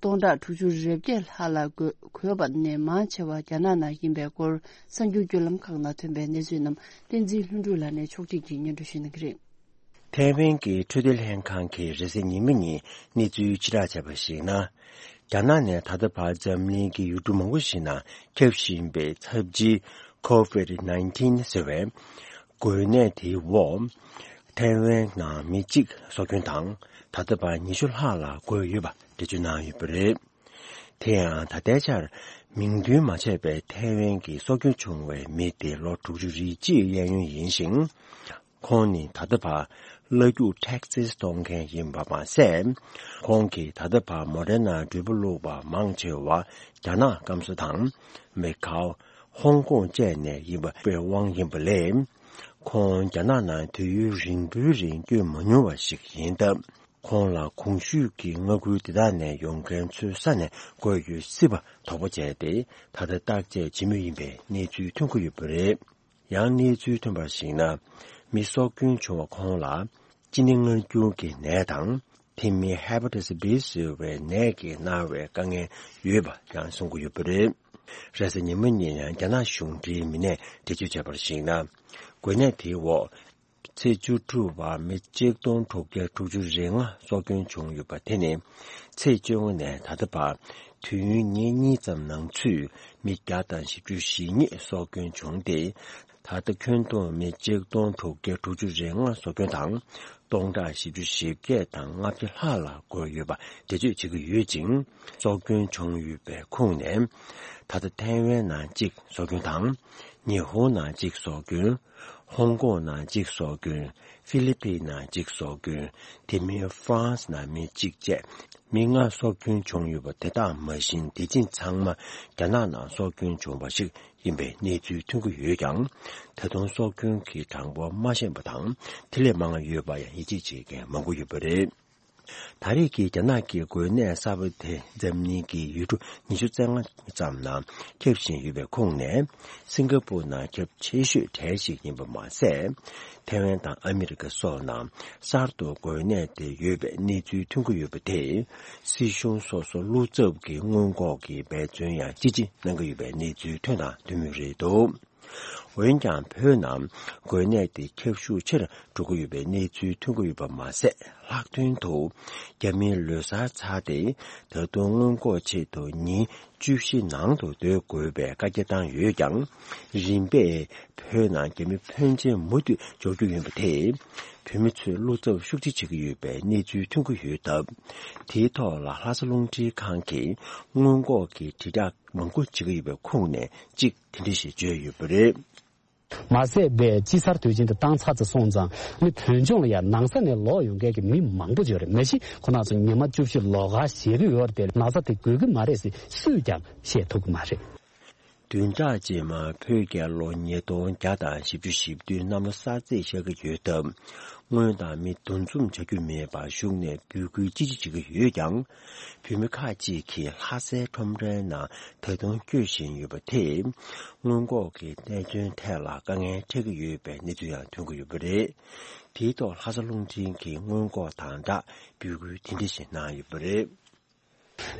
སྟོང་ཕྲག་དྲུག་ཅུ་རེ་བརྒྱད་ལྷག་ལ་འགོས་འགོས་པ་ནས་མང་ཆེ་བ་རྒྱ་ནག་ནང་ཡིན་པའི་སྐོར་གསར་འགྱུར་བརྒྱུད་ལམ་ཁག་ནང་ཐོན་པའི་གནས་ཚུལ་རྣམས་བསྟན་འཛིན་ལྷུན་གྲུབ་ལགས་ནས་ཕྱོགས་སྒྲིག་གིས་སྙན་སྒྲོན་ཞུ་གནང་གི་རེད། ཐའེ་ཝན་གྱི་འཕྲོད་བསྟེན་ལྷན་ཁང་གིས་རེས་གཟའ་ཉི་མ་ཉིན་གནས་ཚུལ་ཕྱིར་བསྒྲགས་བྱས་པར་གཞིགས་ན། རྒྱ་ནག་ནས་ད་ལྟ་བར་འཛམ་གླིང་གི་ཡུལ་གྲུ་མང་པོ་ཞིག་ནང་ཁྱབ་བཞིན་པའི་ཚབས་ཆེའི་ཁོ་ཝིད་ནའིན་ཊིན་ཟེར་བའི་འགོས་ནད་དེའི་འོག་ཐའེ་ཝན་ནང་མི་གཅིག་སྲོག་སྐྱོན་དང་། ད་ལྟ་བར་ཉི་ཤུ་ལྷག་ལ་འགོས་ཡོད་པ་འགྲེལ་བརྗོད་གནང་ཡོད་པ་རེད། དེ་ཡང་ད་ལྟའི་ཆར་མིང་འདོན་མ་བྱས་པའི་ཐའེ་ཝན་གྱི་སྲོག་སྐྱོན་བྱུང་བའི་མི་དེ་ལོ་དྲུག་ཅུ་རེ་གཅིག་གཡས་གཡོན་ཡིན་ཞིང་། ཁོང་ནི་ད་ལྟ་བར་གླ་རྒྱུག་ཊེག་སིས་གཏོང་མཁན་ཡིན་པ་མ་ཟད། ཁོང་གིས་ད་ལྟ་བར་མོ་ཌེ་ན་འགྲུལ་པ་བླུགས་པ་མང་ཆེ་བ་རྒྱ་ནག་སྐམ་ས་དང་མེ་ཁའོ། ཧོང་ཀོང་བཅས་ནས་ཡིན་པའི་དབང་ཡིན་པ་ལས། ཁོང་རྒྱ་ནག་ནང་དུས་ཡུན་རིང་པོའི་རིང་བསྐྱོད་མ་མྱོང་བ་ཞིག་ཡིན་སྟབས། ཁོང་ལ་གོང་ཞུས་ཀྱི་མངའ་ཁུལ་དེ་དག་ནས་ཡོང་མཁན་ཚོའི་ས་ནས་འགོས་ཡོད་སྲིད་པ་དོགས་པ་བྱས་ཏེ། ད་ལྟ་བརྟག་དཔྱད་བྱེད་མུས་ཡིན་པའི་གནས་ཚུལ་ཐོན་གྱི་ཡོད་པ་རེད། ཡང་གནས་ཚུལ་ཐོན་པར་གཞིགས་ན། མི་སྲོག་སྐྱོན་བྱུང་བ་ཁོང་ལ་གཅིན་སྙི་མངར་སྐྱུར་གྱི་ནད་དང་། དེ་མིན་ཧེ་པ་ཊ་སི་བྷི་ཟེར་བའི་ནད་ཀྱིས་མནར་བའི་དཀའ་ངལ་ཡོད་པ་ཡང་གསུང་གི་ཡོད་པ་རེད། རེས་གཟའ་ཉི་མ་ཉིན་ཡང་རྒྱ་ནག་གཞུང་འབྲེལ་མི་སྣས་འགྲེལ་བརྗོད་བྱས་པར་གཞིགས་ན། འགོས་ནད་དེའི་འོག་ཚེས་བཅུ་དྲུག་བར་མི་གཅིག་སྟོང་དྲུག་བརྒྱ་དྲུག་ཅུ་རེ་ལྔ་སྲོག་སྐྱོན་བྱུང་ཡོད་པ་དེ་ནི། ཚེས་བཅོ་ལྔ་ནས་ད་ལྟ་བར་དུས་ཡུན་ཉིན་གཉིས་ཙམ་ནང་ཚུད་མི་བརྒྱ་དང་བཞི་བཅུ་ཞེ་གཉིས་སྲོག་སྐྱོན་བྱུང་སྟེ། ད་ལྟ་ཁྱོན་བསྡོམས་མི་གཅིག་སྟོང་དྲུག་བརྒྱ་དྲུག་ཅུ་རེ་ལྔ་སྲོག་སྐྱོན་དང་། སྟོང་ཕྲག་བཞི་བཅུ་ཞེ་བརྒྱད་དང་ལྔ་བརྒྱ་ལྷག་ལ་འགོས་ཡོད་པ་འགྲེལ་བརྗོད་བྱེད་ཀྱི་ཡོད་ཅིང་། སྲོག་སྐྱོན་བྱུང་ཡོད་པའི་ཁོངས་ནས། ད་ལྟ་ཐའེ་ཝན་ནང་གཅིག་སྲོག་སྐྱོན་དང་། ཉི་ཧོང་ནང་གཅིག་སྲོག་སྐྱོན། ཧོང་ཀོང་ནང་གཅིག་སྲོག་སྐྱོན། ཧྥི་ལི་པིན་ནང་གཅིག་སྲོག་སྐྱོན། དེ་མིན་ཧྥ་རན་སི་ནང་མི་གཅིག་བཅས་མི་ལྔ་སྲོག་སྐྱོན་བྱུང་ཡོད་པ་དེ་དག་མ་བཞིན་དེ་ཕྱིན་ཚང་མ་རྒྱ་ནག་ནང་སྲོག་སྐྱོན་བྱུང་བ་ཞིག་ཡིན་པའི་གནས་ཚུལ་ཐོན་གྱི་ཡོད་ཀྱང་། ད་དུང་སྲོག་སྐྱོན་གྱི་གྲངས་འབོར་མ་ཤེས་པ་དང་དེ་ལས་མང་བ་ཡོད་པ་ཡང་ཡིད་ཆེས་བྱེད་མཁན་མང་པོ་ཡོད་པ་རེད། ད་རེས་ཀྱི་རྒྱ་ནག་གི་འགོས་ནད་གསར་པ་དེ་འཛམ་གླིང་གི་ཡུལ་གྲུ་ཉི་ཤུ་རྩ་ལྔ་ཙམ་ནང་ཁྱབ་བཞིན་ཡོད་པའི་ཁོངས་ནས། སིང་ག་པུར་ནང་ཁྱབ་ཆེ་ཤོས་གྲས་ཤིག་ཡིན་པ་མ་ཟད། ཐའེ་ཝན་དང་ཨ་མི་རི་ཀ་སོགས་ནང་གསར་དུ་འགོས་ནད་དེ་ཡོད་པའི་གནས་ཚུལ་ཐོན་གྱི་ཡོད་པ་དེས། སྲིད་གཞུང་སོ་སོ་བློ་འཚབ་ཀྱི་སྔོན་འགོག་གི་འབད་བརྩོན་ཡང་ཅི་ཆེ་གནང་གི་ཡོད་པའི་གནས་ཚུལ་ཐོན་དང་ཐོན་མུས་རེད་འདུག་འོན་ཀྱང་བོད་ནང་འགོས་ནད་དེ་ཁྱབ་ཤུགས་ཆེ་རུ་འགྲོ་གི་ཡོད་པའི་གནས་ཚུལ་ཐོན་གྱི་ཡོད་པ་མ་ཟད། ལྷག་དོན་དུ་རྒྱ་མིའི་ལོ་གསར་ཚར་ཏེ་ད་དུང་སྔོན་འགོག་ཆེད་དུ་ཉིན་བཅུ་བཞི་ནང་དུ་སྡོད་དགོས་པའི་བཀའ་རྒྱ་བཏང་ཡོད་ཀྱང་། རིམ་པས་བོད་ནང་རྒྱ་མི་ཕོན་ཆེན་མུ་མཐུད་འབྱོར་རྒྱུ་ཡིན་པ་དེས། བོད་མི་ཚོས་བློ་འཚབ་ཤུགས་ཆེ་བྱེད་ཀྱི་ཡོད་པའི་གནས་ཚུལ་ཐོན་གྱི་ཡོད་སྟབས། དེའི་ཐོག་ལ་ལྷ་ས་རླུང་འཕྲིན་ཁང་གིས་སྔོན་འགོག་གི་དྲིལ་བསྒྲགས་མང་པོ་བྱེད་ཀྱི་ཡོད་པའི་ཁོངས་ནས་གཅིག་དེ་འདྲ་ཞིག་བརྗོད་ཡོད་པ་རེད། མ་ཟད་པའི་དཔྱིད་གསར་དུས་ཆེན་དུ་བཏང་ཚར་ཚར་སོང་ཙང་ནི་བོད་ལྗོངས་ལ་ཡང་ནང་ས་ནས་ལོག་ཡོང་མཁན་གྱི་མི་མང་པོ་ཡོད་རེད། མ་གཞི་ཁོ་རང་ཚོ་ཉི་མ་བཅུ་བཞི་ལོགས་ཀ་བཞེས་ཀྱི་ཡོད་རེད་དེ། ན་ཚ་དེ་འགོས་ཀྱི་མ་རེད་ཟེར་སུས་ཀྱང་བཤད་ཐུབ་ཀྱི་མ་རེད། བདུན་ཕྲག་རྗེས་མ་བོད་རྒྱལ་ལོ་ཉིས་སྟོང་བརྒྱ་དང་བཞི་བཅུ་ཞེ་བདུན་གནམ་ལོ་གསར་ཚེས་ཤར་གྱི་ཡོད་སྟབས། སྔོན་དང་མི་འདུ་འཛོམས་བྱ་རྒྱུ་མེད་པར་གཞུང་ནས་འབོད་སྐུལ་ཅི་ཆེ་བྱེད་ཀྱི་ཡོད་ཀྱང་། བོད་མི་ཁག་ཅིག་གིས་ལྷ་སའི་ཁྲོམ་རའི་ནང་ད་དུང་སྐྱོད་བཞིན་ཡོད་པ་དེས། སྔོན་འགོག་གི་གནད་དོན་ཐད་ལ་དཀའ་ངལ་འཕྲད་ཀྱི་ཡོད་པའི་གནས་ཚུལ་ཡང་ཐོན་གྱི་ཡོད་པ་རེད། དེའི་ཐོག་ལྷ་ས་རླུང་འཕྲིན་གྱིས་སྔོན་འགོག་དང་སྦྲགས་འབོད་སྐུལ་དེ་འདྲ་ཞིག་གནང་ཡོད་པ་རེད།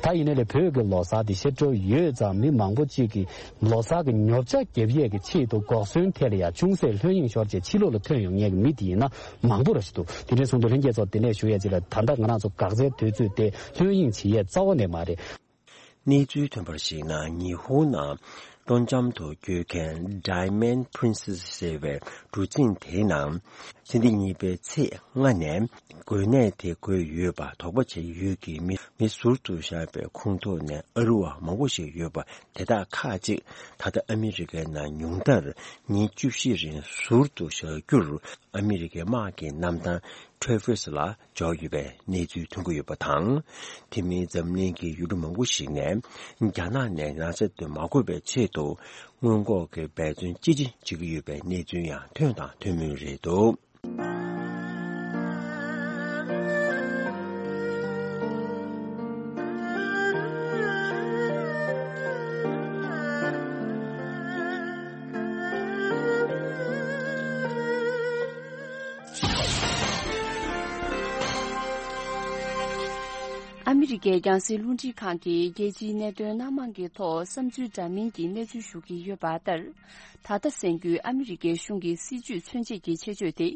ད་ཡིན་ནའི་ལས་བོད་ཀྱི་ལོ་གསར་འདི་ཤར་འགྲོ་ཡོད་ཙང་མི་མང་པོ་གཅིག་གིས་ལོ་གསར་གྱི་ཉོ་ཆ་རྒྱབ་ཡས་ཀྱི་ཆེད་དུ་འགོག་ཟོན་ཐད་ལ་ཡང་ཅུང་ཟད་ལྷོད་གཡེང་ཤོར་རྗེས་ཕྱི་ལོགས་ལ་ཐོན་ཡོང་མཁན་གྱི་མི་དེ་ཡིན་ན་མང་པོ་ར་ཞིག་འདུག་དེ་འདྲའི་སོང་དུས་ལྷན་རྒྱས་ཚོ་དེ་ནས་ཞུ་ཡས་ཅིག་ལ། ད་ལྟ་ང་རང་ཚོ་འགག་རྩའི་དུས་ཚོད་དེ་ལྷོད་གཡེང་བྱེད་ཡས་རྩ་བ་ནས་མ་རེད། གནས་ཚུལ་ཐོན་པར་གཞིགས་ན། ཉི་ཧོང་ནང་སྤྲོ་འཆམ་དུ་སྐྱོད་མཁན་Diamond Princess ཟེར་བའི་གྲུ་གཟིངས་དེའི་ནང་། ཕྱི་ཟླ་གཉིས་པའི་ཚེས་ལྔ་ནས་འགོས་ནད་དེ་འགོས་ཡོད་པ་དོགས་པ་བྱས་ཡོད་ཀྱི་མི་མི་ཟུར་དུ་བཞག་པའི་ཁོངས་གཏོགས་ནས་ཨ་རི་བ་མང་པོ་ཞིག་ཡོད་པ་དེ་དག་ཁག་ཅིག་ད་ལྟ་ཨ་མི་རི་ཀའི་ནང་ཉུང་མཐར་ཉིན་བཅུ་བཞི་རིང་ཟུར་དུ་བཞག་རྒྱུར། ཨ་མི་རི་ཀའི་དམག་གི་གནམ་ཐང་Traverse ལ་འབྱོར་ཡོད་པའི་གནས་ཚུལ་ཐོན་གྱི་ཡོད་པ་དང་། དེ་མིན་འཛམ་གླིང་གི་ཡུལ་གྲུ་མང་པོ་ཞིག་ནས་རྒྱ་ནག་ནས་ན་ཚ་དེ་མ་འགོས་པའི་ཆེད་དུ་སྔོན་འགོག་གི་འབད་བརྩོན་ཅི་ཆེ་བྱེད་ཀྱི་ཡོད་པའི་གནས་ཚུལ་ཡང་ཐོན་དང་ཐོན་མུས་རེད་འདུག་ཨ་མི་རི་ཀའི་རྒྱང་སྲིང་རླུང་འཕྲིན་ཁང་གིས་རྒྱལ་སྤྱིའི་གནད་དོན་སྣ་མང་གི་ཐོག་བསམ་ཚུལ་འདྲ་མིན་གྱི་གནས་ཚུལ་ཞུ་གི་ཡོད་པ་ལྟར། ད་ལྟ་གསར་འགོད་ཨ་མི་རི་ཀའི་གཞུང་གི་སྲིད་ཇུས་མཚོན་བྱེད་ཀྱི་ཆེད་བརྗོད་དེ།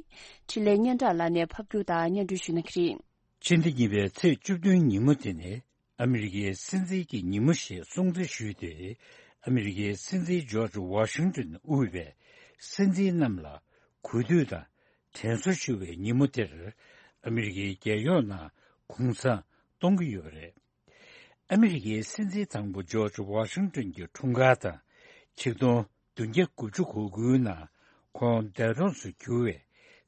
འཕྲིན་ལས་སྙན་གྲགས་ལགས་ནས་ཕབ་སྒྱུར་དང་སྙན་སྒྲོན་ཞུ་གནང་གི་རེད། ཕྱི་ཟླ་གཉིས་པའི་ཚེས་བཅུ་བདུན་ཉིན་མོ་དེ་ནི་ཨ་མི་རི་ཀའི་སྲིད་འཛིན་གྱི་ཉིན་མོ་ཞེས་སྲུང་བརྩི་ཞུས་ཏེ། ཨ་མི་རི་ཀའི་སྲིད་འཛིན་ཇོརྗ་ཝ་ཤིང་ཏོན་དབུས་པའི་སྲིད་འཛིན་རྣམས་ལ་གུས་འདུད་དང་དྲན་གསོ་ཞུ་བའི་ཉིན་མོ་དེར། ཨ་མི་རི་ཀའི་རྒྱལ་ཡོངས་ནང་གུང་སེང་གཏོང་གི་ཡོད་པ་རེད། ཨ་མི་རི་ཀའི་སྲིད་འཛིན་དང་པོ་ཇོརྗ་ཝ་ཤིང་ཏོན་གྱི་འཁྲུངས་སྐར་དང་། ཆིག་སྟོང་བདུན་བརྒྱ་དགུ་བཅུ་གོ་དགུའི་ནང་ཁོང་འདས་གྲོངས་སུ་གྱུར་བའི་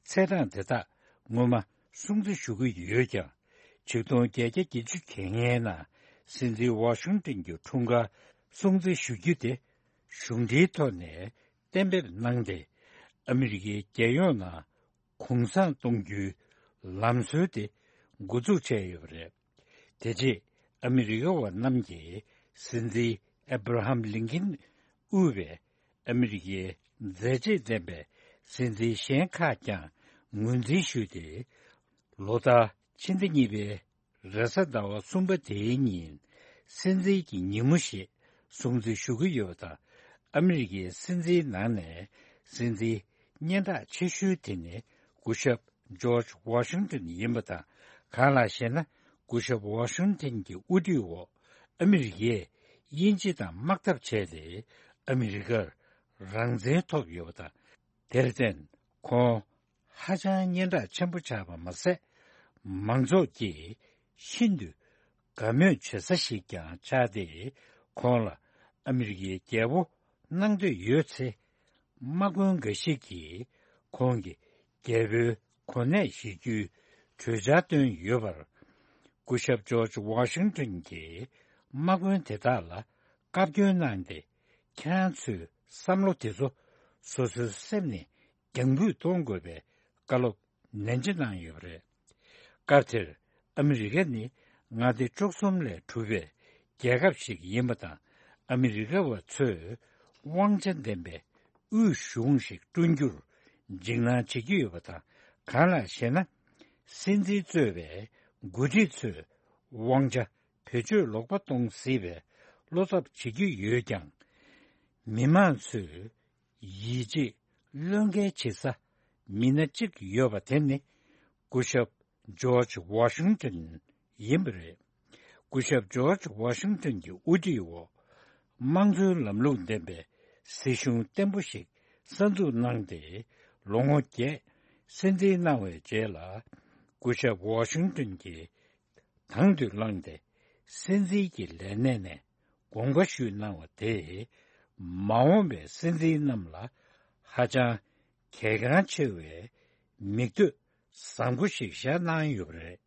ཚེས་གྲངས་དེ་དག་ངོ་མ་སྲུང་བརྩི་ཞུ་གི་ཡོད་ཀྱང་། ཆིག་སྟོང་བརྒྱད་བརྒྱ་བརྒྱད་ཅུ་གྱ་ལྔའི་ནང་སྲིད་འཛིན་ཝ་ཤིང་ཏོན་གྱི་འཁྲུངས་སྐར་སྲུང་བརྩི་ཞུ་རྒྱུ་དེ་གཞུང་འབྲེལ་ཐོག་ནས་གཏན་འབེབས་གནང་སྟེ། ཨ་མི་རི་ཀའི་རྒྱལ་ཡོངས་ནང་གུང་སེང་གཏོང་རྒྱུའི་ལམ་སྲོལ་དེ་འགོ་འཛུགས་བྱས་ཡོད་པ་རེད། དེ་རྗེས་ཨ་མི་རི་ཀ་བ་རྣམས་ཀྱིས་སྲིད་འཛིན་ཨེ་བྷ་ར་ཧམ་ལིན་ཀིན་དབུས་པའི་ཨ་མི་རི་ཀའི་མཛད་རྗེས་ལྡན་པའི་སྲིད་འཛིན་གཞན་ཁག་ཀྱང་ངོས་འཛིན་ཞུས་ཏེ། ལོ་ལྟར་ཕྱི་ཟླ་གཉིས་པའི་རེས་གཟའ་ཟླ་བ་གསུམ་པ་དེའི་ཉིན་སྲིད་འཛིན་གྱི་ཉིན་མོ་ཞེས་སྲུང་བརྩི་ཞུ་གི་ཡོད་པ་དང་། ཨ་མི་རི་ཀའི་སྲིད་འཛིན་ནང་ནས་སྲིད་འཛིན་སྙན་གྲགས་ཆེ་ཤོས་དེ་ནི་སྐུ་ཞབས་ཇོརྗ་ཝ་ཤིང་ཏོན་ཡིན་པ་དང་། གང་ལགས་ཤེ་ན། སྐུ་ཞབས་ཝ་ཤིང་ཏོན་གྱི་དབུ་ཁྲིད་འོག་ཨ་མི་རི་ཀས་དབྱིན་ཇི་དང་དམག་འཐབ་བྱས་ཏེ། ཨ་མི་རི་ཀར་རང་བཙན་ཐོབ་ཡོད་པ་དང་ དེར་བརྟེན་ཁོང་ཧ་ཅང་སྙན་གྲགས་ཆེན་པོ་ཆགས་པ་མ་ཟད། མང་ཚོགས་ཀྱིས་ཤིན་ཏུ་དགའ་མོས་བྱེད་ས་ཞིག་ཀྱང་ཆགས་ཏེ། ཁོང་ལ་ཨ་མི་རི་ཀའི་རྒྱལ་པོ་གནང་འདོད་ཡོད་ཚེ། དམག་དཔོན་འགའ་ཞིག་གིས་ཁོང་གི་རྒྱལ་པོའི་གོ་གནས་བཞེས་རྒྱུའི་གྲོས་འཆར་བཏོན་ཡོད་པར། སྐུ་ཞབས་ཇོརྗ་ཝ་ཤིང་ཏོན་གྱིས་དམག་དཔོན་དེ་དག་ལ་བཀའ་བཀྱོན་གནང་སྟེ། ཁྱེད་རང་ཚོའི་བསམ་བློ་དེ་ཚོ་སོ་སོའི་སེམས་ནས་རྒྱང་འབུད་གཏོང་དགོས་པའི་བཀའ་སློབ་ནན་ཆེ་གནང་ཡོད་པ་རེད། སྐབས་དེར་ཨ་མི་རི་ཀ་ནི་མངའ་སྡེ་བཅུ་གསུམ་ལས་གྲུབ་པའི་རྒྱལ་ཁབ་ཞིག་ཡིན་པ་དང་། ཨ་མི་རི་ཀ་བ་ཚོས་དབང་ཆ་ལྡན་པའི་དབུས་གཞུང་ཞིག་བསྐྲུན་རྒྱུར་འཇིགས་སྣང་བྱེད་ཀྱི་ཡོད་པ་དང་། གང་ལགས་ཤེ་ན། སྲིད་འཛིན་གཙོས་པའི་འགོ་ཁྲིད་ཚོས་དབང་ཆ་བེད་སྤྱོད་ལོག་པ་གཏོང་སྲིད་པའི་བློ་འཚབ་བྱེད་ཀྱི་ཡོད་ཀྱང་། མི་མང་ཚོས་ཡིད་ཆེས་བློས་འགེལ་བྱེད་ས་མི་སྣ་གཅིག་ཡོད་པ་དེ་ནི་སྐུ་ཞབས་ཇོརྗ་ཝ་ཤིང་ཏོན་ཡིན་པ་རེད། སྐུ་ཞབས་ཇོརྗ་ཝ་ཤིང་ཏོན་གྱི་དབུ་ཁྲིད་འོག་དམངས་གཙོའི་ལམ་ལུགས་ལྡན་པའི་སྲིད་གཞུང་བརྟན་པོ་ཞིག་གསར་འཛུགས་གནང་སྟེ། ལོ་ངོ་བརྒྱད་སྲིད་འཛིན་གནང་བའི་རྗེས་ལ། སྐུ་ཞབས་ཝ་ཤིང་ཏོན་གྱིས་དང་དུ་བླངས་ཏེ། སྲིད་འཛིན་གྱི་ལས་གནས་ནས་དགོངས་པ་ཞུས་གནང་བ་དེས། མ་འོངས་པའི་སྲིད་འཛིན་རྣམས་ལ་ཧ་ཅང་གལ་འགངས་ཆེ་བའི་མིག་ལྟོས་བཟང་པོ་ཞིག་བཞག་གནང་ཡོད་པ་རེད།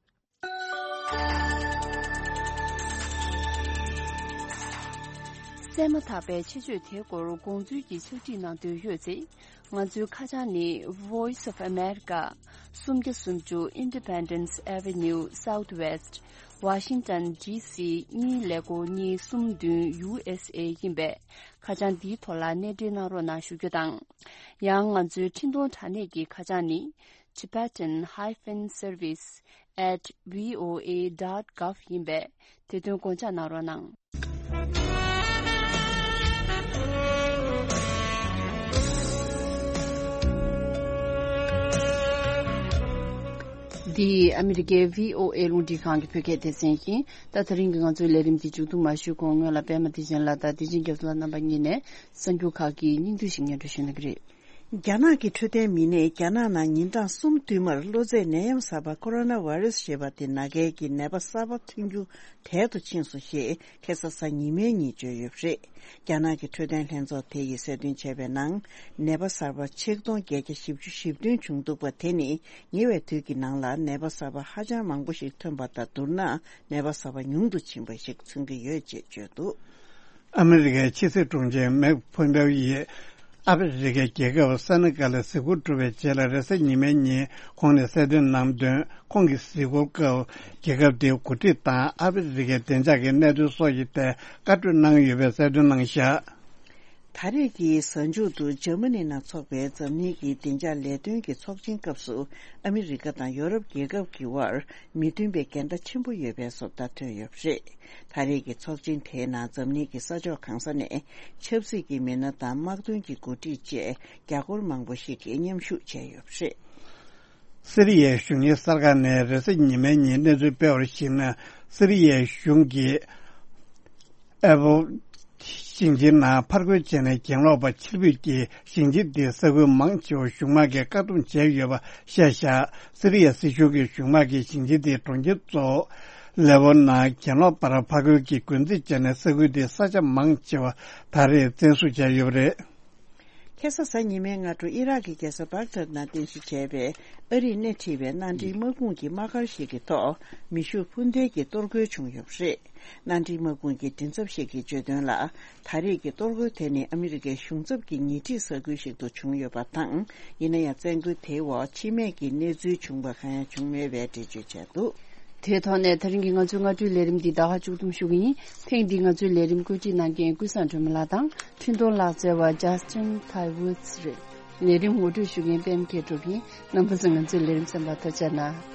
གསན་མ་ཐག་པའི་ཆེད་བརྗོད་དེའི་སྐོར་དགོངས་ཚུལ་གྱི་ཕྱག་བྲིས་གནང་འདོད་ཡོད་ཚེ། ང་ཚོའི་ཁ་བྱང་ནི། Voice of America། སུམ་བརྒྱ་སུམ་ཅུ་Independence Avenue Southwest། Washington D C གཉིས་ཀླད་ཀོར་གཉིས་གསུམ་བདུན། U S A ཡིན་པས། ཁ་བྱང་འདིའི་ཐོག་ལ་གནས་འབྲེལ་གནང་རོགས་གནང་ཞུ་རྒྱུ་དང་། ཡང་ང་ཚོའི་འཕྲིན་གཏོང་དྲ་གནས་ཀྱི་ཁ་བྱང་ནི། Tibetan hyphen service at V O A dot gov ཡིན་པས། དེ་དོན་དགོངས་འཇགས་གནང་རོགས་གནང་། འདི་ཨ་མི་རི་ཀའི་V O A རླུང་འཕྲིན་ཁང་གི་བོད་སྐད་སྡེ་ཚན་ཡིན། ད་དེ་རིང་གི་ང་ཚོའི་ལས་རིམ་འདི་མཇུག་བསྡོམས་མ་ཞུས་གོང་སྔོན་ལ་པད་མ་བདེ་ཆེན་ལགས་དང་བདེ་ཆེན་རྒྱ་མཚོ་ལགས་རྣམ་པ་གཉིས་ནས་གསར་འགྱུར་ཁག་གི་སྙིང་བསྡུས་ཤིག་སྙན་སྒྲོན་ཞུ་གནང་གི་རེད། རྒྱ་ནག་གི་འཕྲོད་བསྟེན་མི་སྣས་རྒྱ་ནག་ནང་ཉིན་གྲངས་གསུམ་བསྟུད་མར་གློ་ཚད་ནད་ཡམས་གསར་པ་ཁོ་རོ་ན་བྷ་རེ་སི་ཞེས་པ་དེ་ན་མཁན་གྱི་ནད་པ་གསར་པ་ཐོན་རྒྱུ་དལ་དུ་ཕྱིན་སོང་ཞེས་ཁ་སང་གཟའ་ཉི་མའི་ཉིན་བརྗོད་ཡོད་པ་རེད། རྒྱ་ནག་གི་འཕྲོད་བསྟེན་ལྷན་ཚོགས་དེ་ཡིས་གསལ་སྟོན་བྱས་པའི་ནང་། ནད་པ་གསར་པ་ཆིག་སྟོང་བརྒྱད་བརྒྱ་བཞི་བཅུ་ཞེ་བདུན་བྱུང་འདུག་པ་དེ་ནི་ཉེ་བའི་དུས་ཀྱི་ནང་ལ་ནད་པ་གསར་པ་ཧ་ཅང་མང་པོ་ཞིག་ཐོན་པ་དང་བསྡུར་ན་ནད་པ་གསར་པ་ཉུང་དུ་ཕྱིན་པ་ཞིག་མཚོན་གྱི་ཡོད་ཅེས་བརྗོད་འདུག། ཨ་མི་རི་ཀའི་ཕྱི་སྲིད་དྲུང་ཆེ་མེག་ཕོམ་པེའོ་ཡིས་ཨ་ཕི་རི་ཀའི་རྒྱལ་ཁབ་སེ་ནེ་གལ་ལ་གཟིགས་སྐོར་གྲུབ་པའི་རྗེས་ལ་རེས་གཟའ་ཉི་མའི་ཉིན་ཁོང་ནས་གསལ་སྟོན་གནང་དོན། ཁོང་གིས་གཟིགས་སྐོར་སྐབས་རྒྱལ་ཁབ་དེའི་འགོ་ཁྲིད་དང་ཨ་ཕི་རི་ཀའི་བདེ་འཇགས་ཀྱི་གནད་དོན་སོགས་ཀྱི་ཐད་བཀའ་གྲོས་གནང་ཡོད་པའི་གསལ་སྟོན་གནང་བཞག། ད་རེས་ཀྱི་གཟའ་མཇུག་ཏུ་འཇར་མ་ནི་ནང་འཚོགས་པའི་འཛམ་གླིང་གི་བདེ་འཇགས་ལས་དོན་གྱི་ཚོགས་ཆེན་སྐབས་སུ་ཨ་མི་རི་ཀ་དང་ཡོ་རོབ་རྒྱལ་ཁབ་ཀྱི་དབར་མི་མཐུན་པའི་འགལ་ཟླ་ཆེན་པོ་ཡོད་པའི་བཟོ་ལྟ་ཐོན་ཡོད་པ་རེད། ད་རེས་ཀྱི་ཚོགས་ཆེན་དེའི་ནང་འཛམ་གླིང་གི་ས་ཕྱོགས་གང་ས་ནས་ཆབ་སྲིད་ཀྱི་མི་སྣ་དང་དམག་དོན་གྱི་འགོ་ཁྲིད་བཅས་རྒྱ་སྒོར་མང་པོ་ཞིག་གིས་མཉམ་ཞུགས་བྱས་ཡོད་པ་རེད། སི་རི་ཡའི་གཞུང་གཉེར་གསར་ཁང་ནས་རེས་གཟའ་ཉི་མའི་ཉིན་གནས་ཚུལ་སྤེལ་བར་གཞིགས་ན། སི་རི་ཡའི་གཞུང་གིས་ཨེ་པོ་ཞིང་ཆེན་ནང་ཕར་རྒོལ་བྱས་ནས་གྱེན་ལོག་པ་ཕྱིར་འབུད་ཀྱིས་ཞིང་ཆེན་དེའི་ས་ཁུལ་མང་ཆེ་བ་གཞུང་དམག་གིས་བཀག་སྡོམ་བྱས་ཡོད་པ་བཤད་བཞག། སི་རི་ཡ་སྲིད་གཞུང་གིས་གཞུང་དམག་གིས་ཞིང་ཆེན་དེའི་གྲོང་ཁྱེར་གཙོ་བོ་ལེ་པོ་ནང་གྱེན་ལོག་པར་ཕར་རྒོལ་གྱིས་རྒོལ་འཛིང་བྱས་ནས་ས་ཁུལ་དེའི་ས་ཆ་མང་ཆེ་བ་ད་རེས་བཙན་བཟུང་བྱས་ཡོད་པ་རེད། ཁ་སང་གཟའ་ཉི་མའི་སྔ་དྲོ་ཨི་རག་གི་རྒྱལ་ས་བྷག་དྷད་ནང་རྟེན་གཞི་བྱས་པའི་ཨ་རིས་སྣེ་ཁྲིད་པའི་མནའ་འབྲེལ་དམག་དཔུང་གི་དམག་སྒར་ཞིག་གི་ཐོག་མེ་ཤུགས་འཕུར་མདེལ་གྱིས་གཏོར་རྒོལ་བྱུང་ཡོད་པ་རེད། མནའ་འབྲེལ་དམག་དཔུང་གི་མགྲིན་ཚབ་ཞིག་གིས་བརྗོད་དོན་ལ། ད་རེས་ཀྱི་གཏོར་རྒོལ་དེ་ནི་ཨ་མི་རི་ཀའི་གཞུང་ཚབ་ཀྱི་ཉེ་འཁྲིས་ས་ཁུལ་ཞིག་ཏུ་བྱུང་ཡོད་པ་དང་། ཡིན་ན་ཡང་བཙན་རྒོལ་དེའི་འོག་འཆི་རྨས་ཀྱི་གནས་ཚུལ་བྱུང་བ་གང་ཡང་བྱུང་མེད་པའི་འགྲེལ་བརྗོད་བྱས་འདུག། དེའི་ཐོག་ནས་ད་རིང་གི་ང་ཚོའི་སྔ་དྲོའི་ལས་རིམ་འདི་ད་ག་མཇུག་བསྡོམས་ཞུ་གི་ཡིན། ཐེངས་འདིའི་ང་ཚོའི་ལས་རིམ་བཀོད་སྒྲིག་གནང་མཁན་ཀུན་བཟང་སྒྲོལ་མ་ལགས་དང་འཕྲིན་གཏོང་ལག་རྩལ་བ་Justin Taiwoods རེད། ལས་རིམ་ངོ་སྤྲོད་ཞུ་མཁན་པད་མ་མཁས་གྲུབ་ཡིན། རྣམ་པ་ཚོས་ང་ཚོའི་ལས་རིམ་གསན་པར་ཐུགས་རྗེ་གནང་།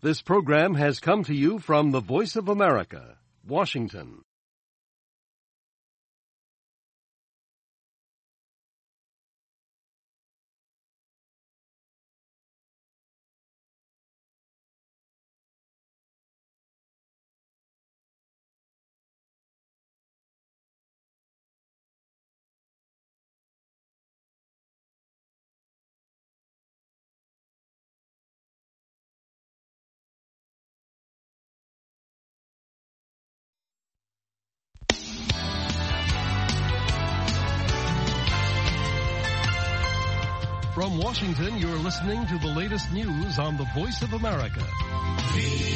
This program has come to you from the Voice of America, Washington. From Washington, you're listening to the latest news on the Voice of America.